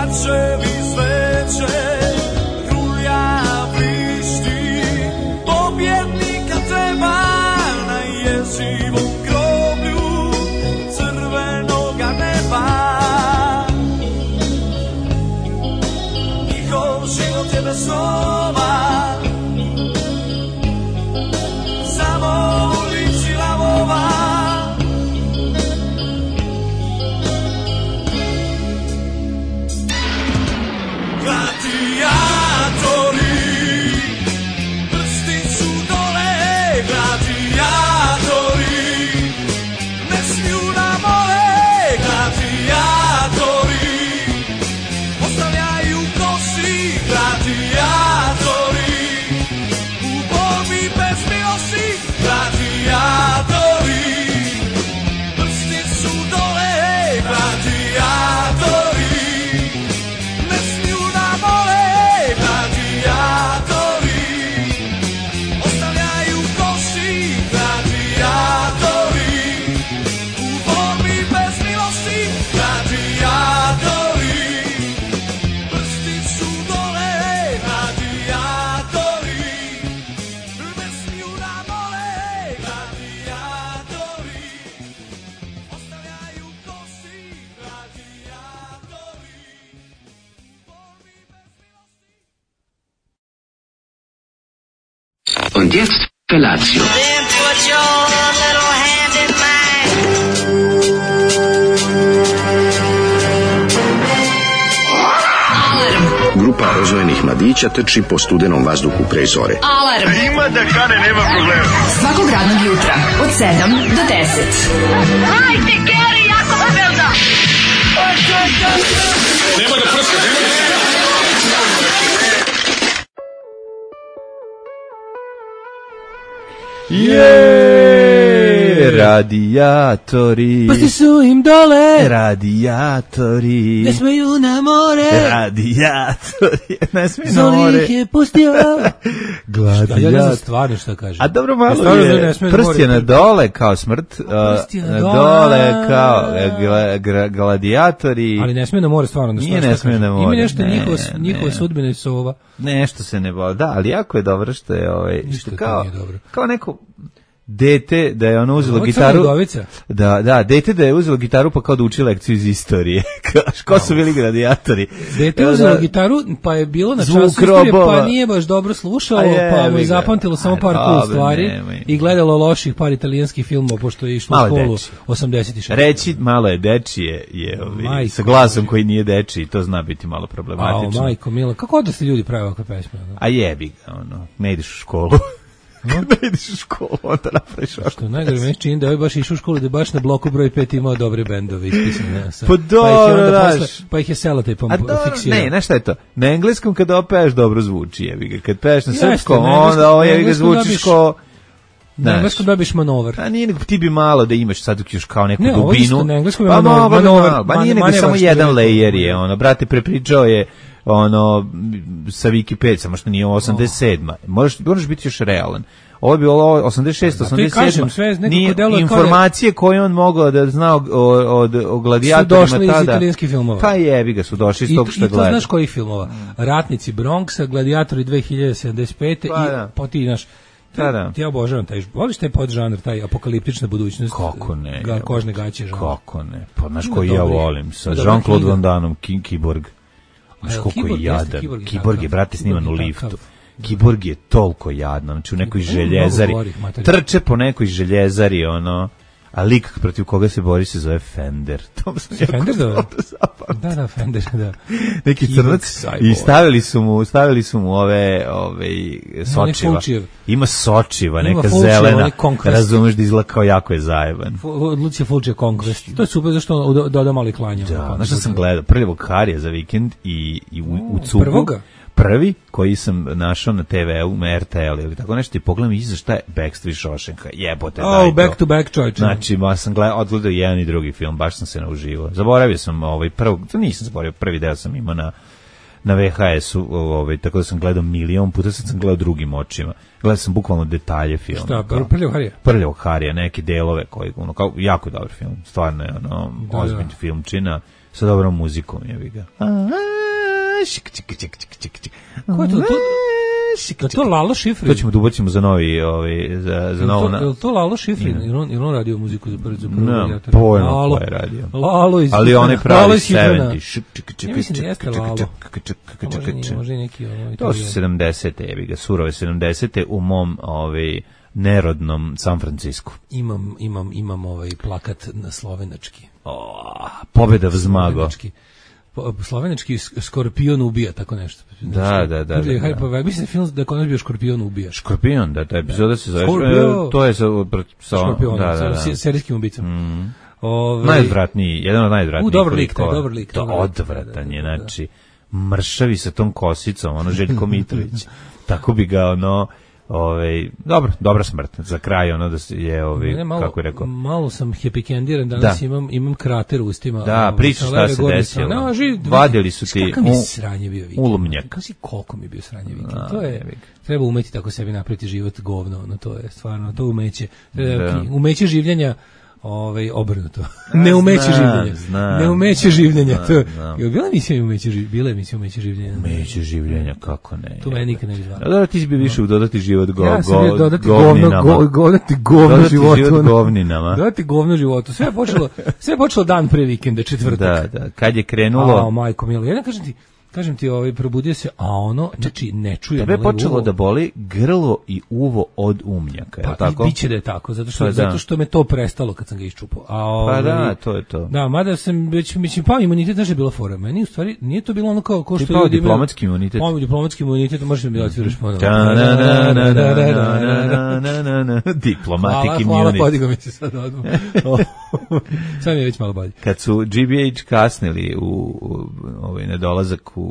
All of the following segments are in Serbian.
Mačevi sveće, rulja vrišti, pobjednika treba na jezivom groblju crvenoga neba. Njihov život je bez snova, samo ulici lavova. Gladiatori, prsti su dole, gladiatori, ne smiju da mole, gladiatori, ostavljaju kosi, gladiatori, u borbi bez milosti, gladiatori, prsti su dole, gladiatori, ne smiju da mole, gladiatori, ostavljaju kosi, gladiatori, u borbi bez milosti, gladiatori, prsti su dole, gladiatori, ne smiju da mole, gladiatori, ostavljaju kosi, gladiatori, borbi bez milosti. Und jetzt Felatio. Then put your little hand in mine. Grupa rozvojenih mladića trči po studenom vazduhu pre zore. Alarm. Ima da kane, nema problema. Svakog radnog jutra, od 7 do 10. Hajde, Geri, jako se velda. Radijatori. Pusti su im dole. Radijatori. Ne smeju na more. Radijatori. Ne smeju na Zoli more. ih je pustio. Gladijatori. Ja ne znam stvarno šta kaže. A dobro, malo stvarno je ne smije na prst je more. na dole kao smrt. Prst je na Dole kao gladijatori. Ali ne smije na more stvarno. Nije ne smije na more. Ima nešto Ne, njihova ne. sudbina i sova. Nešto se ne voli. Da, ali jako je dobro što je Ništa to kao, nije dobro. kao neko dete da je ono uzelo Ovo je gitaru. Crna Udovica. Da, dete da je uzelo gitaru pa kao da uči lekciju iz istorije. Ko su bili gladijatori? Dete je uzelo gitaru, pa je bilo na Zvuk času istorije, robova. pa nije baš dobro slušalo, pa mu je jebi ga. zapamtilo samo par Aj, cool dobro, stvari nemoj. i gledalo loših par italijanskih filmova, pošto je išlo u Malo školu dečije. 86. Reći malo je dečije Majko sa glasom koji nije dečiji, to zna biti malo problematično. Majko mila, kako da se ljudi prave ovakve pesme? ono? A jebi ga, ono, ne ideš u školu. Kad ne ideš u školu, onda napraviš ovako. Što najgore meni čini da je baš išao u školu, da je baš na bloku broj 5 imao dobre bendove ispisane. Pa dobro, daš. Pa ih je selotejpom fiksirao. Ne, znaš šta je to? Na engleskom kada opeš dobro zvuči, jebi ga. Kad peš na Jeste, srpskom, na engleskom- onda ovo na jebi ga engleskom zvučiš dobiš- ko... Na Znaš. engleskom dobiš manover. A nije nego ti bi malo da imaš sad još kao neku Ne, ovo dubinu. isto na engleskom je Pa manover, moglo bi manover, malo. Pa nije nego manevar, samo što jedan bi rekao. layer je, ono, brate, prepričao je ono sa Wikipedia, samo što nije 87. Moraš biti još realan. Ovo bi bilo 86, Da, to i kažem, sve 87. nekako Nije deluje kao da- informacije koje on mogao da zna o Su gladijatorima došli iz tada. italijanskih filmova. Pa jebi ga, su došli iz tog što I to gleda. znaš kojih filmova? Ratnici Bronxa, Gladiatori 2075. Pa i da. pa ti znaš. Da. Ti ja obožavam taj, voliš taj podžanr, taj apokaliptična budućnost. Kako ne? Kožne gaće žanr. Kako ne? Pa znaš Ima koji ja dobri- volim sa ima dobra Jean-Claude knjiga. Van Damme, Kiborg. Znaš A, koliko Kiborg je jeste, jadan. Kiborg je Kiborg je, takav. brate, sniman u Kiborg je liftu. takav. Kiborg je toliko jadan, znači u nekoj Ima željezari. mnogo gorih materijala. Trče po nekoj željezari, ono, a lik protiv koga se bori se zove Fender. To sam jako Fender, da. dobro zapamtio. Da, Fender, da. Neki Kiborg crnac Cyborg. i stavili su mu ove sočiva. Fulčijev. Ima sočiva, Ima neka Fulčijev, zelena. onaj Conquest. Razumeš da izgleda kao jako je zajeban. Lucija Fulčija Conquest. To je super zašto on doda malo i klanja. Da, znaš što sam gledao? Prljavog Harija za vikend i u cugu. Prvoga? Prvi koji sam našao na TV-u, na RTL ili tako nešto i pogledam iza šta je Backstreet Shawshanka. Jebote, daj to. Back to back, čovječe. Znači, sam odgledao jedan i drugi film, baš sam se nauživao. Zaboravio sam nisam zaboravio, prvi deo sam imao na VHS-u, tako da sam gledao milion puta, sad sam gledao drugim očima. Gledao sam bukvalno detalje filma. Šta, Prljavog Harija? Prljavog Harija, neke delove koji, kao jako dobar film, stvarno je ozbiljni filmčina sa dobrom muzikom, jebi ga. Ko je to? To Lalo Šifrin. To ćemo da ubacimo za novi, za novo. Je to Lalo Šifrin? Ili on radio muziku za prvi Ne, pojma ko je radio. Lalo iz... Ali on je pravi 70. Ja mislim da jeste Lalo. Može i neki... To su 70. Evi ga, surove 70. u mom nerodnom San Francisku. Imam plakat na slovenački. Pobeda vzmago. Slovenački Skorpion ubija, tako nešto. Da. Mislim film da je kod nas bio Škorpion ubija. Škorpion, da, ta epizoda se zove. To je sa Škorpionom, da. serijskim ubicom. Najodvratniji, jedan od najodvratnijih. Dobar lik. To odvratan je, znači, mršavi sa tom kosicom, Željko Mitrović. Tako bi ga, dobra smrt za kraj, da je kako je rekao. Malo sam hepikendiran, danas imam krater u ustima. Da, priča šta se desilo. Vadili su ti ulumnjak. Kako si koliko mi je bio sranje vikend. To je, treba umeti tako sebi napraviti život govno, to je stvarno, to umeće. Umeće življenja obrnuto. Ne umeće življenja. Ne umeće življenja. Bila emisija umeće življenja. Umeće življenja, kako ne. To meni nikad ne bi zvao. Da, ti si bi više u dodati život govninama. Ja sam bio dodati govno Dodati govno životu. Sve je počelo dan pre vikenda, četvrtak. Da. Kad je krenulo... Majko milo, ja kažem ti, probudio se, znači ne čujem. Tebe je počelo da boli grlo i uvo od umnjaka, je li tako? Pa biće da je tako, zato što me to prestalo kad sam ga iščupao. Pa da, to je to. Da, mada sam već, pao imunitet, znaš je bila fora. Meni u stvari nije to bilo ono kao što ljudi imaju. Ti pao diplomatski imunitet. Pao diplomatski imunitet, možeš mi da otviraš ponovno. Diplomatic immunity. Hvala, podigo mi se sad odmah. Sad mi je već malo bolje. Kad su GBH kasnili u nedolazak u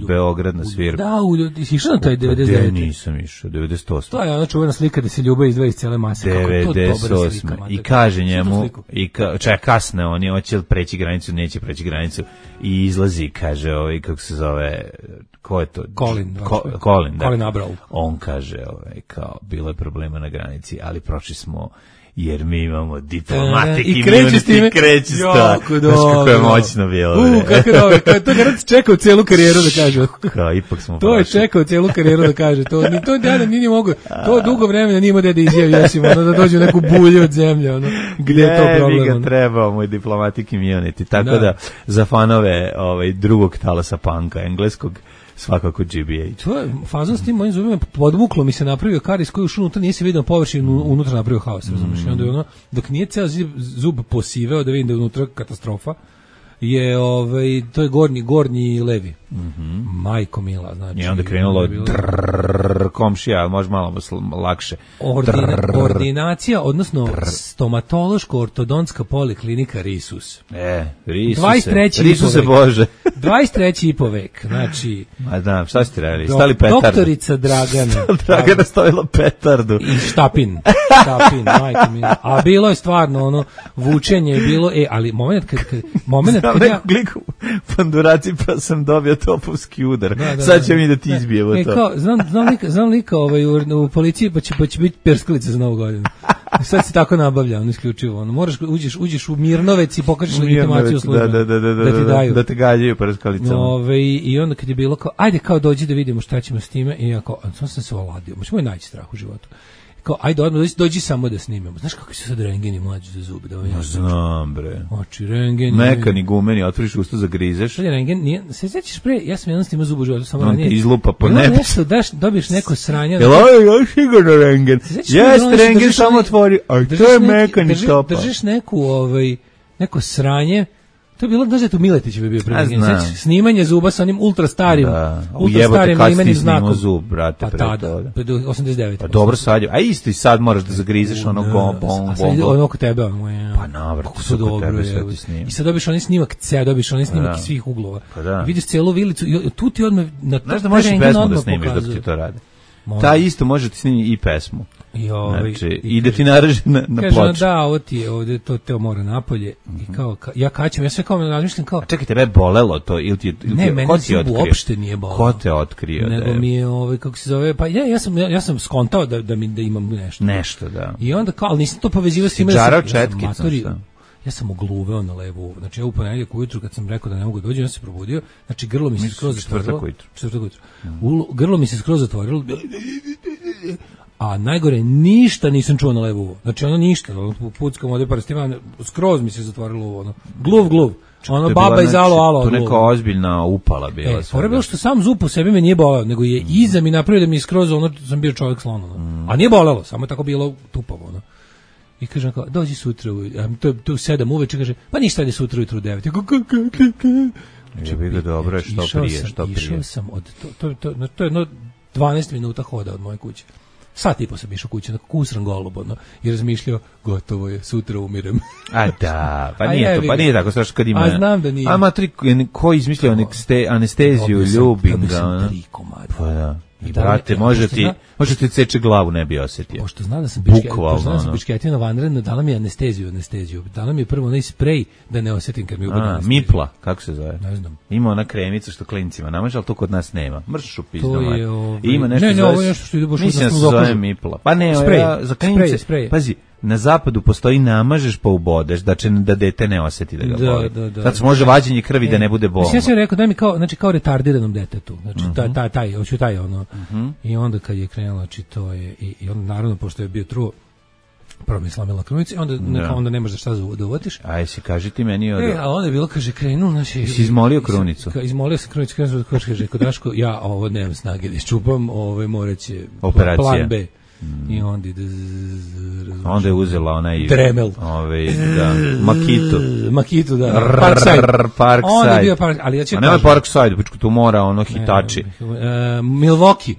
Beograd na svirku. Da, si išao na taj 99. Nisam išao, 98. To je ona čuvena slika da se ljubav izdvaja iz cele mase. 98. I kaže njemu, kasne oni, hoće li preći granicu, neće preći granicu. I izlazi, kaže, kako se zove, ko je to? Colin, da. Colin Abrao. On kaže, kao, bilo je problema na granici, ali prošli smo jer mi imamo diplomatic immunity, kreće s to. Znaš kako je moćno bilo. Kako je dobro, to je čekao celu karijeru da kaže. Ipak smo to je čekao celu karijeru da kaže. To nije mogu, to dugo vremena nije imao da izjavi, da dođe u neku bulju od zemlje, gdje je to problem. Mi ga trebao, moj diplomatic immunity, tako da za fanove drugog talasa panka, engleskog, svakako GBH. To je fazon s tim mojim zubima, podvuklo mi se napravio karis koji ušao unutra, nije se vidio površinu, unutra napravio haos, razumiješ? I onda je dok nije ceo zub posiveo da vidim da je unutra katastrofa, je to je gornji levi. Majko mila, znači. I onda krenulo komšija, može malo lakše. Ordinacija, odnosno stomatološko-ortodontska poliklinika Risus. Risuse Bože. 23. vek, znači. Ma da, šta ste radili? Stali petardu. Doktorica Dragana. Dragana stavila petardu. I štapin, majko mila. A bilo je stvarno vučenje je bilo, ali moment kad ja kliku panduraci pa sam dobio topovski udar. Sad će mi da ti izbijemo to. Kao, znam lika u policiji pa će biti perskalica za Novu godinu. Sad se tako nabavlja, isključivo. Moraš uđeš u Mirnovec i pokažeš legitimaciju službe. Da ti daju. Da te gađaju perskalicama. I onda kad je bilo kao, ajde kao dođi da vidimo šta ćemo s time. I ja kao, sam se ovladio. Moj najveći strah u životu. Kao, ajde odmah, dođi samo da snimamo. Znaš kako su sad rengeni mlađi za zube? Znam, bre. Oči, rengeni. Mekani gumeni, otvoriš usta, zagrizeš. Sad je rengen, se sećaš pre, ja sam jedan snimao zubu u životu, samo on ranije. Ti izlupa po nebu. Dobiješ neko sranje. Jel ovo je sigurno rengen? Jeste, rengen samo otvori, a to je mekani topa. Držiš neko sranje. To je bilo, znaš da je to Miletić bi bio snimanje zuba sa onim ultra starim imenim znakom. Kad si zub, brate, pre toga. 89. Pa dobro sad je, a isto i sad moraš da zagrizeš ono oko tebe. Pa navrti su oko tebe sve ti snima. I sad dobiš onaj snimak dobiš onaj snimak iz svih uglova. Vidiš celu vilicu, tu ti odmah na to. Znaš da možeš i pesmu da snimiš dok ti to radi. Ta isto može ti snimi i pesmu. Znači, i da ti naraži na ploču. Kaže, da, ovo ti je ovdje, to mora napolje. I kao, ja kaćem, ja sve kao razmišljam kao... A čekaj, tebe je bolelo to? Ne, meni zub uopšte nije bolelo. Ko te otkrio? Nego mi je, kako se zove, pa ja sam skontao da imam nešto. Nešto, da. I onda kao, ali nisam to povezivao s time da sam... ja sam ogluveo na levo uvo. Znači ja u ponedeljak ujutru kad sam rekao da ne mogu doći, ja sam se probudio, znači grlo mi se skroz zatvorilo. Četvrtak ujutru. Grlo mi se skroz zatvorilo. A najgore, ništa nisam čuo na levo uvo. Znači ono ništa, puckam ovdje prstima, skroz mi se zatvorilo uvo, ono. Gluv. Ono baba iz alo. To neka ozbiljna upala bila. Fora bilo što sam zub po sebi me nije boleo, nego je iza mi napravio da mi je skroz ono, sam bio čovjek slon, ono. A nije bolelo, samo je tako bilo tupavo, ono. I kažem kao, dođi sutra, to je 7 uveče, kaže, pa ništa, ajde sutra ujutru u 9. Je bi ga dobro, što prije. Išao sam od, to je jedno 12 minuta hoda od moje kuće. Sat i po sam išao kuće, onako kusran golub, ono, i razmišljao, gotovo je, sutra umirem. A da, pa nije tako strašno kad ima. A znam da nije. A matri, ko izmislio anesteziju, ljubim ga, ono. 3 komada. Pa da. I brate, može ti ceče glavu, ne bi osjetio. Pošto zna da sam bišketina vanredna, dala mi anesteziju. Dala mi prvo onaj sprej da ne osjetim kad mi ubede anesteziju. Mipla, kako se zove? Ne znam. Ima ona kremica što klincima namaže, ali to kod nas nema. Mrš u pizdu. To je ima nešto ne, ovo je nešto što ide baš u nas. Mislim da se zove Mipla. Pa ne, za klinice. Pazi, na zapadu postoji namažeš pa ubodeš, da dete ne osjeti da ga boli. Sad se može vađenje krvi da ne bude bolno. Ja sam rekao, daj mi kao retardiranom detetu. Znači, hoću taj ono. I onda kad je krenulo, znači to je, i onda naravno, pošto je bio truo, prvo mi slamila krunicu, onda nemaš za šta da uvatiš. Aj, si kaži ti meni a onda je bilo, kaže, krenuo, znači... Si izmolio krunicu? Izmolio sam krunicu, kaže, kod Daško, ja ovo nemam snage da iščupam, morat će plan B. I onda je uzela onaj Dremel, Makitu, da, Parkside. Onda je bio Parkside, ali ja ću nema Parkside, pičku tu mora ono hitači. Milwaukee,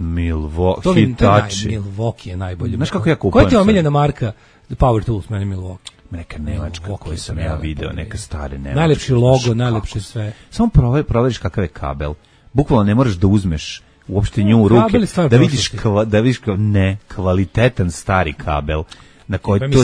hitači. Milwaukee je najbolji. Znaš kako ja kupujem? Koja ti je omiljena marka Power Tools, meni Milwaukee? Neka nemačka koju sam ja video, neka stare nemačke. Najlepši logo, najlepše sve. Samo proveriš kakav je kabel. Bukvalno ne moraš da uzmeš uopšte nju u ruke, da vidiš kvalitetan stari kabel na koji to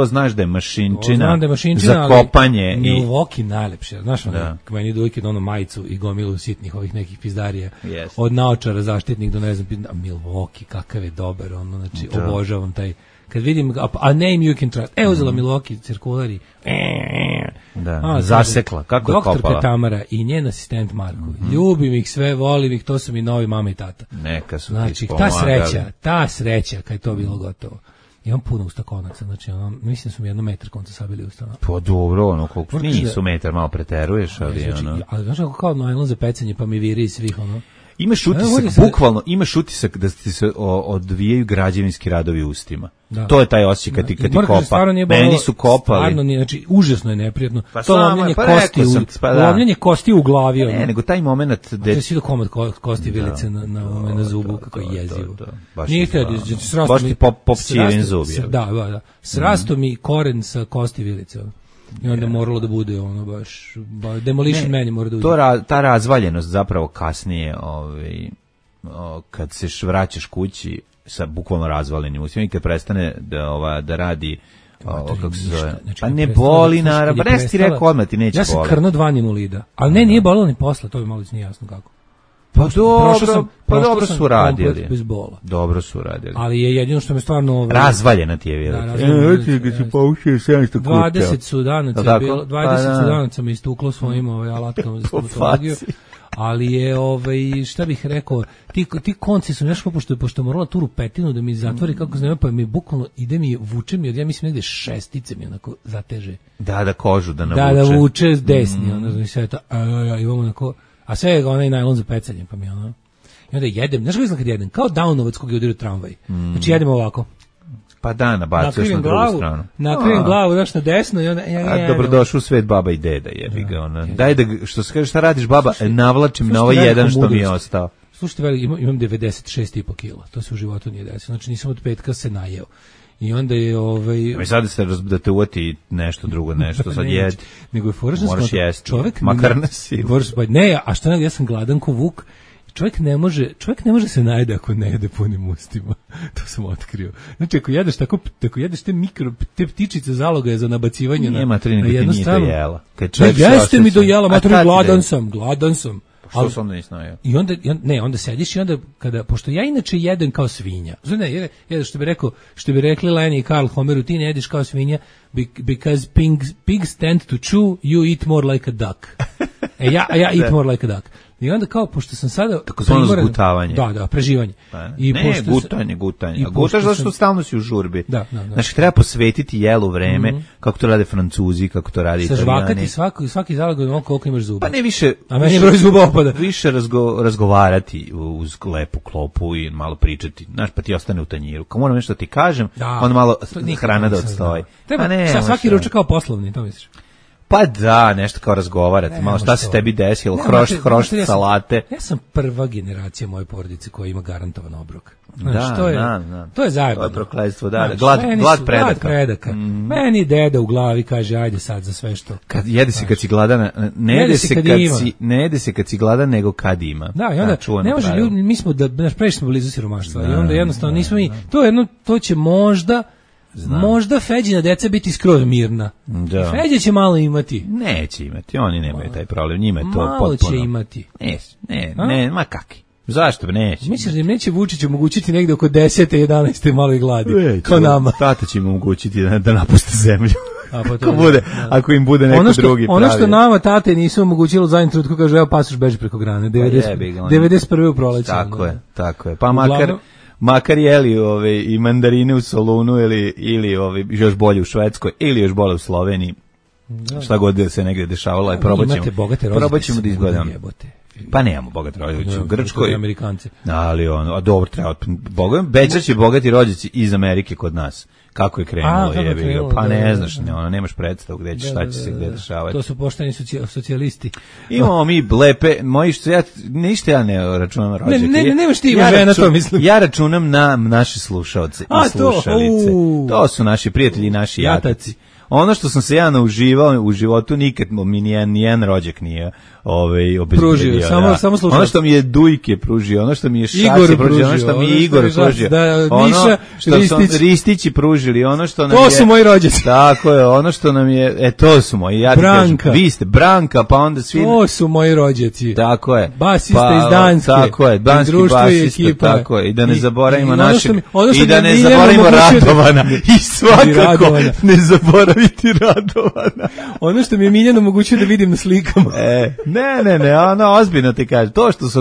znaš da je mašinčina za kopanje. Milwaukee najlepše, znaš ono, kada mi dojke ono majicu i gomilu sitnih ovih nekih pizdarija, od naočara zaštitnih do ne znam, Milwaukee kakav je dobar, ono, znači obožavam taj, kad vidim, a name you can trust, uzela Milwaukee cirkulari, zasekla, kako je kopala. Doktorka Tamara i njen asistent Marko, ljubim ih sve, volim ih, to su mi novi mama i tata. Neka su znači, ta sreća, kad je to bilo gotovo. Imam puno ustakonaca, znači, mislim da su mi 1 metar konca sabili ustana. Pa dobro, ono, koliko nisu metar, malo preteruješ, ali ono. Ali znaš kako kao najlon za pecanje, pa mi viri iz svih, ono. Imaš utisak, bukvalno, imaš utisak da ti se odvijaju građevinski radovi u ustima. Da. To je taj osjećaj kad ti kopa. Meni su kopali. Stvarno nije, znači, užasno je neprijatno. To lomljenje kosti u glavi. Ne, nego taj moment... Da si do komad kosti vilice na zubu, kako je jezivo. Nije baš ti popćiven zub. Da. Srasto mi koren sa kosti vilice. I onda moralo da bude ono baš Demolition Man je mora da uđe. Ta razvaljenost zapravo kasnije kad se vraćaš kući sa bukvalno razvaljenim ustima i kad prestane da radi kako se zove. Pa ne boli naravno, pa ti rekao odmah ti neće boli. Ja sam krno 2 nimulida, ali nije bolilo ni posle, to bi malo nije jasno kako. Dobro su radili. Bez bola. Dobro su radili. Ali je jedino što me stvarno razvaljena ti je vjerojatno. Kad se paušio 700 kuća. 20 sudanaca je bilo, 20 sudanaca mi istuklo svojim alatkama za stomatologiju. Ali je, šta bih rekao, ti konci su nešto pošto morala tu rupetinu da mi zatvori kako znamo, pa mi bukvalno ide mi, vuče mi, ja mislim negde šestice mi onako zateže. Da kožu da navuče. Da vuče s desni, ono, znači sve to, imamo onako, a sve je onaj najlon za pecanje, pa mi ono, i onda jedem, znaš kako izgleda kad jedem, kao Downovac kog je udario tramvaj, znači jedemo ovako. Pa nabacuješ na drugu stranu. Nakrijem glavu, daš na desno i onda... Dobrodošao u svet baba i deda, jebi ga ona. Daj da, što se kaže, šta radiš baba, navlačim na ovaj jedan što mi je ostao. Slušajte, imam 96,5 kila, to se u životu nije desilo, znači nisam od petka se najeo. I onda je I sad da te uvati nešto drugo, nešto sad jedi. Nego je fora moraš jesti, makar na silu. Ne, a šta ja sam gladan ko vuk. Čovjek ne može se najde ako ne jede punim ustima. To sam otkrio. Znači, ako jedeš te ptičice zaloga je za nabacivanje na jednu stranu. Jela. Jeste mi dojela, mater, gladan sam. Što se onda nisi najeo? I onda sediš i onda pošto ja inače jedem kao svinja. Ne, što bi rekli Lenny i Karl Homeru, ti ne jedeš kao svinja because pigs tend to chew, you eat more like a duck. Ja eat more like a duck. I onda kao, pošto sam sada... Tako zvano zgutavanje. Da, preživanje. I ne, gutanje. Gutaš zato što stalno si u žurbi. Da. Znači, treba posvetiti jelu vreme, kako to rade Francuzi, kako to rade Italijani. Sažvakati svaki zalog od koliko imaš zuba. Pa ne više... A meni je broj zuba opada. Više razgovarati uz lepu klopu i malo pričati. Znaš, pa ti ostane u tanjiru. Kao moram nešto ti kažem, onda malo hrana da odstoji. Treba svaki ručak kao poslovni, to misliš? Pa da, nešto kao razgovarati, malo šta se tebi desilo, hrošt salate. Ja sam prva generacija moje porodice koja ima garantovan obrok. Znaš, to je zajebano. To je prokletstvo, glad predaka. Meni deda u glavi kaže, ajde sad za sve što. Jede se kad si gladan, ne jede se kad si gladan, nego kad ima. Da, i onda ne može ljudi, mi smo previše smo blizu siromaštva i onda jednostavno nismo mi, to će možda Feđina deca biti skroz mirna. Da. Feđa će malo imati. Neće imati, oni nemaju taj problem, njima je to malo potpuno. Malo će imati. Ne, ma kaki. Zašto bi neće? Misliš da im neće Vučić omogućiti negde oko 10. 11. malo i gladi, kao nama. Tata će im omogućiti da napuste zemlju. Ako im bude neko drugi pravi. Ono što nama tate nisu omogućilo za jednu trutku, kaže, evo pasoš beži preko grane, 91. u proleću. Tako je, pa makar jeli i mandarine u Solunu ili još bolje u Švedskoj ili još bolje u Sloveniji. Šta god da se negdje dešavalo, probat ćemo da izgledamo. Pa nemamo bogate rođaci u Grčkoj. Ali dobro, treba. Bećat će bogati rođaci iz Amerike kod nas. Kako je krenulo, pa ne znaš, nemaš predstavu gde će, šta će se gde dešavati. To su pošteni socijalisti. Imamo mi lepe, ništa ja ne računam rođake. Nemaš ti ima žena, to mislim. Ja računam na naše slušaoce i slušalice. To su naši prijatelji i naši jataci. Ono što sam se ja nauživao u životu, nikad mi nijedan rođak nije obezbedio. Samo slušao. Ono što mi je Dujke pružio, ono što mi je Šaci pružio, ono što mi je Igor pružio, ono što su Ristići pružili, ono što nam je... To su moji rođaci. Tako je, ono što nam je... to su moji. Ja Branka. Vi ste Branka, pa onda svi... To su moji rođaci. Tako je. Basista iz Danske. Tako je, danski basista, tako je. I da ne zaboravimo našeg... I da ne zaboravimo Radovana. I svakako ne zaboraviti Radovana. Ono što mi je Miljano omogućio da vidim na slikama. Ne, ozbiljno ti kaže.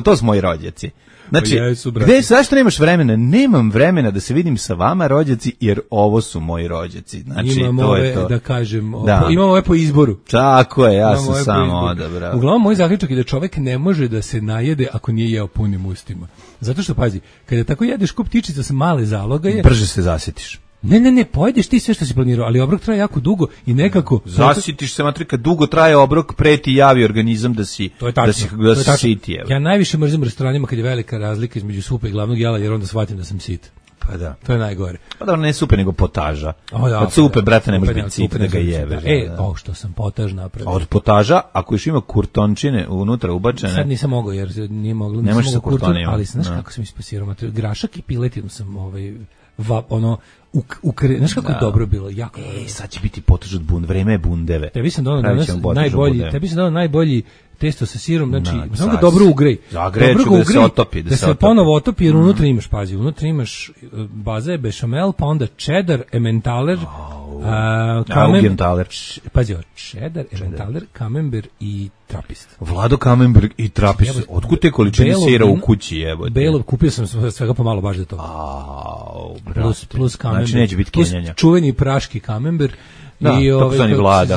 To su moji rođaci. Znači, zašto nemaš vremena? Nemam vremena da se vidim sa vama rođaci, jer ovo su moji rođaci. Znači, imamo to je to. Da kažem, imamo ove po izboru. Tako je, ja sam samo odabrao. Uglavnom, moj zaključak je da čovek ne može da se najede ako nije jeo punim ustima. Zato što, pazi, kada tako jedeš kup ptičica sa male zalogaje... Brže se zasjetiš. Ne, pojedeš ti sve što si planirao, ali obrok traje jako dugo i nekako... Zasitiš se, matrika, dugo traje obrok, pre ti javi organizam da si siti. Ja najviše mrzim u restoranima kad je velika razlika između supe i glavnog jela, jer onda shvatim da sam sit. Pa da. To je najgore. Pa da, ne supe, nego potaža. Od supe, brate, ne može biti sit da ga jebe. Što sam potaž napravio. Od potaža, ako još ima kurtončine unutra ubačene... Sad nisam mogao, jer nije moglo. Ne može sa kurtonima. Ali znaš kako sam ispasirao? Grašak i piletinu sam znaš kako je dobro bilo, jako dobro. Sad će biti potaž od vreme je bundeve. Tebi sam dao najbolji testo sa sirom, znači, samo ga dobro ugrej. Zagreću da se otopi. Da se ponovo otopi, jer unutra imaš, pazi, unutra imaš baza je bešamel, pa onda cheddar, emmentaler, pazi, cheddar, emmentaler, camembert i trapist. Vlado camembert i trapist. Otkud te količine sira u kući, jebote? Belo, kupio sam svega pomalo baš za to. Plus camembert. Znači neće biti kenjanja. Čuveni praški camembert. Da, tako su oni Vlada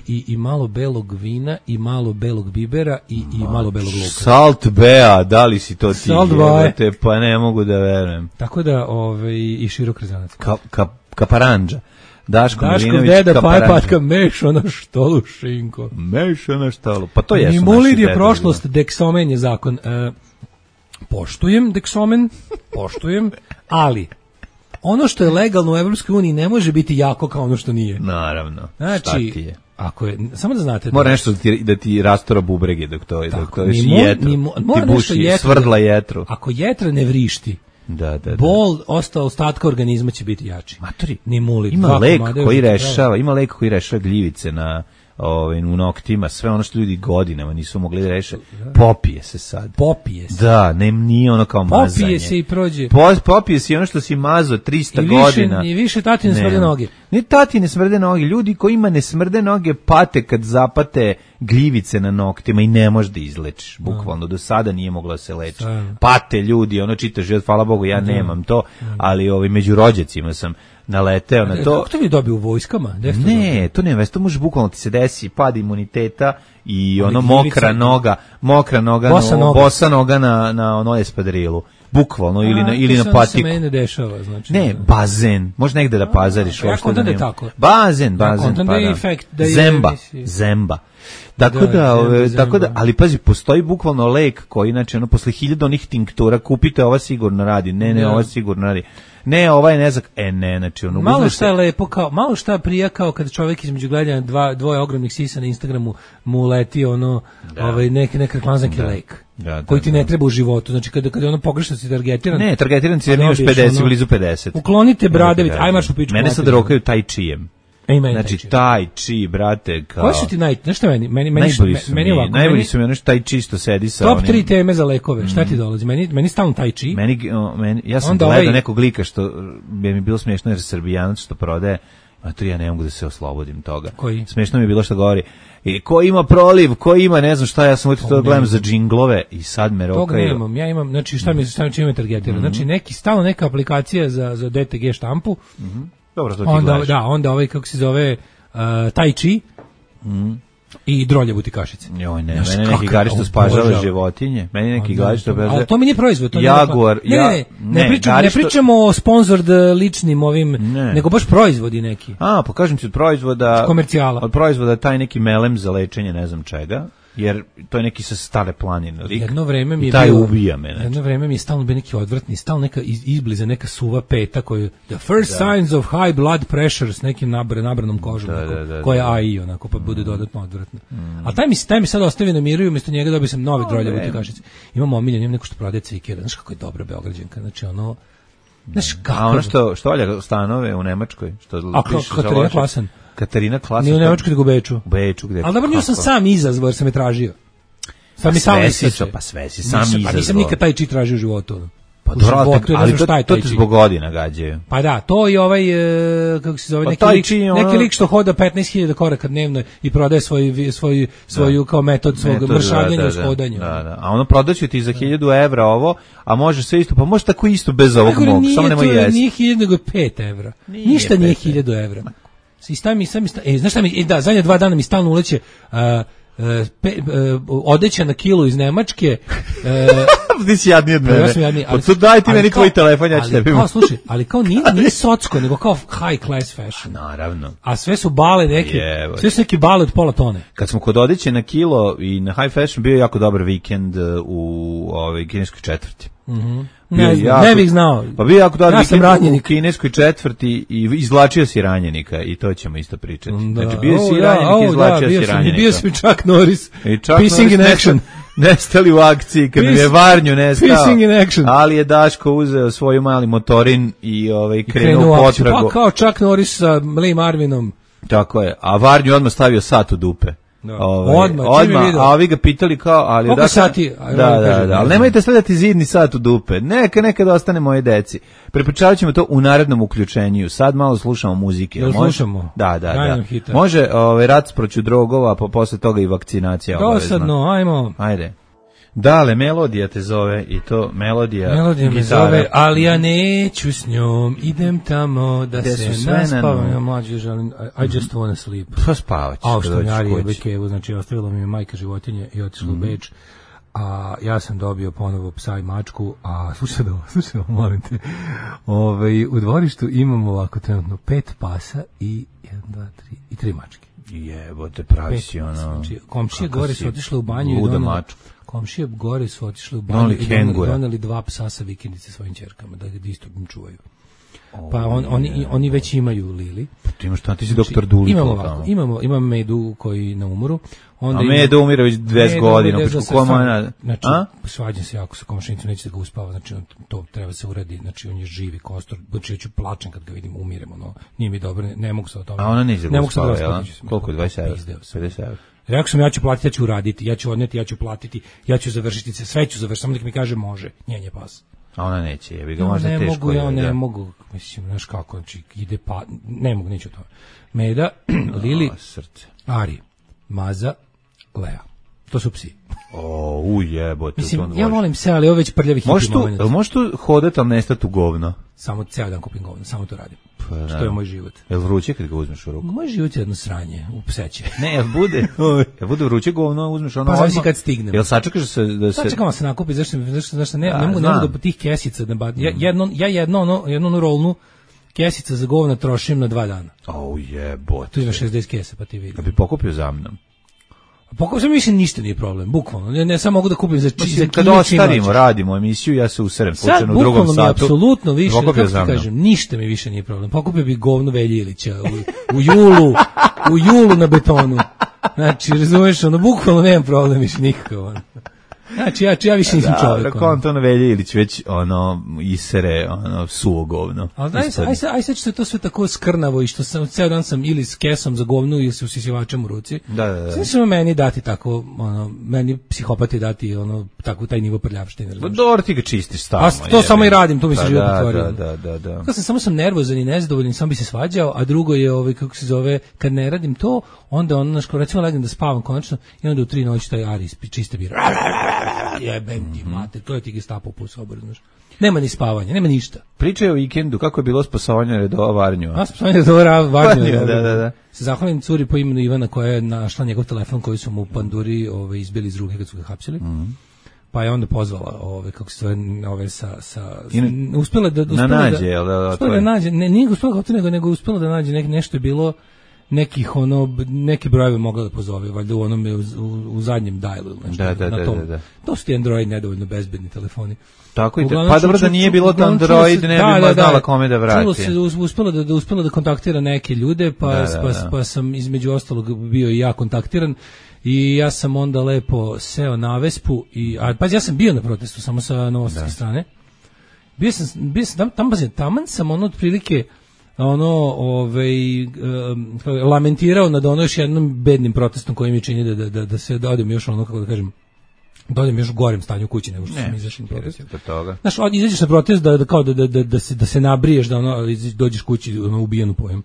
i malo belog vina i malo belog bibera i malo belog luka. Salt bea, da li si to ti jebate, pa ne mogu da verujem. Tako da, i širok rezanac. Kaparanđa. Daško deda patka meša na štolu šinko. Meša na štolu, pa to jesu naši dedovi. Nimulir je prošlost, deksomen je zakon. Poštujem deksomen, ali... Ono što je legalno u Evropskoj uniji ne može biti jako kao ono što nije. Naravno. Znači, šta ti je? Ako je, samo da znate... Mora nešto da ti rastora bubrege dok to je jetro. Ti buši, svrdla jetru. Ako jetra ne vrišti, bol ostatka organizma će biti jači. Matori, Nimulir. Ima lek koji rešava gljivice na u noktima, sve ono što ljudi godinama nisu mogli da reše, popije se sad. Popije se. Da, nije ono kao mazanje. Popije se i prođe. Popije se i ono što si mazao 300 godina. I više tatine smrde noge. Ne tatine smrde noge, ljudi kojima ne smrde noge pate kad zapate gljivice na noktima i ne možeš da izlečiš, bukvalno. Do sada nije moglo da se leči. Pate ljudi, ono čitaš život, hvala Bogu, ja nemam to, ali među rođacima sam naleteo na to. Kako to vi dobiju u vojskama? Ne, to nema, to može bukvalno ti se desi pad imuniteta i ono mokra noga, bosa noga na ono espadrilu. Bukvalno ili na patiku. To se meni ne dešava, znači. Ne, bazen. Može negde da pazariš. Ja kontam da je tako. Bazen. Zemba. Tako da, ali pazi, postoji bukvalno lek koji, znači, ono, posle 1000 onih tinktura, kupite, ova sigurno radi, ova sigurno radi, ne, ovaj ne znak, znači, ono, malo šta je lepo, malo šta prija kao kada čovjek između gledanja dvoje ogromnih sisa na Instagramu mu leti, ono, neki reklamzanski lek. Koji ti ne treba u životu, znači kada ono pogrešno si targetiran. Ne, targetiran si jer imaš 50, blizu 50. Uklonite bradavice, aj marš u pičku. Mene sad rokaju tai chijem. Znači tai chi, brate, kao. Koji su ti znaš šta meni ovako. Najbolji su mi ono što tai chi što sedi sa top 3 teme za lekove. Šta ti dolazi? Meni stalno tai chi. Ja sam gledao nekog lika što bi mi bilo smiješno jer Srbijanac što prodaje, a to ja ne mogu da se oslobodim toga. Koji? Smiješno mi je bilo što govori. I ko ima proliv, ko ima, ne znam šta, ja sam to gledam za džinglove i sad me rokaju. Toga nemam, ja imam, znači šta mi je targetira, znači stalno neka aplikacija za DTG štampu. Dobro, to ti gledaš. Onda kako se zove tai chi i droljevuti kašice. Joj, ne, mene neki gari što spažava životinje, meni neki gari što ali to mi nije proizvod, to Jaguar, ne pričamo o sponsored ličnim ovim, nego baš proizvodi neki. Pa kažem ti od proizvoda, komercijala. Od proizvoda taj neki melem za lečenje, ne znam čega. Jer to je neki sa Stare planine lik. Jedno vreme mi je taj ubija me. Jedno vreme mi je stalno bio neki odvrtni, stalno neka izbliza neka suva peta koju the first signs of high blood pressure s nekim nabranom kožom koja je AI onako pa bude dodatno odvrtna. A taj mi sad ostavi na miru i umjesto njega dobio sam nove droljevuti kašice. Imam omiljen, imam neko što prodaje cvikera. Znaš kako je dobra Beograđanka, znači ono a ono što valja stanove u Nemačkoj, što piše Katarina Klasen. Katarina Klasen. Nije u Nemačkoj, nego u Beču. U Beču, gde? Ali dobro, nju sam sam izazvao jer sam je tražio. Sve si sam izazvao. Pa nisam nikad taj či tražio u životu. Pa ali to ti zbog godina gađaju. Pa da, to i ovaj, kako se zove, neki lik što hoda 15.000 koraka dnevno i prodaje svoju kao metod svog mršavljenja uz hodanja. A ono prodaće ti za 1000 evra ovo, a može sve isto, pa može tako isto bez ovog mog, samo nemoj jesti. Nije 1000 nego 5 evra. Ništa nije 1000 evra. Znaš šta mi, zadnje 2 dana mi stalno uleće odeća na kilu iz Nemačke. Ti si jadni od mene. Daj ti meni tvoj telefon, ja ću tebi. Slušaj, ali kao nije socko, nego kao high class fashion. Naravno. A sve su bale neke, sve su neki bale od pola tone. Kad smo kod odeće na kilo i na high fashion, bio je jako dobar vikend u kineskoj četvrti. Ne bih znao. Pa bio jako dobar vikend u kineskoj četvrti i izvlačio si ranjenika i to ćemo isto pričati. Znači bio si ranjenik i izvlačio si ranjenika. Bio si Chuck Norris. Pissing in action. Nestali u akciji, kad mi je Varnju nestao, ali je Daško uzeo svoj mali motorin i krenuo u potragu. Pa kao Chuck Norris sa Lee Marvinom. Tako je, a Varnju odmah stavio sat u dupe. Odmah, a ovi ga pitali kao, ali koliko sati? Da, ali nemojte stavljati zidni sat u dupe, nekad ostane moje deci. Prepričavat ćemo to u narednom uključenju, sad malo slušamo muzike. Slušamo? Da. Može rat protiv drogova, pa posle toga i vakcinacija obavezna. Dosadno, ajmo. Ajde. Dale, melodija te zove i to melodija me zove, ali ja neću s njom, idem tamo da se naspavam. Ja mlađe želim, I just wanna sleep. Pa spavać. A što njari je Bekevu, znači ostavila mi je majka životinje i otišla u Beč. A ja sam dobio ponovo psa i mačku, a slušaj, molim te, u dvorištu imamo ovako trenutno 5 pasa i 1, 2, 3 i 3 mačke. Jebote, pravi si ono. Znači, komšije gore su otišle u banju i doneli 2 psa sa vikendice svojim ćerkama, da isto im čuvaju. Pa oni već imaju Lili. Ti imaš ti si doktor Dolittle. Imamo Medu koji na umoru. Onda Medu umire već 20 godina. Znači, svađam se jako sa komšinicom, neće da ga uspava, znači to treba se uradi, znači on je živi kostor, znači ja ću plačem kad ga vidim, umiremo, no, nije mi dobro, ne mogu se o tome. A ona neće da ga uspava, jel? Koliko je, 20 €? Rekao sam, ja ću platiti, ja ću uraditi, ja ću odneti, ja ću platiti, ja ću završiti se, sve ću završiti, samo nek mi kaže može, njenje pas. A ona neće, jebi ga, možda teško. Ne mogu, mislim, znaš kako, znači, ide pa, ne mogu, neću to. Meda, Lili, Ari, Maza, Lea. To su psi. Jebote. Mislim, ja volim se, ali ovo već prljavi hipi moment. Možeš tu hodati, ali nestati u govno? Samo ceo dan kupim govno, samo to radim. Što je moj život. Jel vruće kad ga uzmeš u ruku? Moj život je jedno sranje, u pseće. Ne, jel bude vruće govno, uzmeš ono... Pa zavisi kad stignem. Jel sačekaš da se... Sačekam se nakupi, zašto ne mogu da tih kesica da batim. Ja jednu rolnu kesica za govna trošim na 2 dana. Jebote. Tu ima 60 kesa, pa ti vidim. Da bi pokupio za mnom. Pokupio sam, mislim, ništa nije problem, bukvalno. Ne samo mogu da kupim za kada ostarimo, radimo emisiju, ja se userem slučajno u drugom satu. Sad, bukvalno mi apsolutno više, kako ti kažem, ništa mi više nije problem. Pokupio bi govno Velje Ilića u julu na betonu. Znači, razumeš, bukvalno nemam problem više nikakav. Znači, ja više nisam čovjek. Da, konto na Velje Ilić već, isere, suvo govno. Ali aj sad što je to sve tako skrnavo i što sam, ceo dan sam ili s kesom za govnu ili s usisivačem u ruci. Da. Sve ćemo meni dati tako, meni psihopati dati, tako taj nivo prljavštine. Dobro, ti ga čistiš stalno. To samo i radim, to mi se život pretvorio. Da. Samo sam nervozan i nezadovoljan, sam bi se svađao, a drugo je, kako se zove, kad ne radim to, onda recimo legnem da spavam konačno i onda u 3 noći taj Ari čiste bira. Jebem ti mate, to je ti Gestapo po soboru, znaš. Nema ni spavanja, nema ništa. Pričaj o vikendu, kako je bilo spasovanje redova Varnju? Spasovanje redova Varnju. Da. Se zahvalim curi po imenu Ivana koja je našla njegov telefon koji su mu u panduri izbili iz ruke kad su ga hapsili. Pa je onda pozvala kako se zove uspela da nađe, nije uspela nego uspela da nađe nešto je bilo nekih neke brojeve mogla da pozove, valjda u onome u zadnjem dialu nešto. Da. To su ti Android nedovoljno bezbedni telefoni. Tako i pa dobro da nije bilo da Android ne bi znala kome da vrati. Čulo se uspelo da kontaktira neke ljude, pa sam između ostalog bio i ja kontaktiran i ja sam onda lepo seo na Vespu ja sam bio na protestu samo sa novosadske strane. Bio sam taman sam otprilike lamentirao nad još jednom bednim protestom koji mi čini da se odem još kako da kažem, da odem još u gorem stanju u kući nego što sam izašao na protest. Znaš, izađeš na protest da se nabriješ, da dođeš kući ubijen u pojem.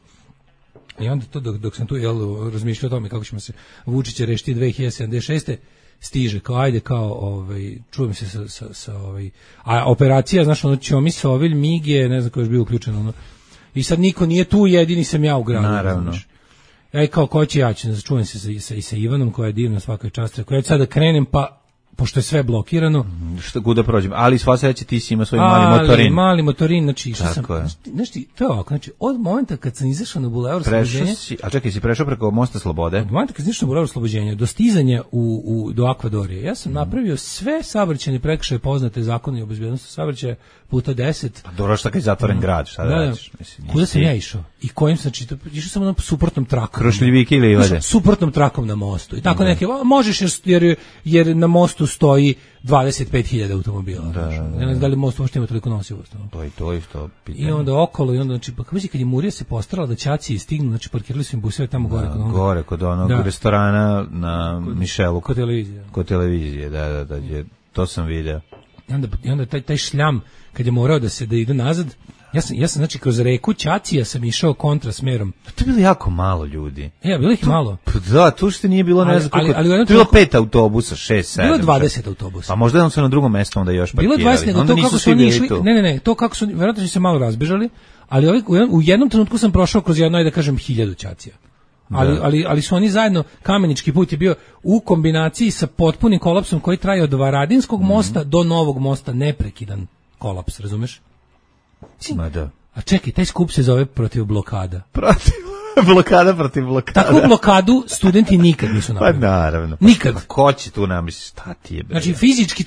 I onda to dok sam tu razmišljao o tome kako ćemo se Vučića rešiti 2076. stiže čujem se sa a operacija, znaš, Ćomis, Ovilj, Mige, ne znam ko je bio uključen, i sad niko nije tu, jedini sam ja u gradu. Naravno. Ja kao ko će ja ću, čujem se sa Ivanom koja je divna svakoj časti. Ako ja ću sad da krenem, pa pošto je sve blokirano. Što kuda prođem, ali sva sreća ti si ima svoj mali motorin. Znači, to je ovako, znači, od momenta kad sam izašao na Bulevar Slobođenja... A čekaj, si prešao preko Mosta Slobode? Od momenta kad sam izašao na Bulevar Slobođenja, do stizanja do Akvadorije, ja sam napravio sve saobraćajne prekršaje poznate zakone o bezbednosti saobraćaja puta 10. Pa dobro, šta kad je zatvoren grad, šta da radiš? Kuda sam ja išao? I kojim sam čitao? Išao sam na suprotnom trakom. Krušljivike ili Livade? Suprotnom trakom na mostu. I tako neke, možeš jer na mostu stoji 25.000 automobila. Ne znam da li most uopšte ima toliko nosivost. To je to isto pitanje. I onda okolo, i onda, znači, kad je Murija se postarala da ćaci stignu, znači parkirali su im buseve tamo gore kod onog. Gore, kod onog restorana na Mišelu. Kod televizije. Da, to sam video. I onda taj šljam, kad je morao da ide nazad, ja sam znači kroz reku Ćacija sam išao kontrasmerom. To je bilo jako malo ljudi. Bilo ih malo. Da, tu što nije bilo, ne znam koliko. To je bilo 5 autobusa, 6, 7. Bilo 20 autobusa. A možda je on se na drugom mjestu onda još parkirali. Bilo 20, nego to kako su oni išli. Ne, to kako su, vjerojatno su se malo razbežali, ali u jednom trenutku sam prošao kroz jedno, da kažem, 1000 Ćacija. Ali su oni zajedno, Kamenički put je bio u kombinaciji sa potpunim kolapsom koji traje od Varadinskog mosta do Novog mosta, neprekidan kolaps, razumeš? A čekaj, taj skup se zove protiv blokada. Blokada protiv blokada. Takvu blokadu studenti nikad nisu napravili. Pa naravno. Nikad. Ko će tu namisli, šta ti je? Znači fizički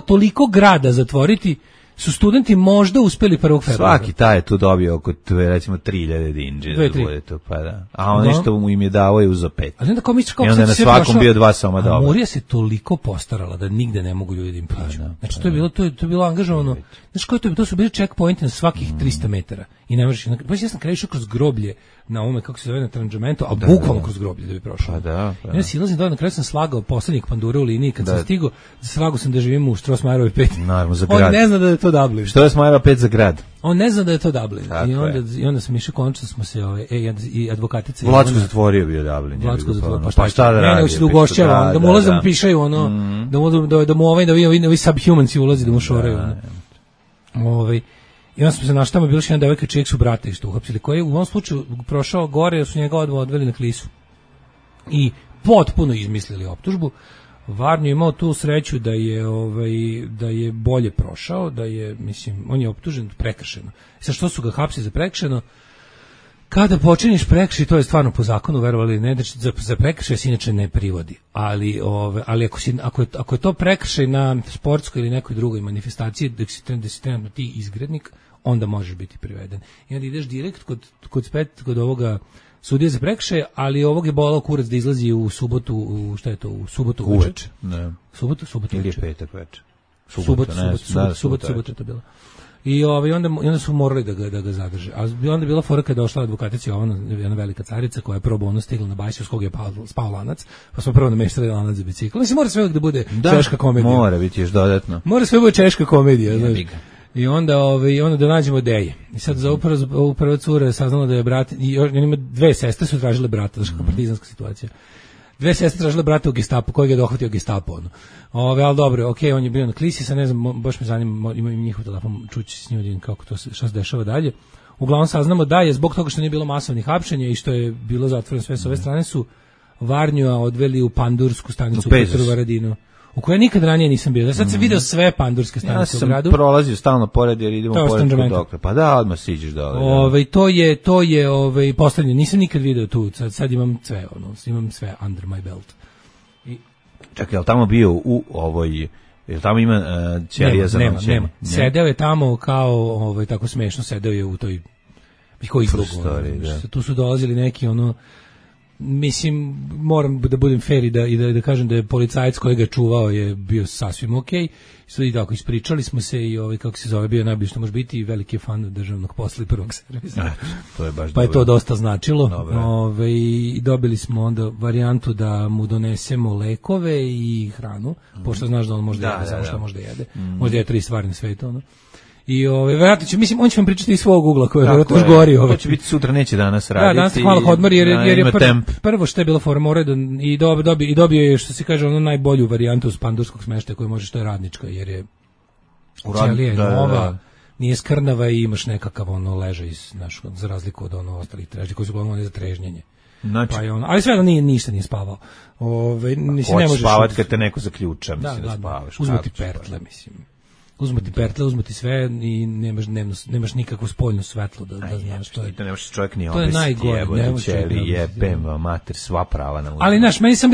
toliko grada zatvoriti su studenti možda uspeli 1. februara. Svaki taj je tu dobio oko, recimo, 3000 dinđe. Da bude to, pa da. A on nešto mu im je dao i uzo 5. Ali onda kao misliš kako i onda je na svakom bio 2 soma dobro. A Murija se toliko postarala da nigde ne mogu ljudi da im priđu. Znači, to je bilo angažovano. Znaš koji to su bili checkpointi na svakih 300 metara. I ne možeš, ja sam krenuo kroz groblje na ovome, kako se zove, na Tranđamentu, a bukvalno kroz groblje da bi prošao. Pa da. Ja silazim dole, na kraju sam slagao poslednjeg pandura u liniji, kad sam stigao, slagao sam da živim u Strossmayerovoj 5. Naravno, za grad. On ne zna da je to Dublin. Strossmayerova 5 za grad. On ne zna da je to Dublin. I onda sam išao, konačno smo se, i advokatica... Vlačko zatvorio bio Dublin. Vlačko zatvorio, pa šta da radi? Ne, se ugošćava, da mu ulaze, mu pišaju, da mu ovi subhumanci ulazi, da mu šoraju. I onda smo se našli, tamo je bila još jedna devojka čijeg su brata isto uhapsili, koji je u ovom slučaju prošao gore, jer su njega odveli na Klisu. I potpuno izmislili optužbu. Varnju je imao tu sreću da je bolje prošao, da je, mislim, on je optužen prekršeno. Sa što su ga hapsili za prekršeno? Kada počiniš prekršaj, to je stvarno po zakonu, verovali ne, znači za prekršaj se inače ne privodi. Ali ako je to prekršaj na sportskoj ili nekoj drugoj manifestaciji, da si trenutno ti izgrednik, onda možeš biti priveden. I onda ideš direkt kod ovoga sudije za prekršaj, ali ovog je bolao kurac da izlazi u subotu, u subotu uveče. Ne. Subotu ili je petak veče. Subotu je to bilo. I onda su morali da ga zadrže. A onda je bila fora kada je došla advokatica jedna velika carica koja je pro bono stigla na bajsu s kog je spao lanac, pa smo prvo nameštali lanac za bicikl. Mislim, mora sve uvijek da bude češka komedija. Mora biti još dodatno. Mora sve bude češka komedija. I onda da nađemo Deje. I sad za ovu prva cura je saznala da je brat, i ima 2 sestre su tražile brata, znaš kako partizanska situacija. 2 sestre tražile brata u Gestapu, kojeg je dohvatio Gestapo. Ali dobro, okej, on je bio na Klisi, sad ne znam, baš me zanima, imam njihov telefon, čući s njim kako to šta se dešava dalje. Uglavnom saznamo da je zbog toga što nije bilo masovnih hapšenja i što je bilo zatvoreno sve s ove strane su Varnjua odveli u pandursku stanicu u Petrovaradinu, u kojoj nikad ranije nisam bio. Sad sam video sve pandurske stanice u gradu. Ja sam prolazio stalno pored jer idemo pored dokle. Pa da, odmah siđeš dole. To je poslednje. Nisam nikad video tu. Sad imam sve, imam sve under my belt. Čekaj, je li tamo bio u ovoj, je li tamo ima ćelija za noćenje? Nema. Sedeo je tamo kao, tako smešno, sedeo je u toj, koji izlogu. Tu su dolazili neki, mislim, moram da budem fair i da kažem da je policajac koji ga čuvao je bio sasvim okej. I tako, ispričali smo se i kako se zove, bio najbolje što može biti i veliki fan državnog posla i prvog servisa. To je baš pa je to dosta značilo. I dobili smo onda varijantu da mu donesemo lekove i hranu, pošto znaš da on može da jede, samo što može da jede. Može da jede 3 stvari na svetu, I verovatno će, mislim, on će vam pričati iz svog ugla koji je verovatno još gori. To će biti sutra, neće danas raditi. Da, danas je hvala odmor jer je prvo što je bilo fora i dobio je, što se kaže, najbolju varijantu pandurskog smeštaja koju možeš, to je radnička, jer je ćelija je nova, nije skrnava i imaš nekakav ležaj za razliku od ostalih trežnji koji su uglavnom za trežnjenje. Znači, ali sve ništa nije spavao. Hoćeš spavati kad te neko zaključa, mislim da spavaš. Uzmati pertle, mislim. Uzmati pertle, uzmati sve i nemaš nikakvo spoljno svetlo da znaš što je. To ne može čovjek ni obesiti, jebem vam mater, sva prava na uzmati. Ali znaš, meni je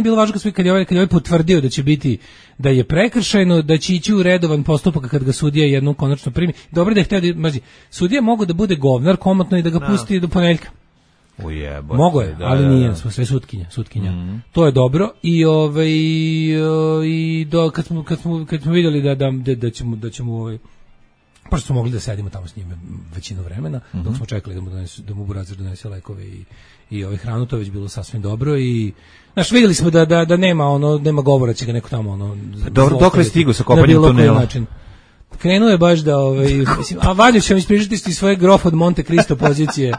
bilo važno kad je ovaj potvrdio da će biti, da je prekršajno, da će ići u redovan postupak kad ga sudija jednom konačno primi. Dobro da je htio sudija mogu da bude govnar komotno i da ga pusti do ponedjeljka. Mogo je, ali nije, smo sve sutkinja. To je dobro i kad smo vidjeli da ćemo pošto smo mogli da sedimo tamo s njime većinu vremena, dok smo čekali da mu Burazir donese lekove i hranu, to je već bilo sasvim dobro i znaš, vidjeli smo da nema govora, će ga neko tamo dobro, dok je stigu sa kopanjem tunela. Krenuo je baš da mislim, a Valjo će vam ispričati svoje grof od Monte Cristo pozicije.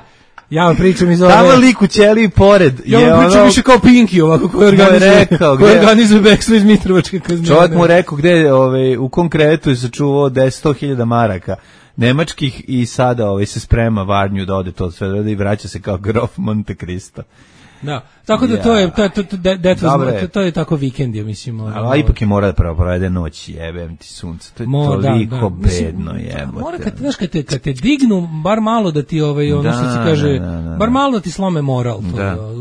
Ja vam pričam iz ove... Tamo lik u ćeliji pored. Ja vam pričam više kao Pinky ovako, koji organizuje bekstvo iz Mitrovačke kaznjene. Čovjek mu rekao gde u konkretu je sačuvao 100.000 maraka nemačkih i sada se sprema Varnju da ode to sve i vraća se kao grof Monte Cristo. Da, tako da to je tako vikend, ja mislim. Ali ipak je mora da provede noć, jebem ti sunce, to je toliko bedno, jebote. Mora kad te dignu, bar malo da ti što se kaže, bar malo da ti slome moral.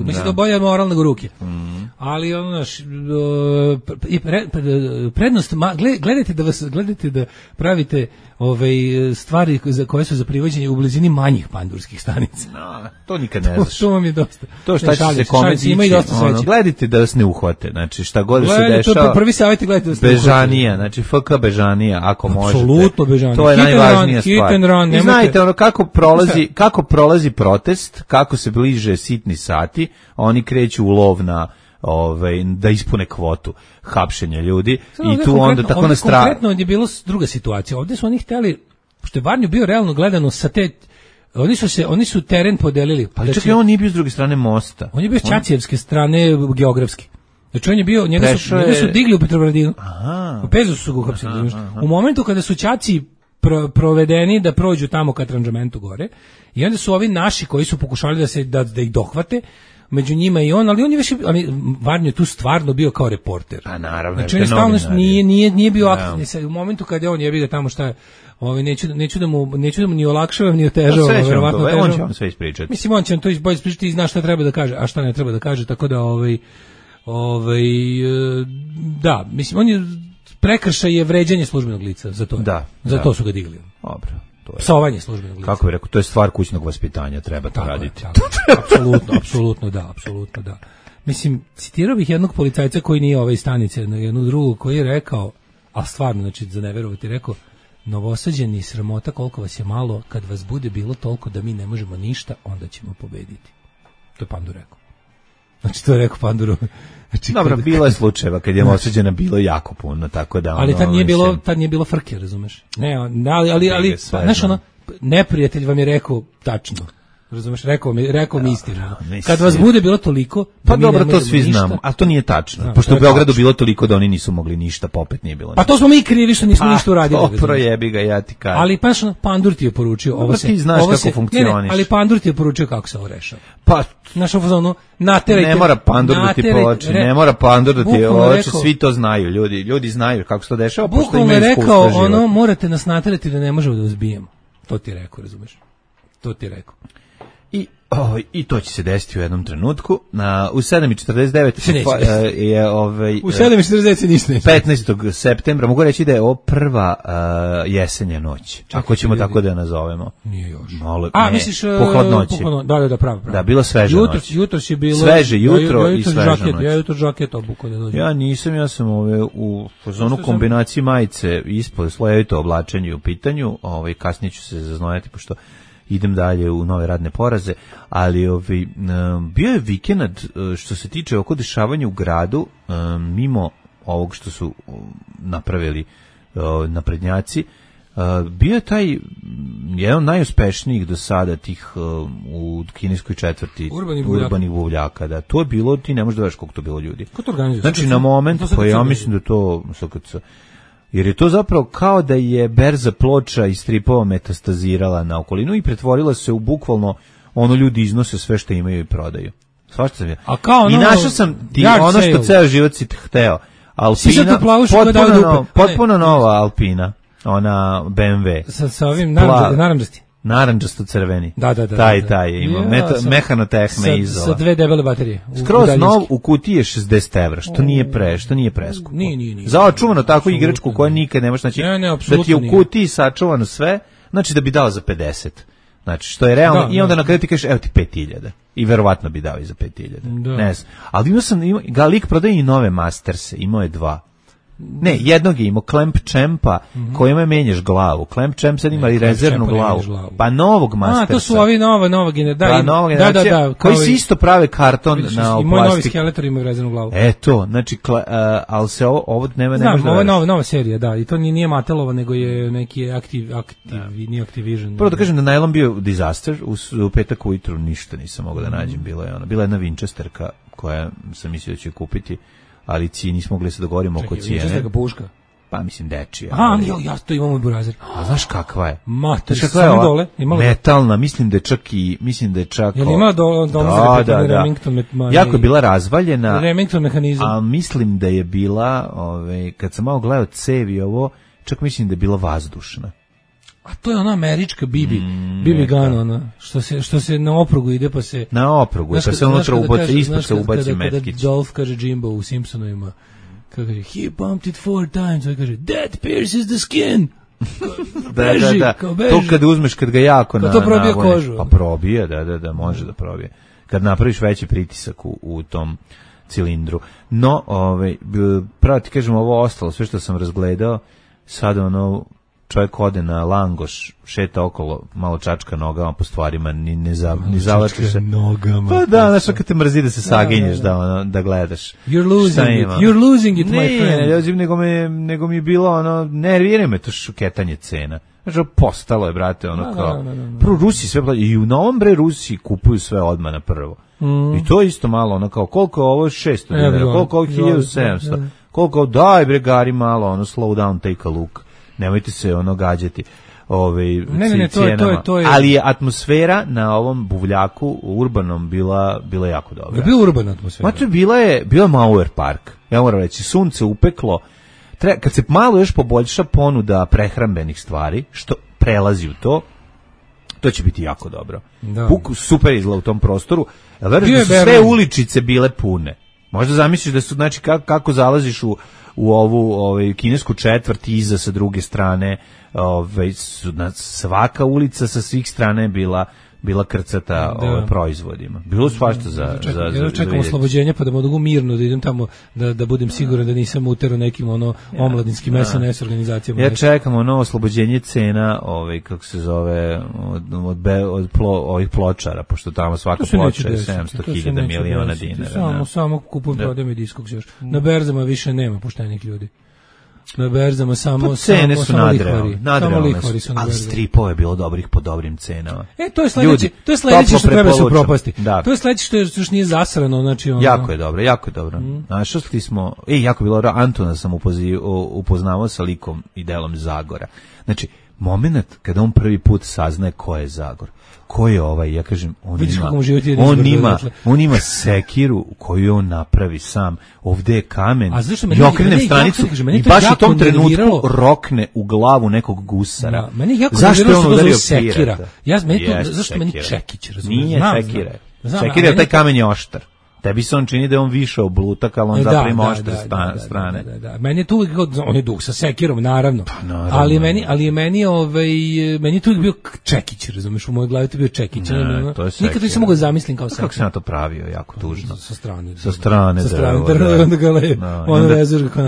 Mislim da bolje moral nego ruke. ali ono naš prednost gledajte da pravite stvari koje su za privođenje u blizini manjih pandurskih stanica. No, to nikad ne znaš. To vam je dosta. To šta će se kome dići, gledajte da vas ne uhvate, znači šta god se dešava. Prvi savjet gledajte da se Bežanija, znači FK Bežanija, ako možete. Apsolutno Bežanija. To je najvažnija stvar. I znajte ono kako prolazi protest, kako se bliže sitni sati, oni kreću u lov na da ispune kvotu hapšenja ljudi i tu onda tako na stranu. Konkretno je bilo druga situacija. Ovdje su oni hteli, što je Varnju bio realno gledano sa te, oni su teren podelili. Ali čak i on nije bio s druge strane mosta. On je bio s Ćacijevske strane geografski. Znači on je bio, njega su digli u Petrovaradinu. U Pezu su ga uhapsili. U momentu kada su Ćaci provedeni da prođu tamo ka Tranžamentu gore i onda su ovi naši koji su pokušali da ih dohvate, među njima i on, ali on je već, Varnjo je tu stvarno bio kao reporter. A naravno, znači on je stalno nije bio aktivni. U momentu kad je on jebi ga tamo šta je, neću da mu ni olakšavam ni otežavam, verovatno težavam. On će vam sve ispričati. Mislim, on će vam to bolje ispričati i zna šta treba da kaže, a šta ne treba da kaže, tako da da, mislim, on je prekršaj je vređanje službenog lica, za to. Za to su ga digli. Dobro. Psovanje službenog lica. Kako bih rekao, to je stvar kućnog vaspitanja, treba to raditi. Apsolutno da. Mislim, citirao bih jednog policajca koji nije ove stanice, jednog drugog koji je rekao, a stvarno, znači za ne verovati, rekao, Novosađeni, sramota koliko vas je malo, kad vas bude bilo toliko da mi ne možemo ništa, onda ćemo pobediti. To je Pandur rekao. Znači to je rekao Panduru. Znači, dobro, bilo je slučajeva kad je Novosađena bilo jako puno, tako da... Ali tad nije bilo frke, razumeš? Ne, ali znaš ono, neprijatelj vam je rekao tačno. Razumeš, rekao mi istinu. Kad vas bude bilo toliko, pa dobro, to svi znamo, ali to nije tačno. Pošto u Beogradu bilo toliko da oni nisu mogli ništa, pa opet nije bilo. Pa to smo mi krivi što nismo ništa uradili. Pa projebi ga, ja ti kažem. Ali pa Pandur ti je poručio ovo se. Ti znaš kako funkcioniš. Ali Pandur ti je poručio kako se ovo rešava. Pa naš ono naterajte. Ne mora Pandur da ti poloči, ne mora Pandur da ti poloči, svi to znaju, ljudi znaju kako se to dešava, pošto imaju iskustvo. Rekao ono, morate nas naterati da ne možemo da vas bijemo. To ti je rekao, razumeš? To ti je rekao. I to će se desiti u jednom trenutku. U 7:49 je u 7:49 se ništa neće. 15. septembra, mogu reći da je ovo prva jesenja noć. Ako ćemo tako da je nazovemo. Nije još. Misliš po hladnoći. Da, pravo. Da, bilo sveža noć. Jutros je bilo sveže jutro i sveža noć. Ja jutro žaket obuko da dođem. Ja sam u fazonu kombinaciji majice ispod slojevito oblačenje u pitanju. Kasnije ću se zaznojati pošto idem dalje u nove radne poraze, ali bio je vikend što se tiče oko dešavanja u gradu, mimo ovog što su napravili naprednjaci, bio je taj jedan od najuspešnijih do sada tih u kineskoj četvrti urbanih buvljaka. Da, to je bilo, ti ne možeš da veš koliko to bilo ljudi. Ko to organizuje? Znači na moment, pa ja mislim da to jer je to zapravo kao da je berza ploča i stripova metastazirala na okolinu i pretvorila se u bukvalno ljudi iznose sve što imaju i prodaju. Svašta sam ja. I našao sam ti ono što ceo život si hteo. Alpina, potpuno nova Alpina, ona BMW. Sa ovim narandžasti. Naranđasto-crveni. Da. Taj ima. Mehanotehne izola. Sa dve debele baterije. Skroz nov u kutiji je 60 evra, što nije preskupo. Nije. Za očuvano takvu igračku koja nikad nemaš, znači da ti je u kutiji sačuvano sve, znači da bi dao za 50. Znači, što je realno, i onda na kraju ti kažeš, evo ti 5.000. I verovatno bi dao i za 5.000. Ne znam. Ali lik prodaje i nove Masterse, imao je 2. Ne, jednog je imao Clamp Champa kojima menjaš glavu. Clamp Champ sad ima i rezervnu glavu. Pa novog Mastersa. To su ovi nova generacija. Da. Koji se isto prave karton na plastiku. I moj novi Skeletor ima rezervnu glavu. Znači, ali se ovo ne može da... Ovo je nova serija, da. I to nije Matelova, nego je neki nije Activision. Prvo da kažem da najlon bio disaster. U petak ujutru ništa nisam mogao da nađem. Bila jedna Winchesterka koja sam mislio da ću kupiti, ali nismo mogli se dogovorimo oko cijene. Čekaj, puška? Pa mislim dečija. Ja to imam u burazer. A znaš kakva je? Samo dole. Metalna, mislim da je čak... Jel ima dole Remington? Jako je bila razvaljena. Remington mehanizam. A mislim da je bila, kad sam malo gledao cevi ovo, čak mislim da je bila vazdušna. A to je ona američka Bibi Gun, ona, što se na oprugu ide pa se... Na oprugu, pa se unutra ubaci, ispod se ubaci metkić. Kada Dolph kaže Jimbo u Simpsonovima, kako kaže, he bumped it 4 times, on kaže, that pierces the skin. Beži, da. beži. To kad uzmeš, kad ga jako to probije kožu. Pa probije, da, može da probije. Kad napraviš veći pritisak u tom cilindru. No, pravo ti kažem, ovo ostalo, sve što sam razgledao, sad čovjek ode na Langoš, šeta okolo, malo čačka nogama po stvarima, ni zavačka se. Nogama. Pa da, znaš, kad te mrzi da se saginješ, da gledaš. You're losing it, my friend. Nego mi je bilo, nervira me to šuketanje cena. Znači, postalo je, brate, kao... Prvo, Rusi sve plaćaju, i u Novom Rusi kupuju sve odmah na prvo. I to je isto malo, kao, koliko ovo 600 dinara, koliko ovo 1700, koliko, daj bre, gari malo, slow down, take a look. Nemojte se gađati cijenama. To je. Ali je atmosfera na ovom buvljaku urbanom bila jako dobra. Je bila urbana atmosfera? Znači, bila Mauer Park. Ja moram reći, sunce upeklo. Kad se malo još poboljša ponuda prehrambenih stvari, što prelazi u to će biti jako dobro. Super izgleda u tom prostoru. Veruješ da su sve uličice bile pune. Možda zamisliš da su, znači, kako zalaziš u ovu kinesku četvrt, iza sa druge strane, svaka ulica sa svih strane je bila krcata proizvodima. Bilo svašta za čekam oslobođenje pa da mogu mirno da idem tamo da budem siguran da nisam uterao nekim omladinskim SNS organizacijama. Ja čekam oslobođenje cena, kako se zove, od ovih pločara, pošto tamo svaka ploča je 700.000 miliona dinara. Samo kupujem, prodajem i diskog još. Na berzama više nema poštenih ljudi. Na berzama samo lihvari su na ali stripove je bilo dobrih po dobrim cenama. To je sledeće što treba se upropasti. To je sledeće što još nije zasrano, znači jako je dobro. Znaš, što smo, jako bilo, Antona sam upoznavao sa likom i delom Zagora. Znači, moment kada on prvi put saznaje ko je Zagor. Ko je ja kažem, on ima sekiru koju on napravi sam. Ovde je kamen. I okrenem stranicu i baš u tom trenutku rokne u glavu nekog gusara. Zašto je on udario pirata? Zašto meni Čekić, razumiješ? Nije sekira. Sekira, taj kamen je oštar. Tebi se on čini da je on više oblutak, ali on zapravo ima oštre strane. Da. Meni je tu uvijek, on je dug sa sekirom, naravno. Ali je meni tu uvijek bio Čekić, razumiješ, u mojoj glavi to bio Čekić. Nikad nisam mogao zamislim kao sekir. Kako se na to pravio, jako tužno. Sa strane.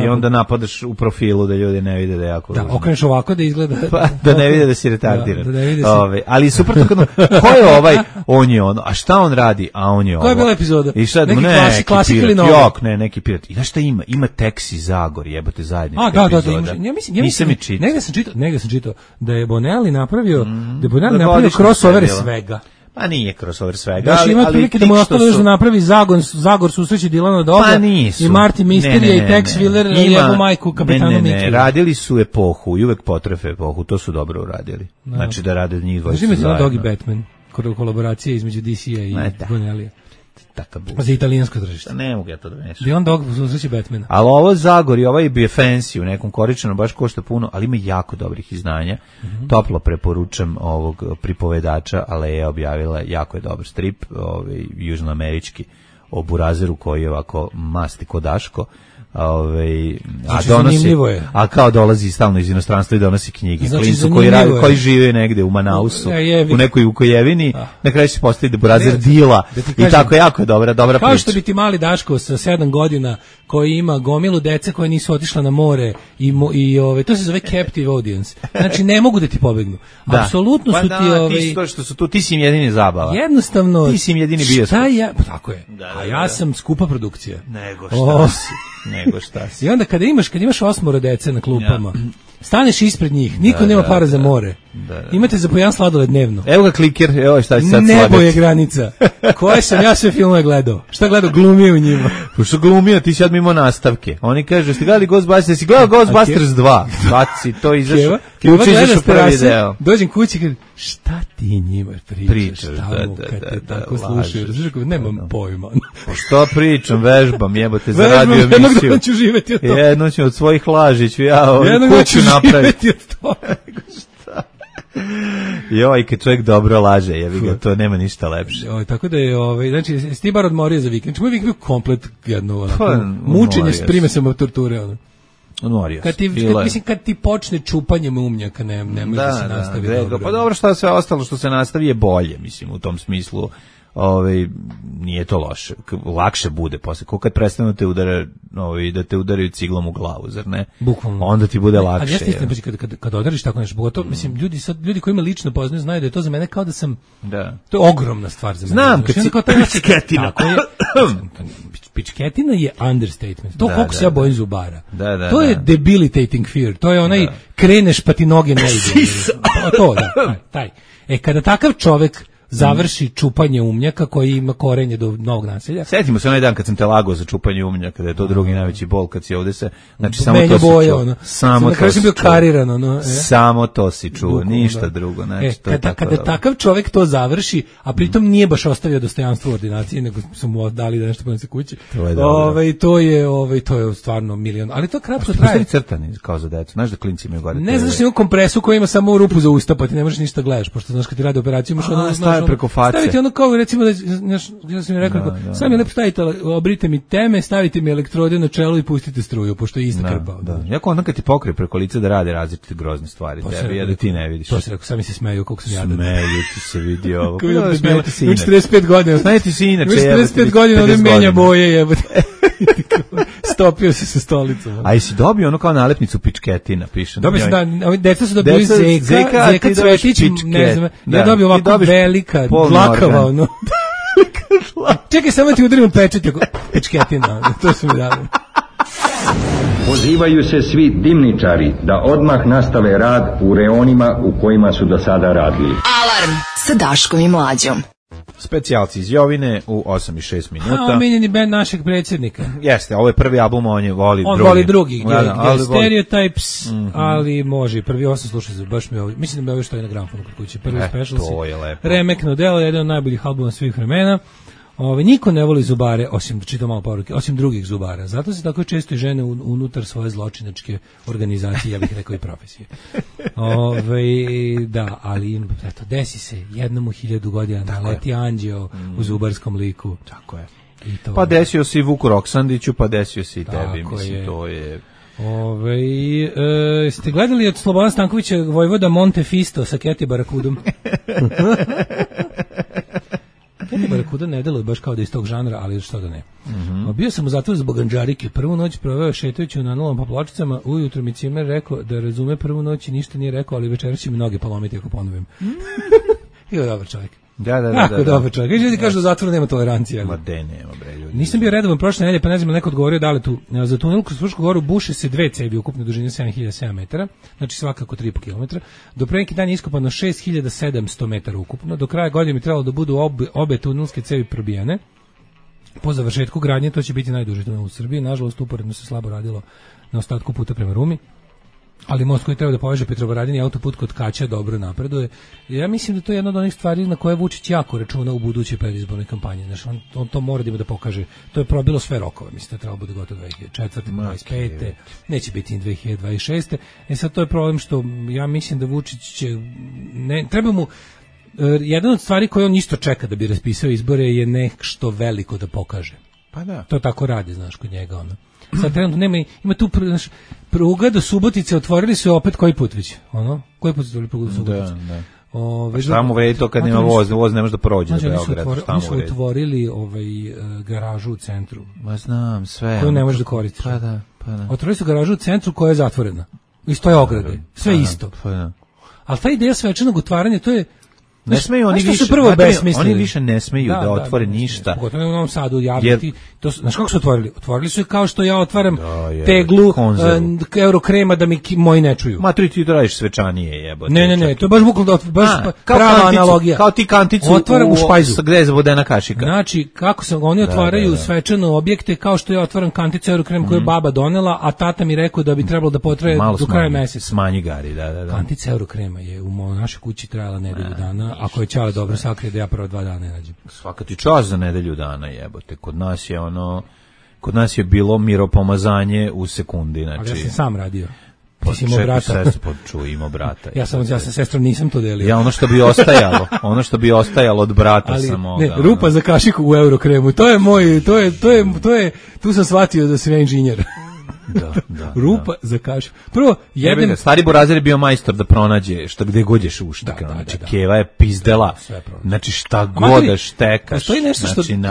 I onda napadaš u profilu da ljudi ne vide da je jako tužno. Da, okreneš ovako da izgleda. Da ne vide da si retardiran. Ali super to kad ko je on je ono, a šta on radi, a on je ovo. Koja je bila epizoda? Neki klasik ili novi? Ne, neki pirat. I znaš šta ima? Ima Teksi Zagor, jebote zajednička epizoda. Nisam čitao. Negde sam čitao da je Bonelli napravio crossovere svega. Pa nije crossover svega, ali ima prilike da mu ostalo još da napravi Zagor susreće Dilana Doga i Martin Misterija i Tex Willer i jebu majku kapitanu Miću. Ne, radili su epohu i uvek potrefe epohu, to su dobro uradili. Znači da rade njih dvojica zajedno. Znači Dog i Batman, kolaboracija između DC-a i Bonellija. Za italijansko tržište. Ne mogu ja to da mešam. Di on Dog susreće Batmana. Ali ovo Zagor i ovaj bi fancy u nekom koričanom, baš košta puno, ali ima jako dobrih izdanja. Toplo preporučam ovog pripovedača, Aleja objavila, jako je dobar strip, južnoamerički, o burazeru koji je ovako masti ko Daško. A kao dolazi stalno iz inostranstva i donosi knjige. Klincu koji žive negde u Manausu, u nekoj Vukojevini, na kraju se postavi da burazer dila i tako jako je dobra priča. Kao što bi ti mali Daško sa 7 godina koji ima gomilu dece koje nisu otišla na more i to se zove captive audience. Znači ne mogu da ti pobegnu. Apsolutno su ti ti si im jedini zabava. Jednostavno ti si im jedini bioskop. Tako je. A ja sam skupa produkcija. Nego šta si. I onda kada imaš 8 dece na klupama, staneš ispred njih, niko nema para za more. Imate za po jedan sladoled dnevno. Evo ga kliker, evo šta će sad slagati. Nebo je granica. Koje sam ja sve filmove gledao? Šta gledao? Glumio u njima. Što glumio, ti si sad mimo nastavke. Oni kažu, ste gledali Ghostbusters, si gledao Ghostbusters 2. Baci, to izašao. Ključi izašao prvi deo. Dođem kući i kažem, šta ti njima pričaš? Tamo kad te tako slušaš. Nemam pojma. Što pričam, vežbam, jebote za radio emisiju. Jednog dana ću živeti od toga. Jednog ću od svojih laži, ću ja kuću napraviti. Jednog dana ću živeti od toga. Joj, kad čovjek dobro laže, jebi ga, to nema ništa lepše. Tako da je, znači, jesi ti bar odmorio za vikend? Moj vikend bio komplet jedno, mučenje s primesama torture, ono. Odmorio kad ti počne čupanjem umnjaka, ne može da se nastavi dobro. Pa dobro, šta sve ostalo što se nastavi je bolje, mislim, u tom smislu. Nije to loše, lakše bude posle, ko kad prestanu te udara, da te udaraju ciglom u glavu, zar ne? Bukvalno. Onda ti bude lakše. Ali jeste istina, kad odariš tako nešto, pogotovo, mislim, ljudi koji me lično poznaju znaju da je to za mene kao da sam, to je ogromna stvar za mene. Znam, kad si pičketina. Pičketina je understatement. To koliko se ja bojim zubara. To je debilitating fear. To je onaj kreneš pa ti noge ne ide. To, taj. Kada takav čovek završi čupanje umnjaka koji ima korenje do novog naselja. Setimo se onaj dan kad sam te lagao za čupanje umnjaka, da je to drugi najveći bol kad si ovde se, znači samo to si čuo. Samo to si bio kariran, samo to si čuo, ništa drugo. Znači, kada takav čovjek to završi, a pritom nije baš ostavio dostojanstvo u ordinaciji, nego su mu dali da nešto ponese kući. To je stvarno milion. Ali to kratko traje. Crtani kao za decu. Znaš da klinci imaju gore. Ne znaš, ima kompresu koja ima samo rupu za usta, pa ti ne možeš ništa gledaš, pošto znaš kad ti radi operaciju imaš preko face. Stavite ono kao recimo da ja sam mi rekao, sami lepo stavite, obrite mi teme, stavite mi elektrode na čelo i pustite struju, pošto je ista krpa. Jako onda kad ti pokrije preko lica da rade različite grozne stvari, tebi da ti ne vidiš. To se rekao, sami se smeju koliko sam jadan. Smeju ti se vidi ovo. Smejete se inače. 45 godina. Smejete se inače. 45 godina ovdje menja boje, jebote. Stopio se sa stolicom. A jesi dobio ono kao nalepnicu pičketina, piše. Dobio sam, deca su dobili Zeka Cvetić, ne znam, ja dobio ovako velika, dlakava, ono. Čekaj, samo ti udarim pečet, pičketina, to su mi dali. Pozivaju se svi dimničari da odmah nastave rad u reonima u kojima su do sada radili. Alarm sa Daškom i Mlađom. Specijalci iz Jovine u 8:06 minuta. Omiljeni bend našeg predsjednika. Jeste, ovo je prvi album, on voli drugi. Stereotypes, ali može. Prvi 8 slušaj se, baš mi ovo. Mislim da mi ovo što je na gramofonu kod kuće. Prvi special Remekno delo, jedan od najboljih albuma svih vremena. Niko ne voli zubare, osim, čitam malo poruke, osim drugih zubara. Zato se tako često i žene unutar svoje zločinačke organizacije, ja bih rekao i profesije. Da, ali eto, desi se jednom u 1000 godina naleti anđeo u zubarskom liku. Tako je. Pa desio si Vuku Roksandiću, pa desio si i tebi, mislim, to je... Ste gledali od Slobodana Stankovića Vojvoda Montefisto sa Keti Barakudom? Keti Barakuda ne deluje baš kao da je iz tog žanra, ali što da ne. Bio sam u zatvoru zbog Andžarike. Prvu noć proveo šetajući na nulom po pločicama. Ujutro mi cimer rekao da razume prvu noć i ništa nije rekao, ali večeras će mi noge polomiti ako ponovim. Bio dobar čovjek. Da. Dobar čovjek. Ljudi kažu da u zatvoru nema tolerancije. Ma nema, bre, ljudi. Nisam bio redovan prošle nedelje, pa ne znam, neko odgovorio da li tu. Za tunel kroz Frušku goru buše se 2 cevi ukupne dužine 7007 metara, znači svakako 3,5 km. Do pre neki dan je iskopano 6700 metara ukupno. Do kraja godine mi trebalo da budu obe tunelske cevi probijene. Po završetku gradnje to će biti najduži tunel u Srbiji. Nažalost, uporedno se slabo radilo na ostatku puta prema Rumi. Ali most koji treba da poveže Petrovaradin i autoput kod Kaća dobro napreduje. Ja mislim da to je jedna od onih stvari na koje Vučić jako računa u budućoj predizbornoj kampanji. Znači, on to mora da ima da pokaže. To je probilo sve rokove. Mislim da treba bude gotovo 2004. 2025. Neće biti ni 2026. Sad to je problem što ja mislim da Vučić će... treba mu... Jedan od stvari koje on isto čeka da bi raspisao izbore je nešto veliko da pokaže. Pa da. To tako radi, znaš, kod njega ono. Sad trenutno ima tu pruga do Subotice, otvorili su opet koji put već, ono? Koji put su otvorili prugu do Subotice? Da. Šta mu vredi to kad nema voz ne može da prođe do Beograda? Oni su otvorili garažu u centru. Ma znam, sve. Koju ne možeš da koristiš. Pa da. Otvorili su garažu u centru koja je zatvorena. I stoje ograde. Sve isto. Ali ta ideja svečanog otvaranja, to je... Ne smeju oni više ne smeju da otvore ništa. Pogotovo u Novom Sadu javiti. Znaš kako su otvorili? Otvorili su je kao što ja otvaram teglu Eurokrema da mi moji ne čuju. Ma ti radiš svečanije, jebote. Ne, to je baš bukvalno prava analogija. Kao ti kanticu otvaram u špajzu. Gde je zavodena kašika. Znači, kako se oni otvaraju svečano objekte kao što ja otvaram kanticu Eurokrema koju je baba donela, a tata mi rekao da bi trebalo da potraje do kraja meseca. Smanji gari, da. Kantica Eurokrema je u našoj kući trajala nedelju dana. Ako je Ćale dobro sakrije da ja prvo 2 dana ne nađem. Svaka ti čast za nedelju dana, jebote. Kod nas je bilo miropomazanje u sekundi, znači. Ali ja sam sam radio. Ti si imao brata. Imao brata. Ja sa sestrom nisam to delio. Ja ono što bi ostajalo od brata sam mogao. Ne, rupa za kašiku u Eurokremu, to je moj, to je, tu sam shvatio da sam ja inženjer. Da, rupa za kašiku. Prvo, stari Burazir je bio majstor da pronađe šta gde gođeš ušteka. Znači, Keva je pizdela. Znači, šta god da štekaš.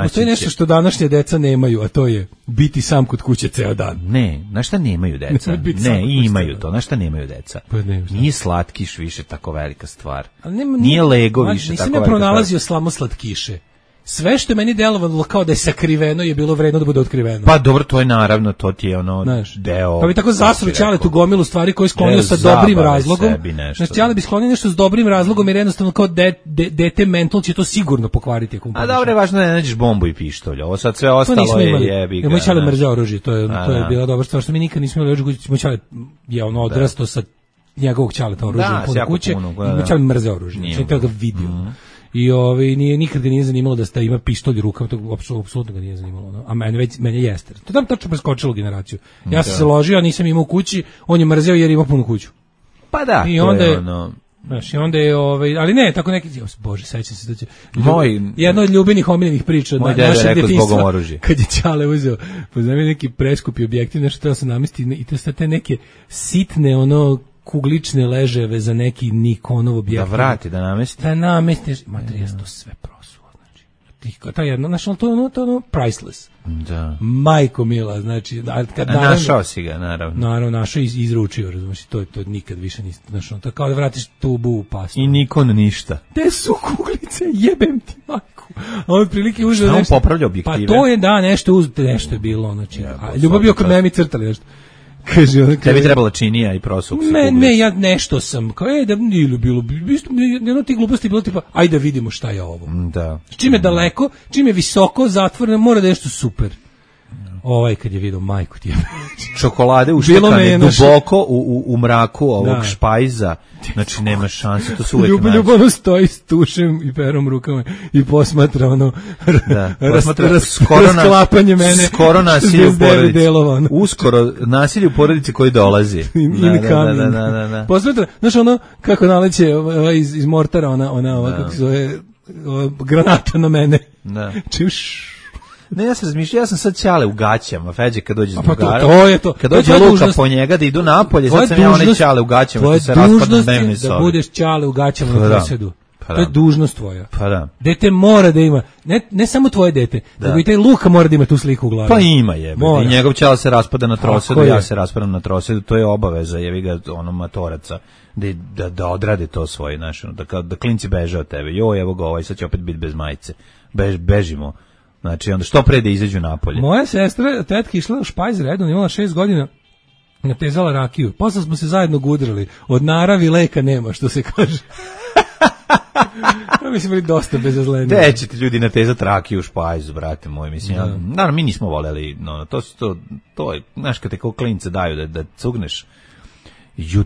Postoji nešto što današnje deca nemaju, a to je biti sam kod kuće ceo dan. Ne, na šta nemaju deca? Ne, imaju to. Na šta nemaju deca? Nije slatkiš više tako velika stvar. Nije Lego više tako velika stvar. Nisam ja pronalazio slamo slatkiše. Sve što je meni delovalo kao da je sakriveno je bilo vredno da bude otkriveno. Pa dobro, to je naravno, to ti je ono deo. Pa bi tako zasru Ćale tu gomilu stvari koje je sklonio sa dobrim razlogom. Znači, Ćale bi sklonio nešto s dobrim razlogom jer jednostavno kao dete mental će to sigurno pokvariti. A dobro je važno da ne nađeš bombu i pištolj. Ovo sad sve ostalo je jebi ga. Moj Ćale mrzeo oružje, to je bila dobra stvar što mi nikad nismo imali oružje. Moj Ćale je ono odrastao sa njegovog Ćaleta oružjem puno kuće. Moj Ćale mrzeo oružje. Znači, to ga vidio. I nikad ga nije zanimalo da ima pištolj u rukama, to apsolutno ga nije zanimalo. A mene jeste. To tam tačno preskočilo generaciju. Ja sam se ložio, a nisam imao kući, on je mrzeo jer ima punu kuću. Pa da, i onda je ono... Znaš, i onda je, ali ne, tako neki, bože, sećam se da će... Jedno od ljubenih omiljenih priča od našeg djetinjstva, kad je Ćale uzeo, poznam neki preskupi objektiv, nešto treba se namestiti, i to su te neke sitne, kuglične leževe za neki Nikonov objekt. Da vrati, da namesti. Da namestiš, materijas to sve prosuo, znači. To je jedno, znači, to je ono priceless. Da. Majko mila, znači, našao si ga, naravno. Naravno, našao i izručio, razumiješ, to nikad više nisi, znači, to kao da vratiš tubu u pastu. I Nikon ništa. Te su kuglice, jebem ti majku. A on prilike uzeo nešto. Šta on popravlja objektive? Pa to je, nešto je bilo, znači, ljubav bio kod mene crtali nešto. Kaže, tebi trebala činija i prosuk. Ne, ja nešto sam, kao da nije bilo, jedno ti gluposti bilo tipa, ajde da vidimo šta je ovo. Da. Čim je daleko, čim je visoko, zatvoreno, mora da je nešto super. Kad je vidio majku ti je. Čokolade uštekane duboko u mraku ovog špajza. Znači nema šanse, to su uvek naći. Ljubavno stoji s tušem i perom rukama i posmatra rasklapanje mene. Skoro nasilje u porodici. Uskoro nasilje u porodici koji dolazi. Da. Posmatra, znaš kako naleće iz mortara, kako se zove, granata na mene. Da. Čiš. Ne, ja sam razmišljao, ja sam sad Ćale u gaćama, Feđe kad dođe s drugara. To je to. Kad dođe Luka po njega da idu napolje, sad sam ja onaj Ćale u gaćama, što se raspada na dnevnoj sobi. Da budeš Ćale u gaćama na presedu. To je dužnost tvoja. Pa da. Dete mora da ima, ne samo tvoje dete, nego i taj Luka mora da ima tu sliku u glavi. Pa ima i njegov Ćale se raspada na trosedu, ja se raspadam na trosedu, to je obaveza, jevi ga matoraca. Da odrade to svoje, da klinci beže od tebe. Joj, evo ga sad će opet biti bez majice. Bežimo. Znači, onda što pre da izađu napolje. Moja sestra, tetka, išla u špajz redom, imala 6 godina, natezala rakiju. Posle smo se zajedno gudrali. Od naravi leka nema, što se kaže. Mi smo bili dosta bezazleni. Gde ćete ljudi natezati rakiju u špajzu, brate moj, mislim. Naravno, mi nismo voljeli, to je, znaš, kad te kao klince daju da cugneš.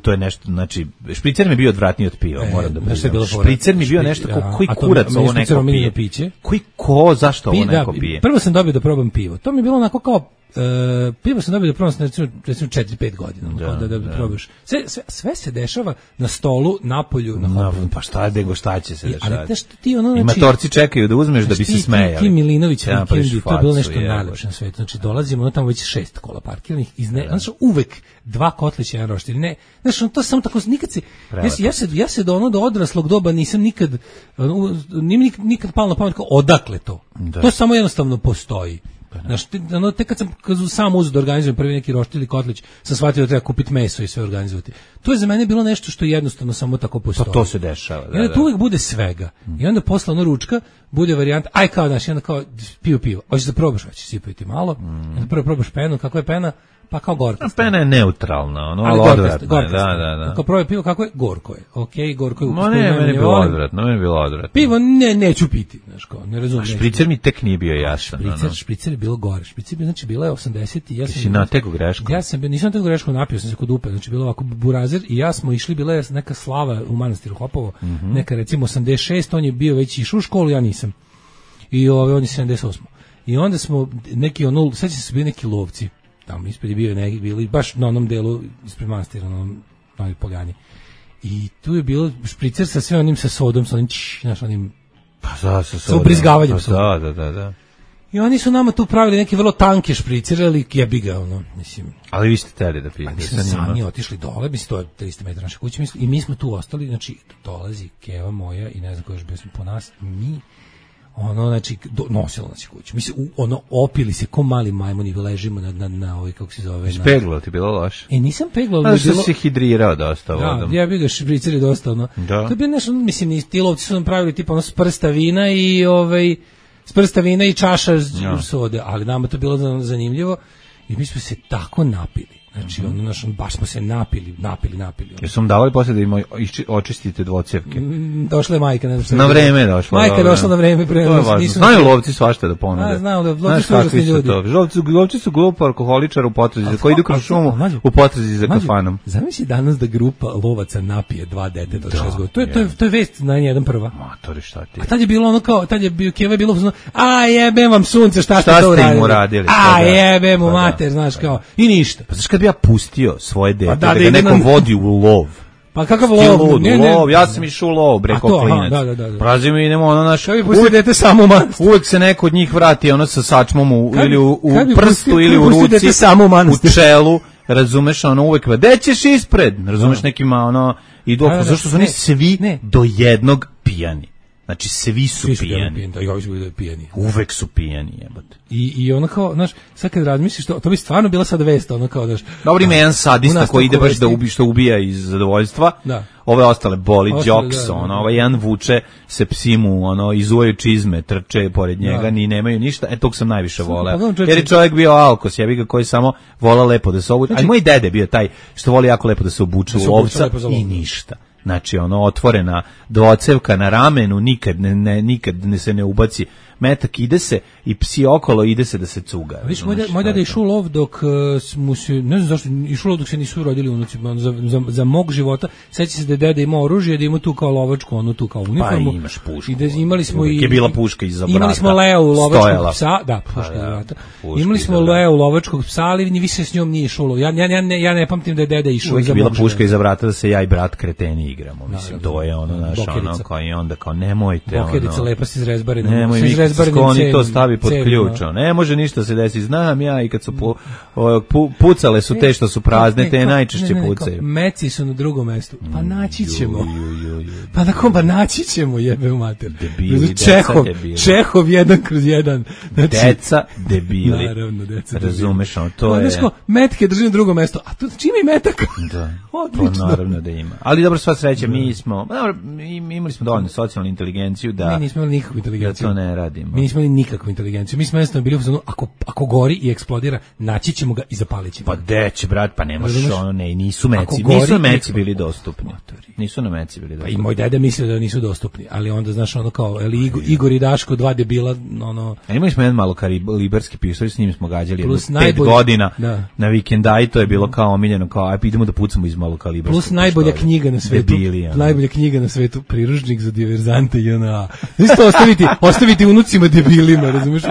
To je nešto, znači, špricer mi je bio odvratniji od piva, moram da budem. Špricer mi je bio nešto, koji kurac ovo neko pije? Koji zašto ovo neko pije? Prvo sam dobio da probam pivo, to mi je bilo onako kao, pivo sam dobio da probam recimo 4-5 godina, da probaš. Sve se dešava na stolu, napolju, na hopu. Pa šta će se dešavati? I matorci čekaju da uzmeš da bi se smejali. Ti Milinović, to je bilo nešto najlepše na svetu, znači dolazimo, tamo već 6 kola parkiranih, znači uvek 2 kotlića, jedan roštilj, ne, znači to samo tako, nikad se, ja se do odraslog doba nisam nikad palo na pamet kao odakle to, to samo jednostavno postoji. Znaš, tek kad sam sam uzeo da organizujem prvi neki roštilj ili kotlić, sam shvatio da treba kupiti meso i sve organizovati. To je za mene bilo nešto što jednostavno samo tako postoji. Pa to se dešava. I onda tu uvijek bude svega. I onda posle ručka bude varijanta, kao daš, i onda kao pivo. Hoćeš da probaš, hoćeš sipati malo. Onda prvo probaš penu, kako je pena? Pa kao gorka. Pena je neutralna, ali odvratna. Da. Kao prvo pivo, kako je? Gorko je. Okej, gorko je. Meni je bilo odvratno. Pivo neću piti, znaš kao, ne razumem. Špricer mi tek nije bio jasan. Špricer je bilo gore. Špricer je, znači, bila je 80 i ja sam... Si nategu greškom? Nisam nategu greškom, napio sam se kod Upe, znači bilo ovako Burazir i ja smo išli, bila je neka slava u manastiru Hopovo, neka recimo 86, on je bio već išao u školu, ja nisam. I on je 78. I onda smo neki sećam se bili neki lovci. tamo ispred je bio neki, bili baš na onom delu ispred manastira, na onom Novoj Poljani. I tu je bilo špricer sa sve onim sa sodom, sa onim, znaš, onim, sa ubrizgavanjem soda. Da. I oni su nama tu pravili neke vrlo tanke špricere, ali jebi ga, ono, mislim. Ali vi ste teli da pijete. Mi smo sami otišli dole, mislim, to je 300 metara naše kuće, i mi smo tu ostali, znači, dolazi Keva moja i ne znam ko još bio po nas, mi, ono, znači, nosilo nas je kuću. Mi se, ono, opili se ko mali majmuni, ležimo na ovoj, kako se zove. Speglo ti bilo loše? Nisam peglao. Ali što si hidrirao dosta vodom. Da, ja bih ga špriceri dosta, ono. Da. To je bilo nešto, mislim, ti lovci su nam pravili, tipa, ono, s prsta vina i, s prsta vina i čaša sode, ali nama to bilo zanimljivo i mi smo se tako napili. Znači, baš smo se napili. Jesu vam davali posle da im očistite dvocevke? Došla je majka. Ne znam na vreme je došla. Majka je došla na vreme. To je važno. Znaju lovci svašta da ponude. Znaju, lovci su užasni ljudi. Lovci su grupa alkoholičara u potrazi, koji idu kroz šumu u potrazi za kafanom. Zamisli danas da grupa lovaca napije 2 deteta od 6 godina. To je vest na jedan prva. Matori, šta ti? A tad je bilo ono kao, Keva je bilo, a jebem vam sunce, šta ste to uradili? A jebem mu mater, znaš kao, i ništa. Pa znaš kad bi ja pustio svoje dete, da ga neko vodi u lov. Pa kakav lov? Lov, ja sam išao u lov, breko klinac. Da. Prazimo i idemo, ono naš... Kao bi pustio dete samo u manastir. Uvek se neko od njih vrati, ono sa sačmom ili u prstu ili u ruci, u čelu, razumeš, ono uvek, gde ćeš ispred? Razumeš, nekima, ono, idu, zašto su oni svi do jednog pijani. Znači, svi su pijani. Uvek su pijani, jebote. I ono kao, znaš, sad kad razmisliš, to bi stvarno bila sad vest, ono kao, znaš... Dobro, ima jedan sadista koji ide baš što ubija iz zadovoljstva, ove ostale boli, džoks, ovaj jedan vuče se psimu, izuvaju čizme, trče pored njega, ni nemaju ništa, tog sam najviše voleo. Jer je čovjek bio alkos, jebi ga, koji samo vola lepo da se obuče, a moj dede bio taj što voli jako lepo da se obuče u lovca i ništa. Znači, otvorena dvocevka na ramenu, nikad se ne ubaci metak, ide se i psi okolo, ide se da se cuga. Viš, moj dada je išao lov dok mu se, ne znam zašto, išao lov dok se nisu rodili unuci, za mog života, seća se da je deda imao oružje, da ima tu kao lovačku, tu kao uniformu. Pa imaš pušku. I da imali smo je bila puška iza vrata. Imali smo Leo lovačkog psa, puška iza vrata. Imali smo Leo lovačkog psa, ali ni više s njom nije išao lov. Ja ne pamtim da je deda išao iza mog života. Bila puška iza vrata da se ja i brat kreteni igramo, mislim, to je kao onda kao nemojte. Bokerica lepa se izrezbari. Oni to stavi pod ključ. Ne može ništa se desiti. Znam ja i kad su pucale su te što su prazne, te najčešće pucaju. Meci su na drugom mestu. Pa naći ćemo. Pa na kom, pa naći ćemo, jebe u mater. Debili, Čehov 1/1. Deca debili. Naravno, deca debili. Razumeš, to je... Metke drži na drugom mestu. A to čime je metak? Da, to naravno da ima. Ali dobro, sva sreća, mi smo... Imali smo dovoljno socijalnu inteligenciju da... Mi nismo imali nikakvu inteligenciju. Da to ne radimo. Mi nismo imali nikakvu inteligenciju. Mi smo jednostavno bili u zonu, ako gori i eksplodira, naći ćemo ga i zapalit ćemo. Pa deće, brat, pa ne možeš nisu meci bili dostupni. Nisu na meci bili dostupni. Pa i moj deda mislio da nisu dostupni, ali onda, znaš, kao, Igor i Daško, 2 debila, A imali smo jedan malo kalibarski pištolj, s njim smo gađali 5 godina na vikenda i to je bilo kao omiljeno, kao, idemo da pucamo iz malo kalibarskog pištolja. Plus najbolja knjiga na svetu, najbolja knjiga na svetu, Priručnik za diverzante i isto ostaviti unucima debilima, razumiješ,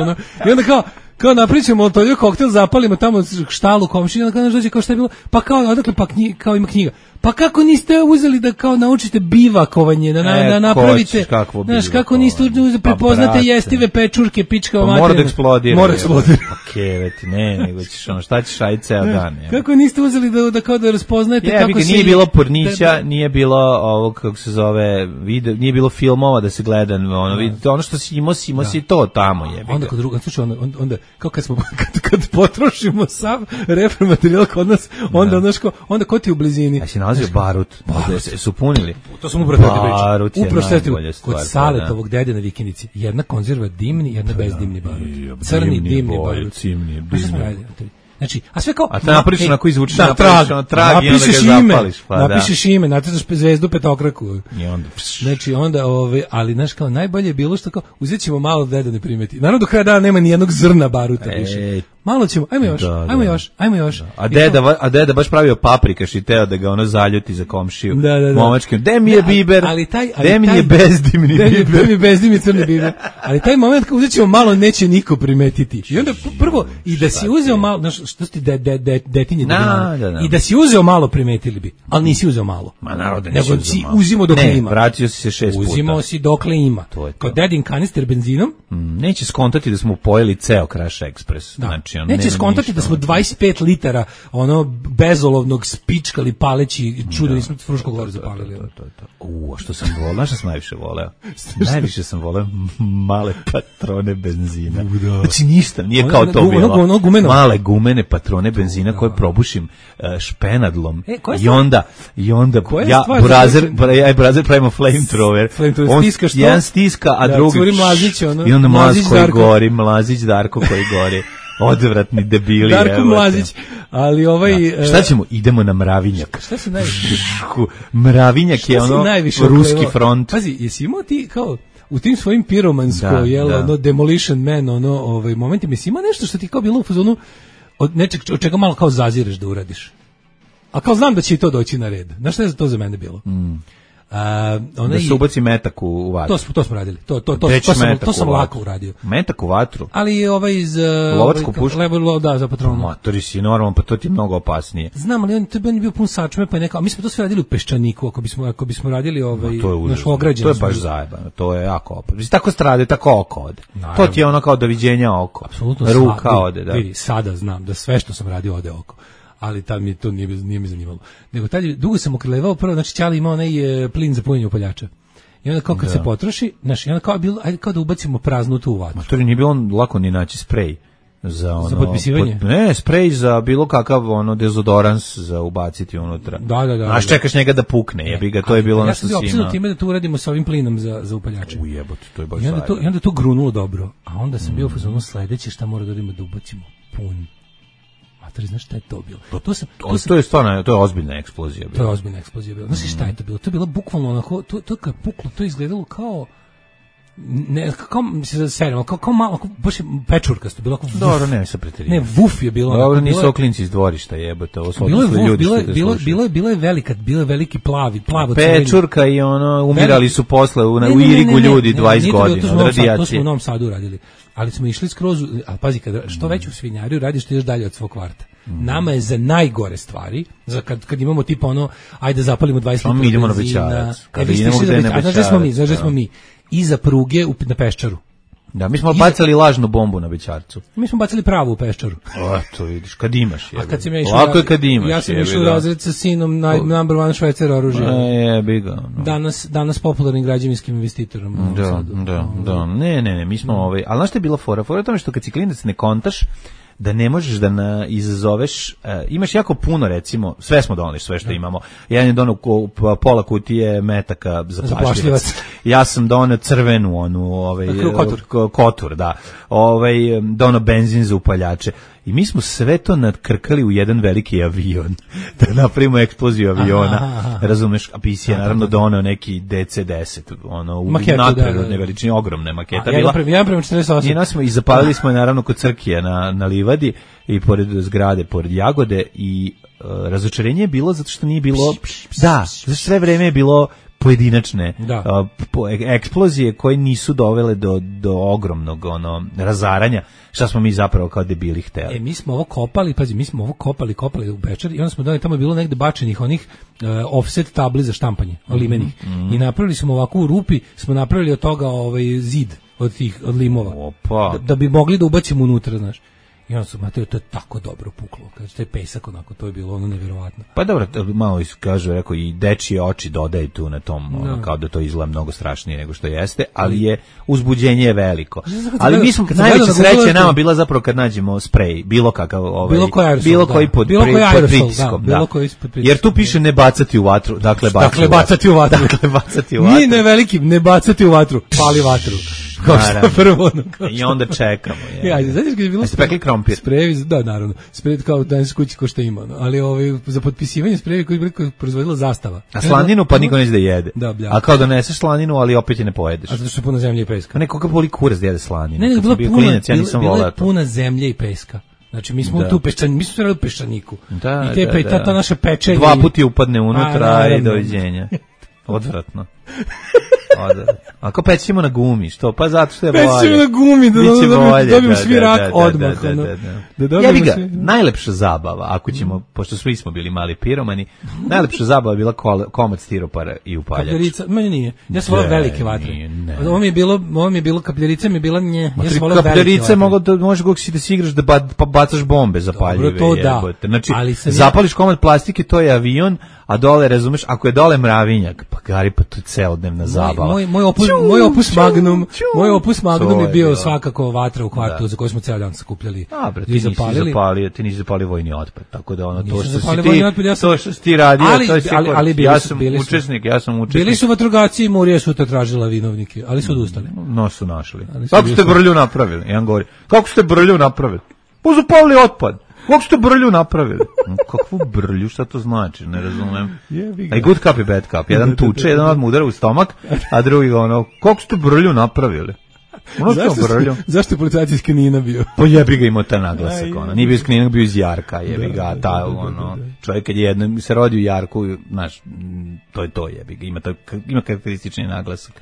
i onda kao napričamo to koktel, zapalimo tamo štalu komšije, onda dođe kao šta je bilo, pa kao odakle, pa kao ima knjiga. Pa kako niste uzeli da kao naučite bivakovanje, da napravite, znaš, kako niste prepoznate jestive pečurke, pička o materinu. Mora da eksplodira. Pa keveti, nego ćeš šta ćeš raditi ceo dan. Kako niste uzeli da kao da raspoznajete kako se... Nije bilo pornića, nije bilo ovog, kako se zove, nije bilo filmova da se gleda, ono što si imao si to tamo, jebi. Onda kod druga, slušaj, onda, kao kad potrošimo sav repromaterijal kod nas, onda ko ti u blizini? Barut. Su punili. To sam upravo najbolja stvar. Kod Saletovog dede na vikendici. Jedna konzerva dimni, jedna bez dimni barut. Crni dimni barut. Znači, a sve kao... A te napričaš onako izvučiš, napričaš trag i onda ga zapališ. Napišeš ime, nacrtaš zvezdu petokraku. Znači, onda, ali, znaš, kao, najbolje je bilo što kao, uzet ćemo malo da deda ne primeti. Naravno, do kraja dana nema ni jednog zrna baruta više. malo ćemo, ajmo još. A deda baš pravio paprikaš i teo da ga ono zaljuti za komšiju. Da. Momačkim, de mi je biber, de mi je bezdimni biber. De mi je bezdimni crni biber. Ali taj moment kad uzet ćemo malo, neće niko primetiti. I onda prvo, i da si uzeo malo, znaš, što si detinje, i da si uzeo malo, primetili bi. Ali nisi uzeo malo. Ma narode nisi uzeo malo. Uzimo dokle ima. Vratio si se 6 puta. Uzimo si dokle ima. Kod dedin kanister benzinom. Neće skontati da smo pojeli ceo Crash Express. Znači, neće skontati da smo 25 litara ono bezolovnog spičkali paleći čudo nismo Fruškog Goru zapalili. A što sam voleo? Znaš šta sam najviše voleo? Najviše sam voleo male patrone benzina. Znači ništa, nije kao to bilo. Male gumene patrone benzina koje probušim špenadlom. I onda ja brazer pravimo flamethrower. Jedan stiska, a drugi i onda Mlazić Darko koji gori. Odvratni debili. Darko Mlazić, ali šta ćemo? Idemo na Mravinjak. Šta se najviše? Mravinjak je ono ruski front. Pazi, jesi imao ti kao u tim svojim piromansko, ono Demolition Man, momentima, jesi imao nešto što ti kao bilo u fazonu od nečeg od čega malo kao zazireš da uradiš? A kao znam da će i to doći na red. Znaš šta je to za mene bilo? Da se ubaci metak u vatru. To smo radili. To sam lako uradio. Metak u vatru? Ali iz lovačku pušku? Da, za patronu. Matori si normalno, pa to ti je mnogo opasnije. Znam, ali on je bio pun sačme, pa je neka, mi smo to sve radili u Peščaniku, ako bismo radili naš ograđen. To je baš zajebano, to je jako opasno. Tako strade, tako oko ode. To ti je ono kao doviđenja oko. Apsolutno. Ruka ode, da. Vidi, sada znam da sve što sam radio ode oko. Ali tad mi to nije mi zanimalo. Nego tad dugo sam okrelevao, prvo, znači Ćali imao onaj plin za punjenje upaljača. I onda kao kad se potroši, znači, onda kao bilo, ajde kao da ubacimo praznutu u vatru. Ma to nije bilo lako ni naći sprej. Za potpisivanje? Sprej za bilo kakav dezodorans za ubaciti unutra. Da. Až čekaš njega da pukne, jebi ga, to je bilo ono što si imao. Ja sam bio time da to uradimo sa ovim plinom za upaljače. Ujebote, to je baš I onda to grunulo dobro. A onda sam bio u fazonu sledeće šta mora da radimo da ubacimo pun. Znaš šta je to bilo? To je stvarno, to je ozbiljna eksplozija bila. To je ozbiljna eksplozija bila. Znaš šta je to bilo? To je bilo bukvalno onako, to kad je puklo, to je izgledalo kao kao malo, baš je pečurkasto, bilo kao vuf. Dobro, ne, sa preterivanje. Ne, vuf je bilo. Dobro, nisu oklinci iz dvorišta, jebote, ovo su otišli ljudi što te slušaju. Bilo je veliki plavo pečurka i umirali su posle u Irigu ljudi 20 godina od radijacije. To smo u Novom Sadu radili. Ali smo išli skroz, ali pazi, što već u svinjariju radiš, ti još dalje od svog kvarta. Nama je za najgore stvari, za kad imamo tipa ajde zapalimo 20 litara benzina. Mi idemo na Bećarac. Znaš da smo mi iza pruge na Peščaru. Da, mi smo bacali lažnu bombu na Bećarcu. Mi smo bacali pravu u Peščaru. To vidiš, kad imaš. Lako je kad imaš. Ja sam išao u razred sa sinom number one švajcar oružja. Danas popularnim građevinskim investitorom. Da. Ne, mi smo ali znaš što je bila fora? Fora je tome što kad si klinac ne kontaš, da ne možeš da izazoveš, imaš jako puno, recimo, sve smo donali, sve što imamo. Jedan je donao pola kutije metaka za plašljivac. Ja sam donao crvenu, kotur, da. Donao benzin za upaljače. I mi smo sve to nadkrkali u jedan veliki avion, da napravimo eksploziju aviona, razumeš, a PC je naravno donao neki DC-10, u nadprirodne veličine, ogromne maketa bila. Ja prema 48. I zapalili smo je naravno kod Crkije na Livadi i pored zgrade, pored Jagode i razočarenje je bilo zato što nije bilo, sve vreme je bilo pojedinačne eksplozije koje nisu dovele do ogromnog razaranja, šta smo mi zapravo kao debili hteli. Mi smo ovo kopali u Bečar i onda smo tamo je bilo negde bačenih onih offset tabli za štampanje, limenih. I napravili smo ovako u rupi, smo napravili od toga zid od limova. Da bi mogli da ubacimo unutra, znaš. I onda su, Mateo, to je tako dobro puklo. Kaže, to je pesak onako, to je bilo nevjerovatno. Pa dobro, malo kažu, rekao, i dečije oči dodaju tu na tom, kao da to izgleda mnogo strašnije nego što jeste, ali je uzbuđenje je veliko. Ali mi smo, najveća sreća je nama bila zapravo kad nađemo sprej, bilo kakav, bilo koji pod pritiskom. Jer tu piše ne bacati u vatru, dakle bacati u vatru. Nije ne veliki, ne bacati u vatru, pali vatru. I onda čekamo. Znaš kad je bilo sprejevi, da, naravno, sprejevi kao danas kući ko što ima, ali za potpisivanje sprejevi koji je proizvodila Zastava. A slaninu pa niko neće da jede. A kao doneseš slaninu, ali opet je ne pojedeš. A zato što je puno zemlje i peska. Neko kako boli kurac da jede slaninu. Ne, bila je puna zemlje i peska. Znači mi smo tu mi smo sve u peščaniku. Da, i te ta naše pečenje. 2 puta upadne unutra i doviđenja. Odvratno. Ako pećemo na gumi, što? Pa zato što je bolje. Pećemo na gumi, da dobijemo svi rak odmah. Ja bih ga, najlepša zabava, ako ćemo, pošto svi smo bili mali piromani, najlepša zabava je bila komad stiropora i upaljač. Kapljarica, meni nije. Ja sam volao velike vatre. Ovo mi je bilo, kapljarica mi je bila nje. Ja sam volao velike vatre. Kapljarice možeš kako si da si igraš da bacaš bombe zapaljive. Dobro, to da. Znači, zapališ komad plastike, to je avion, a dole, razumeš, ako je dole mravinjak, pa gari, pa to je celodnevna zabava. Moj opus magnum je bio svakako vatra u kvartu za koju smo ceo dan sakupljali i zapalili. Ti nisi zapalio vojni otpad, tako da ono to što si ti radio, ali ja sam učesnik. Bili su vatrogasci i Murija sutra tražila vinovnike, ali su odustali. No su našli. Kako ste brlju napravili? Jedan govori, kako ste brlju napravili? Pa zapalili otpad. Kako ste brlju napravili? Kakvu brlju, šta to znači? Ne razumem. A i good cup i bad cup. Jedan tuče, jedan odmah udara u stomak, a drugi ono, kako ste brlju napravili? Zašto je policajac iz Knina bio? Pa jebi ga imao taj naglasak. Nije bio iz Knina, bio iz Jarka. Jebi ga, čovjek kad je jednom se rodi u Jarku, znaš, to je to jebi ga. Ima karakteristični naglasak.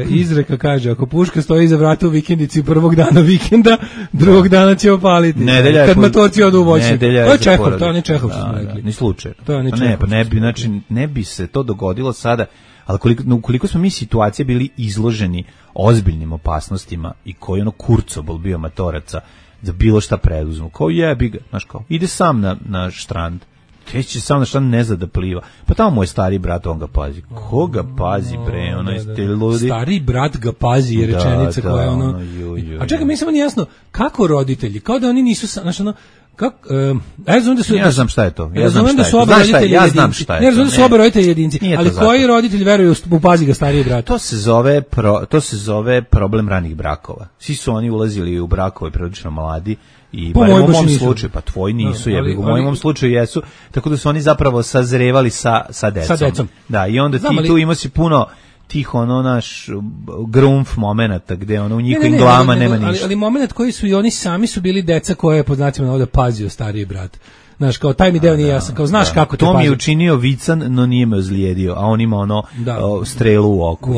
Izreka kaže, ako puška stoji iza vrata u vikendici prvog dana vikenda, drugog dana će opaliti. Kad matorci odu u voćnjak. To je Čehov, to je ne Čehov što smo rekli. Ni slučaj. Ne bi se to dogodilo sada, ali koliko smo mi situacije bili izloženi ozbiljnim opasnostima i koji kurcobol bio matoraca da bilo šta preduzmu. Kao jebi ga, znaš kao, ide sam na štrand. Teći sam na štrand, ne zna da pliva. Pa tamo moj stari brat, on ga pazi. Ko ga pazi, bre, ste ludi. Stari brat ga pazi je rečenica koja je A čekaj, mi samo nije jasno, kako roditelji, kao da oni nisu, znaš ja znam šta je to. Ja znam šta je to. Ja znam da su oba roditelji jedinci, ali koji roditelji veruju u pazi ga stariji brat? To se zove problem ranih brakova. Svi su oni ulazili u brakove prilično mladi i u mom slučaju, pa tvoji nisu, u mojom slučaju jesu, tako da su oni zapravo sazrevali sa decom. Da, i onda ti tu imao si puno tih naš grumf momenata gde u njihovim glavama nema ništa. Ali moment koji su i oni sami su bili deca koje je po znacima ovdje pazio stariji brat. Znaš, kao taj mi deo nije jasan, kao znaš kako te pazi. To mi je učinio vican, no nije me ozlijedio, a on ima strelu u oku.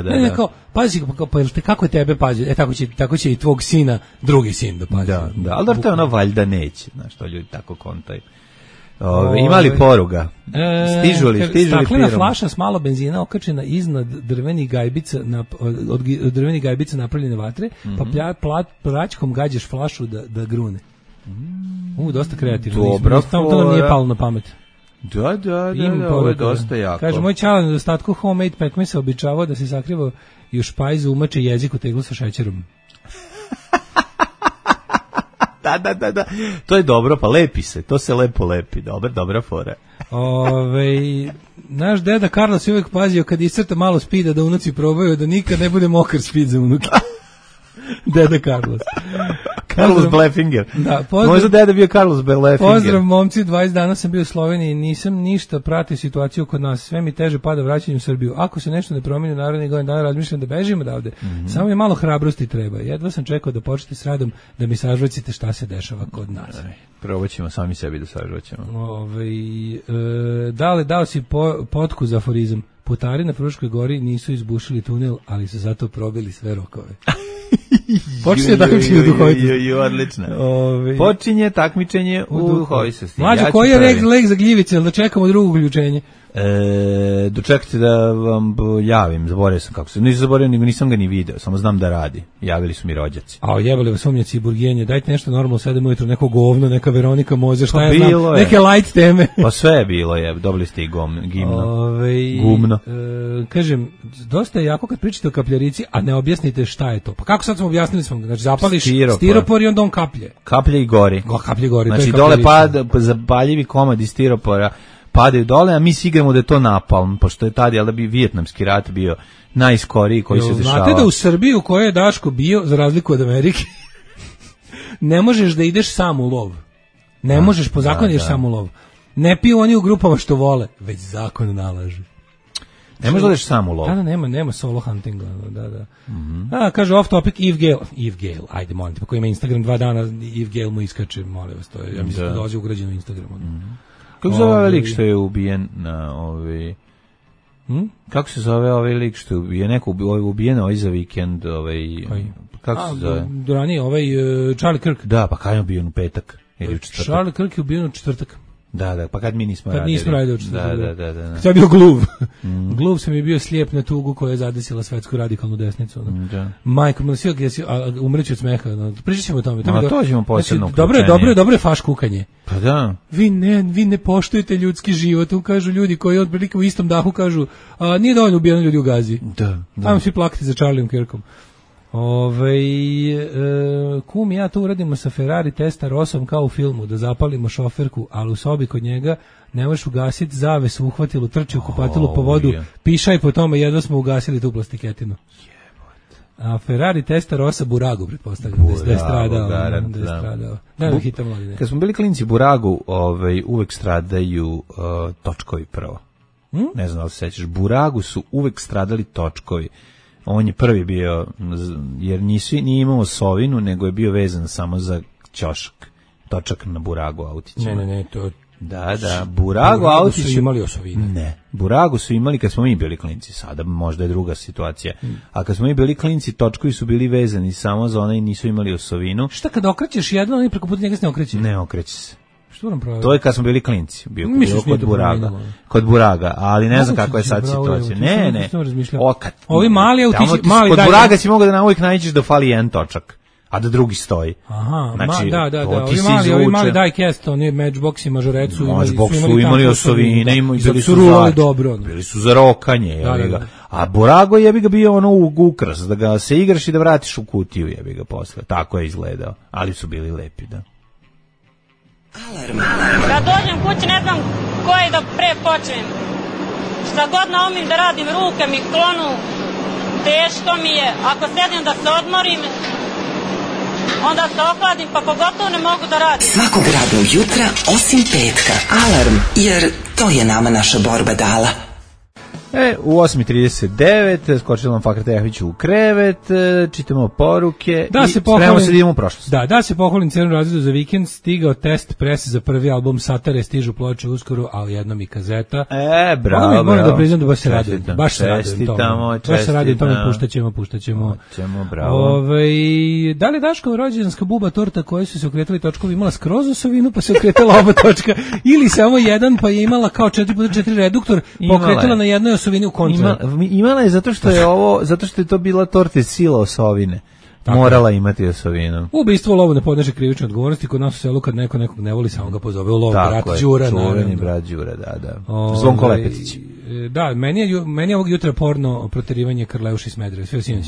Ne, kao, pazi, kako je tebe pazi, tako će i tvog sina drugi sin da pazi. Da, ali to je valjda neće, znaš, to ljudi tako kontaju. Ima li poruga? Stižu li staklena flaša s malo benzina okačena iznad drvenih gajbica od drvenih gajbica napravljene vatre, pa praćkom gađaš flašu da grune. Dosta kreativno. Dobro, to nije palo na pamet. Da, ovo je dosta jako. Kaže, moj čala na dostatku homemade pekmesa običavao da se sakriva i u špajzu umače jezik u teglu sa šećerom. Da. To je dobro, pa lepi se. To se lepo lepi. Dobra fora. Naš deda Carlos je uvijek pazio kad iscrta malo spida da unuci probaju da nikad ne bude mokar spid za unuke. Deda Carlos. Carlos Blefinger. Da, možda deda bio Carlos Blefinger. Pozdrav momci, 20 dana sam bio u Sloveniji, nisam ništa pratio situaciju kod nas, sve mi teže pada vraćanju u Srbiju. Ako se nešto ne promijeni u narednih godina dana, razmišljam da bežim odavde. Samo mi malo hrabrosti treba. Jedva sam čekao da počnete s radom da mi sažvacite šta se dešava kod nas. Probat ćemo sami sebi da sažvaćemo. Dao si potku za aforizam. Putari na Fruškoj gori nisu izbušili tunel, ali su zato probili sve rokove. Počinje takmičenje u duhovitosti. Odlično. Počinje takmičenje u duhovitosti. Mlađo, koji je lek za gljivice, da čekamo drugo uključenje? Dočekajte da vam javim, zaboravio sam kako se, nisam zaboravio, nisam ga ni video, samo znam da radi, javili su mi rođaci. A jebali vas umnjaci i burgijenje, dajte nešto normalno 7 ujutro, neko govno, neka Veronika Mozer, šta ja znam, neke light teme. Pa sve je bilo, dobili ste i gumno. Kažem, dosta je jako kad pričate o kapljarici, a ne objasnite šta je to. Pa kako sad smo objasnili, znači zapališ stiropor i onda on kaplje. Kaplje i gori. Znači dole zapaljivi komadi stiropora padaju dole, a mi si igramo da je to napalm, pošto je tada, jel da bi Vijetnamski rat bio najskoriji koji se dešava. Znate da u Srbiji u kojoj je Daško bio, za razliku od Amerike, ne možeš da ideš sam u lov. Ne možeš, po zakonu ideš sam u lov. Ne piju oni u grupama što vole, već zakon nalaže. Ne možeš da odeš sam u lov. Da, nema solo huntinga, da. Kaže off topic Eve Gale, ajde molim te, pa ko ima Instagram 2 dana, Eve Gale mu iskače, molim vas, to je, ja mislim da dolazi ugrađeno u Instagramu. Kako se zove lik što je ubijen na kako se zove ovaj lik što je ubijen, neko ubijen ovaj za vikend, kako se zove? Durani, Charlie Kirk. Da, pa kad je ubijen u petak ili u četvrtak? Charlie Kirk je ubijen u četvrtak. Da, pa kad mi nismo radili. Kad nismo radili u četvrtak. Da. Kad je bio gluv. Gluv sam je bio slijep na tugu koja je zadesila svetsku radikalnu desnicu. Da. Majko, umreći od smeha. Pričat ćemo o tome. To ćemo posebno. Dobro je faš kukanje. Pa da. Vi ne poštujete ljudski život. Kažu ljudi koji otprilike u istom dahu kažu nije dovoljno ubijeno ljudi u Gazi. Da. Ajmo svi plakati za Charlieom Kirkom. Kum i ja to uradimo sa Ferrari Testarosom kao u filmu, da zapalimo šoferku, ali u sobi kod njega ne možeš ugasiti zavesu, uhvatilu, trči u kupatilu po vodu, pišaj po tome, jedva smo ugasili tu plastiketinu. A Ferrari Testarosa Buragu, pretpostavljam, da je stradao. Da, hitam mladine. Kad smo bili klinci Buragu, uvek stradaju točkovi prvo. Ne znam da li se sećaš, Buragu su uvek stradali točkovi. On je prvi bio, jer nije imao osovinu, nego je bio vezan samo za ćošak, točak na Buragu autićima. Ne, to... Da, Buragu autići... su imali osovine. Ne, Buragu su imali kad smo mi bili klinci, sada možda je druga situacija. A kad smo mi bili klinci, točkovi su bili vezani samo za one i nisu imali osovinu. Šta kad okrećeš jedno, oni preko puta njega se ne okreće? Ne okreće se. To je kad smo bili klinci, bio kod Buraga, ali ne znam kakva je sad situacija. Ne. Ovi mali autići, kod Buraga si mogao da uvijek nađeš da fali jedan točak, a da drugi stoji. Aha, znači, ovi mali diecast, oni Matchbox i Mažorecu su imali osovine, bili su za rokanje, a Burago je ga bio ukras, da ga se igraš i da vratiš u kutiju, je ga posle, tako je izgledao, ali su bili lepi, da. Alarm. Kad dođem kući ne znam koje da pre počnem. Šta god naumim da radim, ruke mi klonu, teško mi je. Ako sedim da se odmorim, onda se ohladim, pa pogotovo ne mogu da radim. Svakog radnog jutra, osim petka. Alarm, jer to je nama naša borba dala. U 8:39 skočila vam Fakra Tejahić u krevet, čitamo poruke i spremamo se da idemo u prošlost. Da se pohvalim Crnom razredu za vikend, stigao test prese za prvi album Satare, stižu ploče uskoro, ali jednom i kazeta. Bravo. Moram da priznam da baš se radujem. Baš se radujem tome, puštaćemo. Bravo. Da li Daškova rođendanska buba torta koji su se okretali točkovi imala skroz osovinu, pa se okretala oba točka, ili samo jedan, pa je imala kao 4x4 reduktor, pa okretala na jednoj osovini u kontra. Imala je zato što je to bila torta iz sila osovine. Morala imati osovinu. Ubistvo u lovu ne podneže krivične odgovornosti, kod nas u selu kad neko nekog ne voli, samo ga pozove u lovu, brat Đura. Čuveni brat Đura, da. Zvonko Lepetić. Da, meni je ovog jutra porno proterivanje Karleuša i Smedereva, sve sinoć.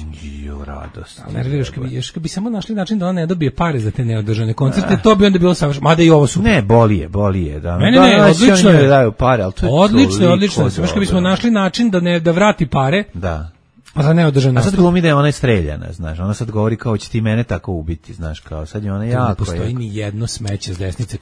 Radost. Nerviraš kad bi samo našli način da ona ne dobije pare za te neodržane koncerte, to bi onda bilo savršeno. Mada i ovo super. Ne, boli je. Da. Ne, odlično je. Daju pare, ali to je odlično. Samo kad bismo našli način da vrati pare. Da. A sad glumi da je ona streljana, znaš, ona sad govori kao će ti mene tako ubiti, znaš, kao sad je ona jako. Ne postoji ni jedno smeće s desnice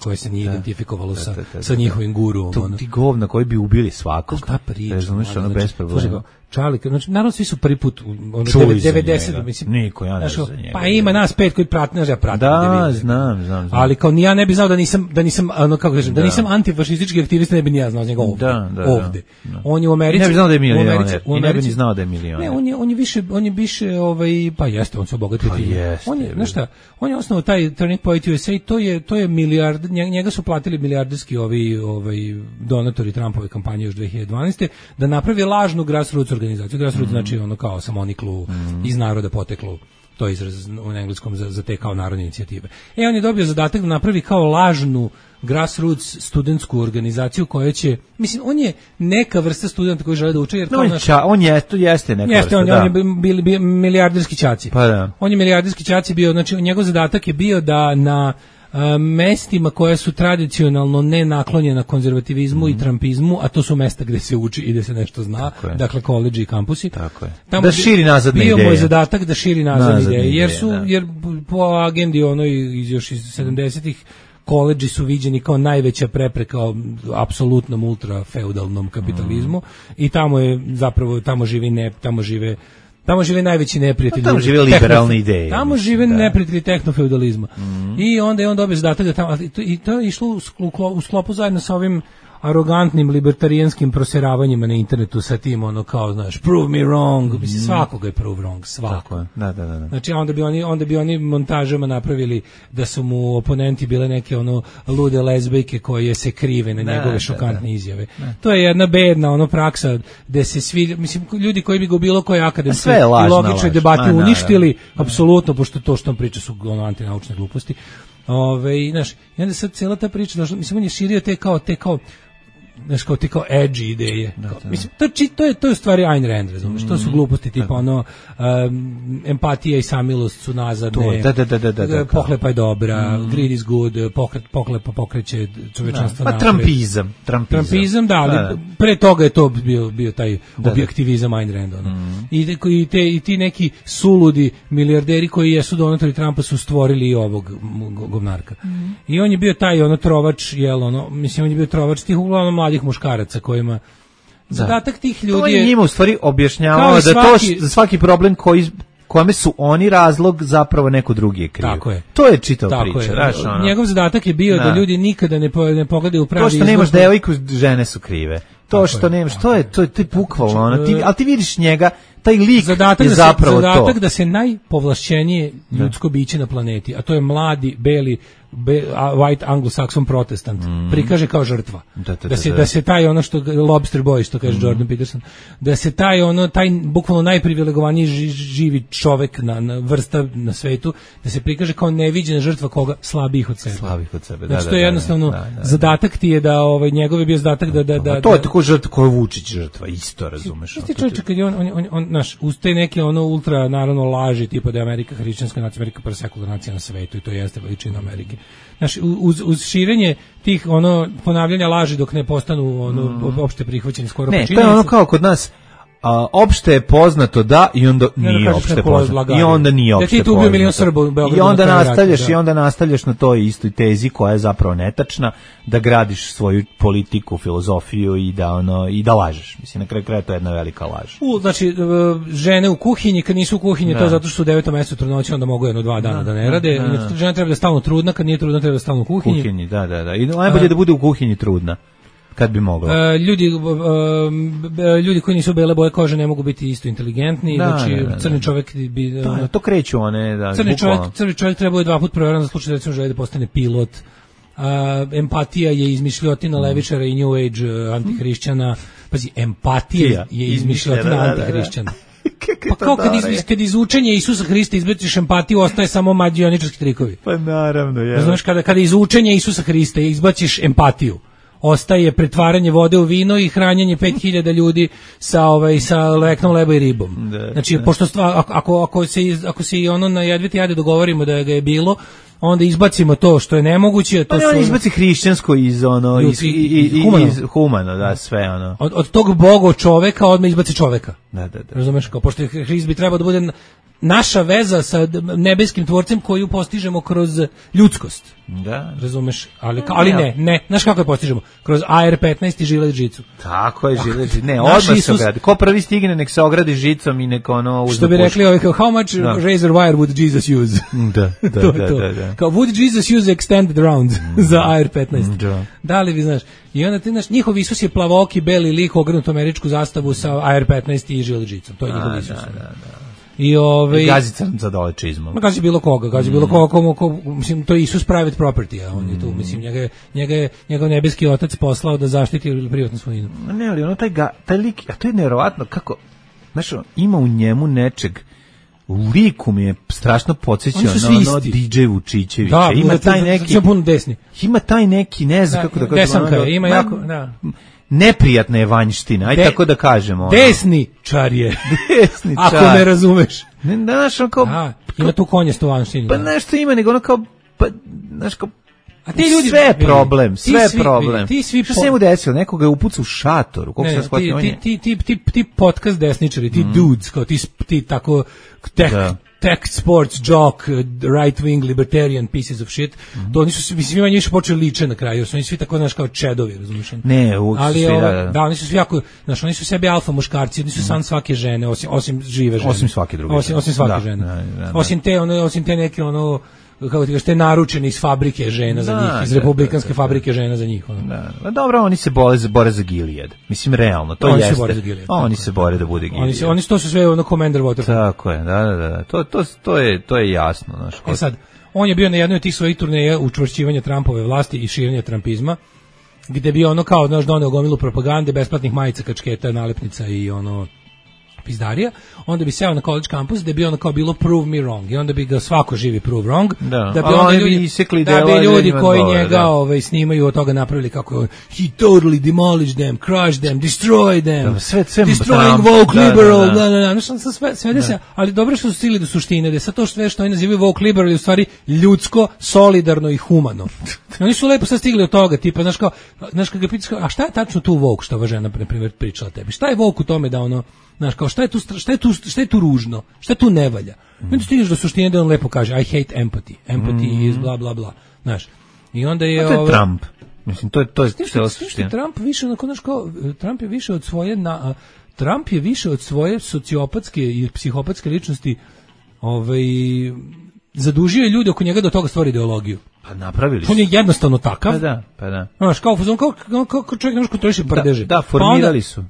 koje se nije identifikovalo sa njihovim guruom. Ti govna koji bi ubili svakog. Šta priča? Znaš, ono bez problema. Čalik, znači, naravno svi su prvi put, 90, mislim. Niko, ja ne znam za njega. Pa ima nas 5 koji prate, znaš, ja pratim. Da, znam. Ali kao ni ja ne bi znao da nisam, ono, kako kažem, da nisam antifašistički aktivista, ne bi ni ja znao njega ovde. On je u Americi. Ne bi znao da je milioner, i ne bi ni znao da je milioner. Ne, on je više, pa jeste, on se obogatio time. Znaš šta, on je osnovao taj Turning Point USA, to je milijard, njega su platili milijarderski donatori Trumpove kampanje još 2012. da napravi lažnu grassroots organizaciju. Grassroots znači ono kao samoniklu, iz naroda poteklu, to je izraz u engleskom za te kao narodne inicijative. On je dobio zadatak da napravi kao lažnu grassroots studentsku organizaciju koja će, mislim, on je neka vrsta studenta koji žele da uče, jer kao on jeste neka vrsta, on je bili milijarderski ćaci. Pa da. On je milijarderski ćaci bio, znači njegov zadatak je bio da na mestima koja su tradicionalno ne naklonjena konzervativizmu i trumpizmu, a to su mesta gde se uči i gde se nešto zna, dakle koledži i kampusi. Tako je. Da širi nazadne ideje. Bio moj zadatak da širi nazadne ideje, jer po agendi onoj još iz 70-ih koledži su viđeni kao najveća prepreka apsolutnom ultrafeudalnom kapitalizmu i tamo je zapravo tamo žive najveći neprijatelji. Tamo žive liberalne ideje. Tamo žive neprijatelji tehnofeudalizma. I onda je on dobio zadatak da tamo, i to je išlo u sklopu zajedno sa ovim arogantnim libertarijanskim proseravanjima na internetu sa tim ono kao znaš prove me wrong, mislim svakoga je prove wrong, svako. Da. Znači onda bi oni montažama napravili da su mu oponenti bile neke ono lude lezbejke koje se krive na njegove šokantne izjave. To je jedna bedna ono praksa da se svi mislim ljudi koji bi go bilo koje akademske i logične debate uništili apsolutno pošto to što on priča su ono antinaučne gluposti. Znaš, i onda sad cijela ta priča, mislim, on je širio te kao znaš, kao edgy ideje. Mislim, to je u stvari Ayn Rand, razumiješ, to su gluposti, tipa ono, empatija i samilost su nazadne, pohlepa je dobra, greed is good, pohlepa pokreće čovečanstvo napred. Trumpizam, da, ali pre toga je to bio taj objektivizam Ayn Rand. I ti neki suludi milijarderi koji jesu donatori Trumpa su stvorili i ovog govnarka. I on je bio taj ono trovač, mislim, on je bio trovač tih uglavnom mladih muškaraca kojima zadatak tih ljudi to je njima u stvari objašnjavao da to za svaki problem kome su oni razlog zapravo neko drugi je kriv. Tako je. To je čitava priča. Njegov zadatak je bio da ljudi nikada ne pogledaju u pravi izgled. To što nemaš devojku, žene su krive. To što nemaš, to je bukvalno ono. Ali ti vidiš njega, taj lik je zapravo to. Zadatak da se najpovlašćenije ljudsko biće na planeti, a to je mladi, beli, white anglo-saxon protestant, prikaže kao žrtva. Da se taj ono što lobster boy, što kaže Jordan Peterson, da se taj bukvalno najprivilegovaniji živi čovek na vrsta na svetu, da se prikaže kao neviđena žrtva koga slabijih od sebe. Znači to je jednostavno zadatak ti je da njegov je bio zadatak da to je tako žrtva koju Vučić žrtva, isto razumeš. Ti čovječe kad je on naš uz te neke ono ultra naravno laži tipa da je Amerika hrišćanska nacija, Amerika prva sekularna nacija na svetu i to jeste veličina Amerike. Znaš, uz širenje tih ponavljanja laži dok ne postanu opšte prihvaćeni skoro počinjenice. Ne, to je ono kao kod nas opšte je poznato da i onda nije opšte poznato. I onda nije opšte poznato. Da ti tu ubio milion Srba u Beogradu. I onda nastavljaš na toj istoj tezi koja je zapravo netačna, da gradiš svoju politiku, filozofiju i da lažeš. Mislim, na kraju kraja to je jedna velika laž. Znači, žene u kuhinji, kad nisu u kuhinji, to je zato što su u 9. mesecu trudnoće, onda mogu 1-2 dana da ne rade. Žena treba da stalno trudna, kad nije trudna treba da stalno u kuhinji. Da. I najbolje da bude u kuhinji trudna. Kad bi mogla. Ljudi koji nisu bele boje kože ne mogu biti isto inteligentni, znači crni čovjek bi to kreću one, crni čovjek treba je 2 puta provjeran za slučaj da recimo želi da postane pilot. Empatija je izmišljotina levičara i New Age antihrišćana. Pazi, empatija je izmišljotina antihrišćana. Pa kao kad iz učenja Isusa Hrista izbaciš empatiju, ostaje samo mađioničarski trikovi. Pa naravno, je. Znaš, kada iz učenja Isusa Hrista izbaciš empatiju, ostaje pretvaranje vode u vino i hranjenje 5000 ljudi sa leknom, leba i ribom. Znači, pošto ako se i ono na jedviti jade dogovorimo da ga je bilo, onda izbacimo to što je nemoguće. Pa on izbaci hrišćansko iz humano, da, sve ono. Od tog boga čoveka odmah izbaci čoveka. Da. Razumeš, kao pošto Hrist bi trebao da bude naša veza sa nebeskim tvorcem koju postižemo kroz ljudskost. Da. Razumeš? Ali ne. Znaš kako je postižemo? Kroz AR-15 i žilet žicu. Tako je, žilet žicu. Ne, odmah se ogradi. Ko prvi stigne, nek se ogradi žicom i nek ono uzme. Što bi rekli how much razor wire would Jesus use? Da. Kao would Jesus use extended round za AR-15? Da li vi znaš? I onda ti znaš, njihov Isus je plavooki, beli lik, ogrnut američku zastavu sa AR-15 i žilet žicom. To je njihov Isus. Da. I gazi za dole čizmom. Gazi bilo koga, mislim, to je Isus private property, a on je tu, mislim, njegov nebeski otac poslao da zaštiti privatnu svojinu. Ne, ali ono taj lik, a to je nevjerovatno kako, znaš, ima u njemu nečeg, u liku mi je strašno podsjećao na ono DJ Vučićevića. Da, ima taj neki, puno desni. Ima taj neki, ne znam kako da kažem. Desanka je, ima jako, da. Neprijatna je vanjština, aj tako da kažemo. Desničar je. Ako ne razumeš. Ne, znaš, ono kao... ima tu konjastu vanštinu. Pa nešto ima, nego ono kao... znaš, kao... A ti ljudi... Sve problem. Što se njemu desilo? Nekoga je upucao u šatoru. Ti podcast desničari, ti dudes, kao ti tako... tech sports jock, right wing libertarian pieces of shit. To oni su mislim manje više počeli liče na kraju, su oni svi tako naš kao čedovi, razumiješ? Ne, ali da, oni su svi jako, znaš, oni su sebi alfa muškarci, oni su san svake žene, osim žive žene. Osim svake druge. Osim svake žene. Da. Osim te neke kako ti kažeš, te naručene iz fabrike žena za njih, iz republikanske fabrike žena za njih. Da. Dobro, oni se bore za Gilead. Mislim, realno, to oni jeste. Se bore za Gilead, oni se bore da bude Gilead. Oni to su sve Commander Waterfall. Tako je, da. To je jasno. Znaš, sad, on je bio na jednoj od tih svojih turneja učvršćivanja Trumpove vlasti i širenja trumpizma, gde bi kao, znaš, doneo gomilu propagande, besplatnih majica, kačketa, nalepnica i pizdarija, onda bi seo na college kampus gde bi kao bilo prove me wrong i onda bi ga svako živi prove wrong, da bi onda ljudi koji njega snimaju od toga napravili kako he totally demolished them, crushed them, destroyed them, destroying woke liberal, sve se, ali dobro što su stigli do suštine, da sa to sve što oni nazivaju woke liberal je u stvari ljudsko, solidarno i humano. Oni su lepo sad stigli od toga, tipa, znaš kad ga pitaš, a šta je tačno tu woke što ova žena, na primjer, pričala tebi? Šta je woke u tome da znaš, kao šta je tu ružno, šta tu ne valja? Onda stigneš do suštine da on lepo kaže I hate empathy. Empathy is bla bla bla. Znaš. I onda je to je Trump. Mislim to je suština. Trump više Trump je više od svoje Trump je više od svoje sociopatske i psihopatske ličnosti zadužio je ljude oko njega da toga stvori ideologiju. Pa napravili su. On je jednostavno takav. Pa da. Znaš, kao čovjek nešto kontroliše prdeže. Da, formirali su